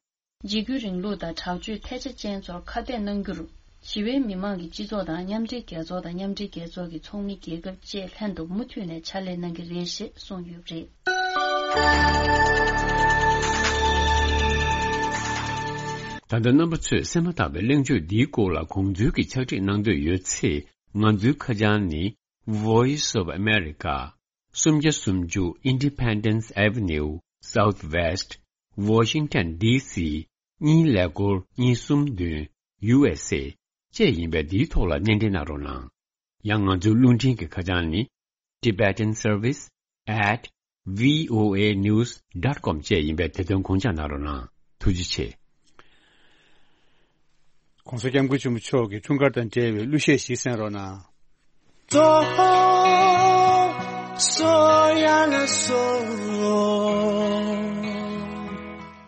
འཇིགས་སྐུལ་རིང་ལུགས་དང་དྲག་སྤྱོད་ཐལ་ཆ་ཅན་ཚོར་ཁ་གཏད་གནང་རྒྱུར། ཞི་བའི་མི་མང་གི་སྤྱི་ཚོགས་དང་མཉམ་འབྲེལ་རྒྱལ་ཚོགས་དང་མཉམ་འབྲེལ་རྒྱལ་ཚོགས་ཀྱི་ཚོགས་མི་རྒྱལ་ཁབ་བཅས་ལྷན་དུ་མུ་མཐུད་ནས་ཕྱག་ལས་གནང་གི་རེད་ཞེས་གསུངས་ཡོད་པ་རེད། ད་ལྟ་རྣམ་པ་ཚོས་གསན་མ་ཐག་པའི་གླེང་བརྗོད་འདིའི་སྐོར་ལ་དགོངས་ཚུལ་གྱི་ཕྱག་བྲིས་གནང་འདོད་ཡོད་ཚེ། ང་ཚོའི་ཁ་བྱང་ནི། Voice of America, སུམ་བརྒྱ་སུམ་ཅུ་Independence Avenue, Southwest, Washington D C གཉིས་ཀླད་ཀོར་གཉིས་གསུམ་བདུན། U S A བཅས་ཡིན་པས། འདིའི་ཐོག་ལ་སྣེ་འདྲེན་གནང་རོགས་གནང་། ཡང་ང་ཚོའི་རླུང་འཕྲིན་གྱི་ཁ་བྱང་ནི། Tibetan Service at V O A news dot com བཅས་ཡིན་པས། དེ་དོན་དགོངས་འཇགས་གནང་རོགས་གནང་། ཐུགས་རྗེ་ཆེ། ༸གོང་ས་༸སྐྱབས་མགོན་ཆེན་པོ་མཆོག་གི་འཁྲུངས་སྐར་དང་འབྲེལ་བའི་གླུ་གཞས་ཤིག་གསན་རོགས་གནང་།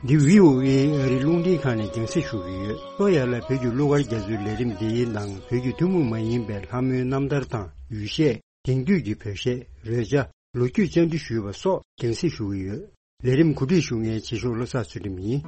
འདི་V O A ཨ་རིའི་རླུང་འཕྲིན་ཁང་ནས་རྒྱང་སྲིང་ཞུ་གི་ཡོད། སོ་ཡར་ལ་བོད་ཀྱི་གླུ་གར་རྒྱ་མཚོའི་ལས་རིམ་འདིའི་ནང་བོད་ཀྱི་ཐུན་མོང་མ་ཡིན་པའི་ལྷ་མོའི་རྣམ་ཐར་དང་ཡུལ་གཞས། དེང་དུས་ཀྱི་བོད་གཞས། རོལ་ཆ། ལོ་རྒྱུས་བཅར་འདྲི་ཞུས་པ་སོགས་རྒྱང་སྲིང་ཞུ་གི་ཡོད། ལས་རིམ་གོ་སྒྲིག་ཞུ་མཁན་རྗེས་ཕྱོགས་བློ་བཟང་ཚུལ་ཁྲིམས་ཡིན།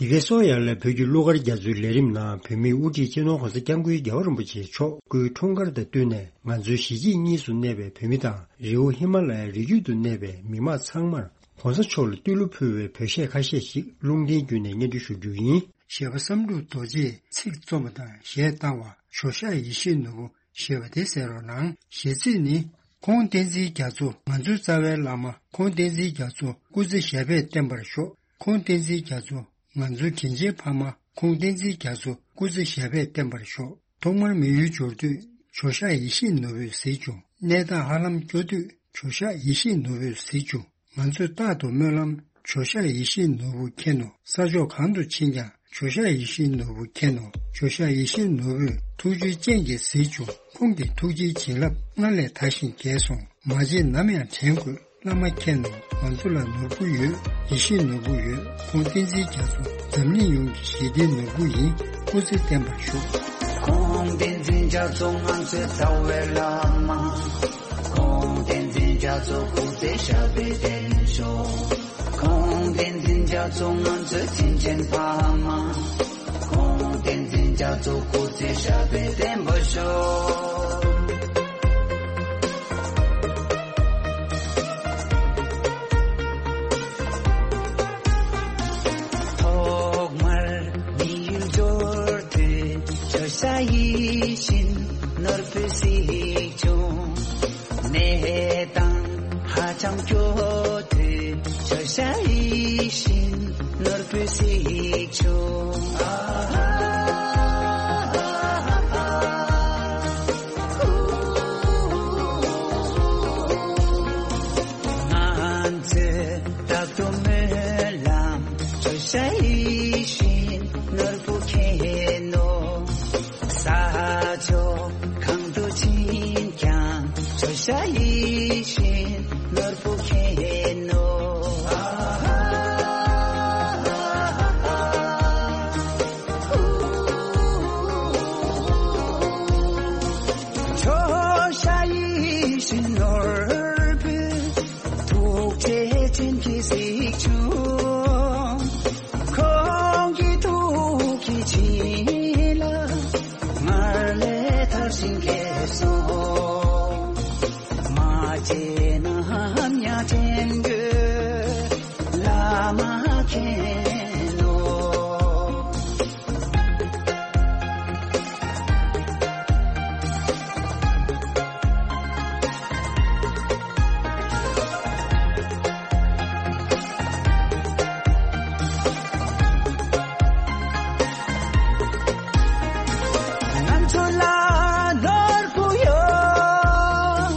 འདི་གའི་སོ་ཡར་ལ་བོད་ཀྱི་གླུ་གར་རྒྱ་མཚོའི་ལས་རིམ་ནང་བོད་མིའི་དབུ་ཁྲིད་སྤྱི་ནོར་༸གོང་ས་༸སྐྱབས་མགོན་རྒྱལ་བ་རིན་པོ་ཆེ་མཆོག་སྐུའི་འཁྲུངས་སྐར་དང་བསྟུན་ནས། ང་ཚོའི་གཞིས་བྱེས་གཉིས་སུ་གནས་པའི་བོད་མི་དང་། རི་བོ་ཧི་མ་ལ་ཡའི་རི་རྒྱུད་དུ་གནས་པའི་མི་མང་ཚང་མར་༸གོང་ས་མཆོག་ལ་བསྟོད་གླུ་ཕུལ་བའི་བོད་གཞས་ཁ་ཤས་ཤིག་རླུང་འཕྲིན་བརྒྱུད་ནས་སྙན་སྒྲོན་ཞུ་རྒྱུ་ཡིན། གཞས་པ་བསམ་གྲུབ་རྡོ་རྗེས་ཚིག་རྩོམ་པ་དང་གཞས་བཏང་བ། ཇོ་ཤཱཀ་ཡིད་བཞིན་ནོར་བུ་ཞེས་པ་དེ་གསན་རོགས་གནང་། གཞས་ཚིག་ནི། ཁོང་བསྟན་འཛིན་རྒྱ་མཚོ་ང་ཚོའི་རྩ་བའི་བླ་མ། ཁོང་བསྟན་འཛིན་རྒྱ་མཚོ་སྐུ་ཚེ་ཞབས་པད་བརྟན་པར་ཤོག་ཁོང་བསྟན་འཛིན་རྒྱ་མཚོ་ང་ཚོའི་དྲིན་ཆེན་ཕ་མ། ཁོང་བསྟན་འཛིན་རྒྱ་མཚོ་སྐུ་ཚེ་ཞབས་པད་བརྟན་པར་ཤོག་ཐོག་མར་མི་ཡུལ་འབྱོར་དུས་ཇོ་ཤཱཀ་ཡིད་བཞིན་ནོར་བུས་གཟིགས་བྱུང་། གནས་སྟངས་ཧ་ལམ་སྐྱོ་དུས་ཇོ་ཤཱཀ་ཡིད་བཞིན་ནོར་བུས་གཟིགས་བྱུང་། ང་ཚོས་རྟག་ཏུ་སྨོན་ལམ། ཇོ་ཤཱཀ་ཡིད་བཞིན་ནོར་བུ་མཁྱེན་ནོ། ས་ཕྱོགས་གང་དུ་ཕྱིན་ཀྱང་། ཇོ་ཤཱཀ་ཡིད་བཞིན་ནོར་བུ་མཁྱེན་ནོ། ཇོ་ཤཱཀ་ཡིད་བཞིན་ནོར་བུས་ཐུགས་རྗེའི་སྤྱན་གྱིས་གཟིགས་བྱུང་། ཁོང་གི་ཐུགས་རྗེའི་བྱིན་རླབས་སྔར་ལས་དར་ཞིང་རྒྱས་སོང་། མ་བརྗེད་ནམ་ཡང་དྲན་དགོས། བླ་མ་མཁྱེན་ནོ། ང་ཚོ་ལ་ནོར་བུ་ཡོད། ཡིད་བཞིན་ནོར་བུ་ཡོད། ཁོང་བསྟན་འཛིན་རྒྱ་མཚོ་འཛམ་གླིང་ཡོངས་ཀྱི་ཞི་བདེའི་ནོར་བུ་ཡིན། སྐུ་ཚེ་བརྟན་པར་ཤོག་ཁོང་བསྟན་འཛིན་རྒྱ་མཚོ་ང་ཚོའི་རྩ་བའི་བླ་མ། ཁོང་བསྟན་འཛིན་རྒྱ་མཚོ་སྐུ་ཚེ་ཞབས་པད་བརྟན་ཤོག་ཁོང་བསྟན་འཛིན་རྒྱ་མཚོ་ང་ཚོའི་དྲིན་ཆེན་ཕ་མ། ཁོང་བསྟན་འཛིན་རྒྱ་མཚོ་སྐུ་ཚེ་ཞབས་པད་བརྟན་པར་ཤོག་ཐོག་མར་མི་ཡུལ་འབྱོར་དུས་ཇོ་ཤཱཀ་ཡིད་བཞིན་ནོར་བུས་གཟིགས་བྱུང་། གནས་སྟངས་ཧ་ཅང་སྐྱོ་དུས་ཇོ་ཤཱཀ་ཡིད་བཞིན་ནོར་བུས་གཟིགས་བྱུང་། ང་ཚོས་རྟག་ཏུ་སྨོན་ལམ། ཇོ་ཤཱཀ་ཡིད་བཞིན་ནོར་བུ་མཁྱེན་ནོ། ས་ཕྱོགས་གང་དུ་ཕྱིན་ཀྱང་། ཇོ་ཤཱཀ་ཡིད་བཞིན་ནོར་བུ་མཁྱེན་ནོ། ཇོ་ཤཱཀ་ཡིད་བཞིན་ནོར་བུ། ཐུགས་རྗེ་ཅན་གྱིས་གཟིགས་བྱུང་། ཁོང་གི་ཐུགས་ཀྱི་བྱིན་རླབས་སྔར་ལས་དར་ཞིང་རྒྱས་སོང་། མ་བརྗེད་ནམ་ཡང་དྲན་དགོས། བླ་མ་མཁྱེན་ནོ། ང་ཚོ་ལ་ནོར་བུ་ཡོད།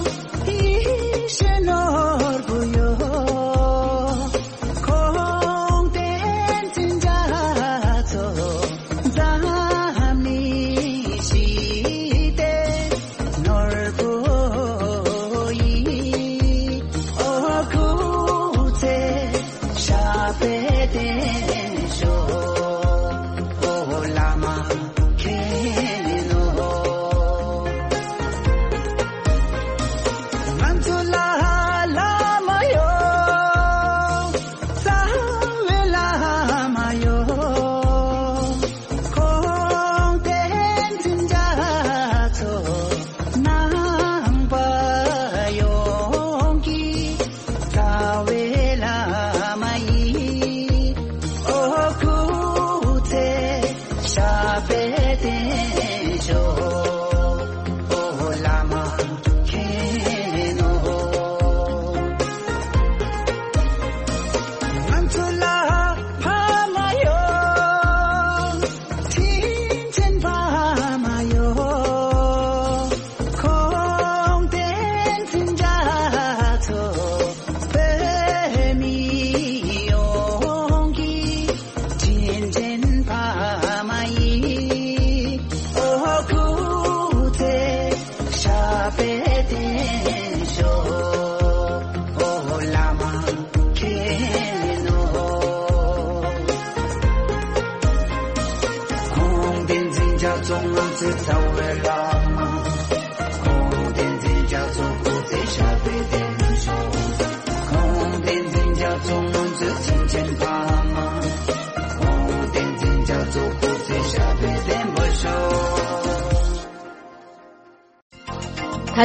ད་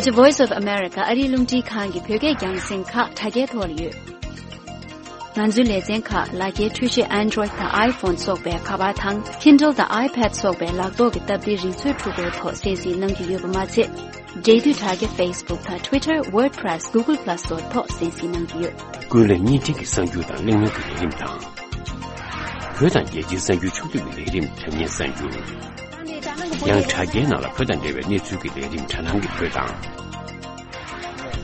ཆ་Voice of America ཨ་རིའི་རླུང་འཕྲིན་ཁང་གི་བོད་སྐད་རྒྱང་སྲིང་ཁག་དྲ་རྒྱའི་ཐོག་ལ་ཡོད། ང་ཚོའི་ལེ་ཚན་ཁག་ལག་འཁྱེར་འཕྲུལ་ཆས་Android་དང་iPhone་སོགས་པའི་ཁ་པར་དང་Kindle་དང་iPad་སོགས་པའི་ལག་ཐོག་གི་སྟབས་བདེའི་རིག་མཛོད་འཕྲུལ་འཁོར་ཐོག་གསན་གཟིགས་གནང་རྒྱུ་ཡོད་པ་མ་ཚད། འབྲེལ་མཐུད་དྲ་རྒྱ་Facebook་དང་Twitter, WordPress, Google Plus་སོགས་ཐོག་གསན་གཟིགས་གནང་རྒྱུ་ཡོད། ཀུན་གླེང་བརྙན་འཕྲིན་གྱི་གསར་འགྱུར་དང་གླེང་མོལ་གྱི་ལས་རིམ་དང་། བོད་དང་རྒྱལ་སྤྱིའི་གསར་འགྱུར་ཕྱོགས་བསྡུས་ཀྱི་ལས་རིམ་དྲ་བརྙན་གསར་འགྱུར། ཡང་དྲ་རྒྱའི་ནང་ལ་བོད་དང་འབྲེལ་བའི་གནས་ཚུལ་གྱི་ལས་རིམ་དྲ་ལམ་གྱི་བོད་དང་།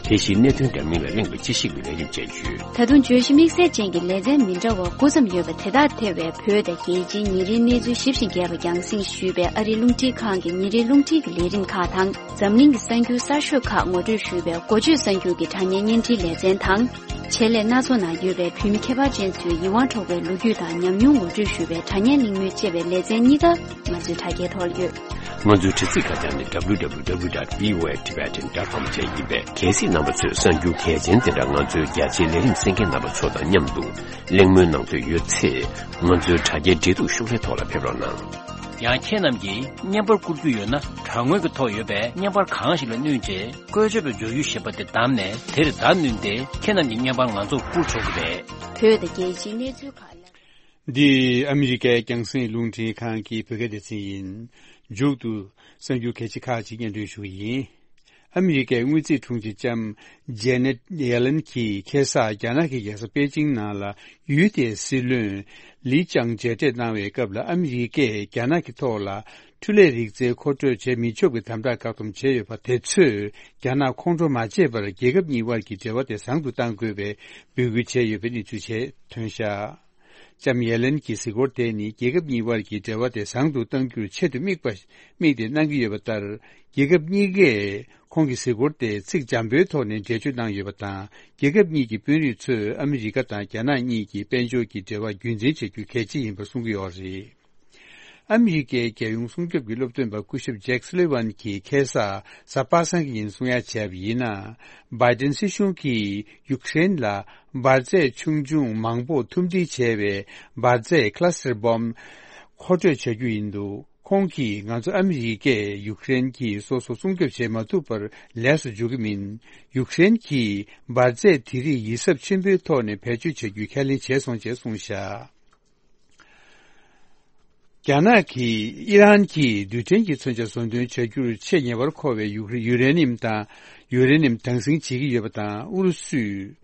དེ་བཞིན་གནད་དོན་འདྲ་མིན་ལ་གླེང་བའི་དཔྱད་ཞིབ་ཀྱི་ལས་རིམ་བཅས་ཡོད། ད་དུང་བརྗོད་གཞི་དམིགས་བསལ་ཅན་གྱི་ལེ་ཚན་མི་འདྲ་བ་དགུ་ཙམ་ཡོད་པ་དེ་དག་ཐེ་བའི་བོད་དང་རྒྱལ་སྤྱིའི་ཉིན་རེའི་གནས་ཚུལ་ཞིབ་ཅིང་རྒྱས་པ་རྒྱང་སྲིང་ཞུས་པའི་ཨ་རིའི་རླུང་འཕྲིན་ཁང་གི་ཉིན་རེའི་རླུང་འཕྲིན་གྱི་ལས་རིམ་ཁག་དང་། འཛམ་གླིང་གི་གསར་འགྱུར་གསར་ཤོས་ཁག་ངོ་སྤྲོད་ཞུས་པའི་འགོ་བརྗོད་གསར་འགྱུར་གྱི་དྲ་བརྙན་བརྙན་འཕྲིན་ལེ་ཚན་དང་། ཆེད་ལས་སྣ་ཚོགས་ནང་ཡོད་པའི་བོད་མི་ཁྱད་པར་ཅན་ཚོའི་ཡིད་དབང་འཕྲོག་པའི་ལོ་རྒྱུས་དང་ཉམས་མྱོང་ངོ་སྤྲོད་ཞུ་བའི་དྲ་བརྙན་གླེང་མོལ་བཅས་པའི་ལེ་ཚན་གཉིས་ཀ་ང་ཚོའི་དྲ་རྒྱའི་ཐོག་ལ་ཡོད། ང་ཚོའི་དྲ་ཚིགས་ཁ་བྱང་ནི་W W W dot V O A Tibetan dot com བཅས་ཡིན་པས། གལ་སྲིད་རྣམ་པ་ཚོས་གསར་འགྱུར་གལ་ཆེན་དེ་འདྲ་ང་ཚོའི་རྒྱ་ཆེའི་ལས་རིམ་གསན་མཁན་རྣམ་པ་ཚོ་དང་མཉམ་དུ་གླེང་མོལ་གནང་འདོད་ཡོད་ཚེ། ང་ཚོའི་དྲ་རྒྱའི་འབྲེལ་གཏུག་ཤོག་ལྷེ་ཐོག་ལ་ཕེབས་རོགས་གནང་། ཡང་ཁྱེད་རྣམས་ཀྱིས་བརྙན་པར་བསྐུར་རྒྱུ་ཡོད་ན། དྲ་ངོས་ཀྱི་ཐོག་ཡོད་པའི་བརྙན་པར་གང་ཞིག་ལ་བསྣུན་རྗེས། བཀོལ་སྤྱོད་པའི་མགྱོགས་ཡུལ་ཞེས་པ་དེ་བདམས་ནས། དེར་བརྡ་བསྣུན་ཏེ། ཁྱེད་རྣམས་ཀྱི་བརྙན་པར་ང་ཚོར་བསྐུར་ཆོག་གི་རེད། བོད་དང་རྒྱལ་སྤྱིའི་གནས་ཚུལ་ཁག་ལ། འདི་ཨ་མི་རི་ཀའི་རྒྱང་སྲིང་རླུང་འཕྲིན་ཁང་གི་བོད་སྐད་སྡེ་ཚན་ཡིན། མཇུག་ཏུ་གསར་འགྱུར་གལ་ཆེ་ཁག་ཅིག་སྙན་སྒྲོན་ཞུ་གི་ཡིན། ཨ་མི་རི་ཀའི་དངུལ་རྩིས་དྲུང་ཆེ་ལྕམ་ཇེ་ནེད་ཡེ་ལན་གྱིས་ཁ་སང་རྒྱ་ནག་གི་རྒྱལ་ས་པེ་ཅིང་ནང་ལ་ཡུལ་དེའི་སྲིད་བློན་ལི་ཅང་མཇལ་འཕྲད་གནང་བའི་སྐབས་ལ། ཨ་མི་རི་ཀས་རྒྱ་ནག་གི་ཐོག་ལ་འཕྲུལ་ལས་རིག་རྩལ་མཁོ་སྤྲོད་བྱེད་མི་ཆོག་པའི་དམ་དྲག་བཀག་སྡོམ་བྱས་ཡོད་པ་དེ་ཚོས་རྒྱ་ནག་ཁོང་ཁྲོ་མ་བྱེད་པར་རྒྱལ་ཁབ་གཉིས་དབར་གྱི་འབྲེལ་བ་དེ་བཟང་དུ་གཏང་དགོས་པའི་འབོད་སྐུལ་བྱས་ཡོད་པའི་གནས་ཚུལ་བཅས་ཐོན་བཞག། ལྕམ་ཡེ་ལན་གྱི་གཟིགས་སྐོར་དེ་ནི་རྒྱལ་ཁབ་གཉིས་དབར་གྱི་འབྲེལ་བ་དེ་བཟང་དུ་གཏང་རྒྱུར་ཆེད་དུ་དམིགས་པ་དམིགས་ཏེ་གནང་གི་ཡོད་པ་ལྟར། རྒྱལ་ཁབ་གཉིས་ཀས་ཁོང་གི་གཟིགས་སྐོར་དེ་ཚིག་འཇམ་པོའི་ཐོག་ནས་འགྲེལ་བརྗོད་གནང་ཡོད་པ་དང་། རྒྱལ་ཁབ་གཉིས་ཀྱི་དཔོན་རིགས་ཚོས་ཨ་མི་རི་ཀ་དང་རྒྱ་ནག་གཉིས་ཀྱི་དཔལ་འབྱོར་གྱི་འབྲེལ་བ་རྒྱུན་འཛིན་བྱ་རྒྱུ་གལ་ཆེ་ཡིན་པ་གསུང་གི་ཡོད་རེད། ཨ་མི་རི་ཀའི་རྒྱལ་ཡོངས་སྲུང་སྐྱོབ་ཀྱི་སློབ་སྟོན་པ་སྐུ་ཞབས་ཇེག་སུ་ལི་ཝན་གྱིས་ཁ་སང་གཟའ་པ་སངས་ཀྱི་ཉིན་གསུང་ཡ་བྱས་པ་ཡིན་ན། བྷའི་ཏིན་སྲིད་གཞུང་གིས་ཡུཀ་རེན་ལ་འབར་རྫས་ཆུང་ཆུང་མང་པོ་ཐུམ་སྒྲིལ་བྱས་པའི་འབར་རྫས་cluster bomb་མཁོ་སྤྲོད་བྱ་རྒྱུ་ཡིན་འདུག། ཁོང་གིས་ང་ཚོ་ཨ་མི་རི་ཀས་ཡུཀ་རེན་གྱིས་སོ་སོ་སྲུང་སྐྱོབ་བྱེད་མ་ཐུབ་པར་ལས་སུ་འཇུག་གི་མིན། ཡུཀ་རེན་གྱིས་འབར་རྫས་དེ་རིགས་ཡིད་གཟབ་ཆེན་པོའི་ཐོག་ནས་བེད་སྤྱོད་བྱ་རྒྱུའི་ཁས་ལེན་བྱས་སོང་ཅེས་གསུངས་བཞག། རྒྱ་ནག་གིས་ཨི་རན་གྱིས་རྡུལ་ཕྲན་གྱི་མཚོན་ཆ་བཟོ་འདོན་བྱ་རྒྱུར་ཆེས་ཉེ་བར་མཁོ་བའི་ཡུ་ཡུ་རེ་ནིམ་དང་ཡུ་རེ་ནིམ་དྭངས་སིང་བྱེད་ཀྱི་ཡོད་པ་དང་། ཨུ་རུ་སུས་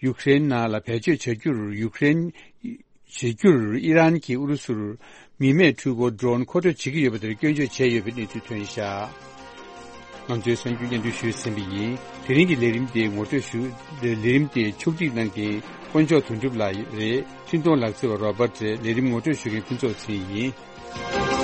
ཡུཀ་རེན་ནང་ལ་བེད་སྤྱོད་བྱ་རྒྱུར་ཡུཀ་རེན་བྱེད་རྒྱུར་ཨི་རན་གྱིས་ཨུ་རུ་སུར་མི་མེད་འཕྲུལ་འཁོར་ཌོ་རོན་མཁོ་སྤྲོད་བྱེད་ཀྱི་ཡོད་པ་དེར་སྐྱོན་བརྗོད་བྱས་ཡོད་པའི་གནས་ཚུལ་ཐོན་བཞག། ང་ཚོའི་གསར་འགྱུར་སྙན་སྒྲོན་ཞུས་ཟིན་པ་ཡིན། དེ་རིང་གི་ལས་རིམ་དེ་ངོ་སྤྲོད་ཞུ། ལས་རིམ་དེ་ཕྱོགས་སྒྲིག་གནང་མཁན་དཀོན་མཆོག་དོན་གྲུབ་ལགས་རེད། འཕྲིན་གཏོང་ལག་རྩལ་བ་རོ་བར་ཊ་རེད། ལས་རིམ་ངོ་སྤྲོད་ཞུ་མཁན་ཕུན་ཚོགས་ཚེ་རིང་ཡིན།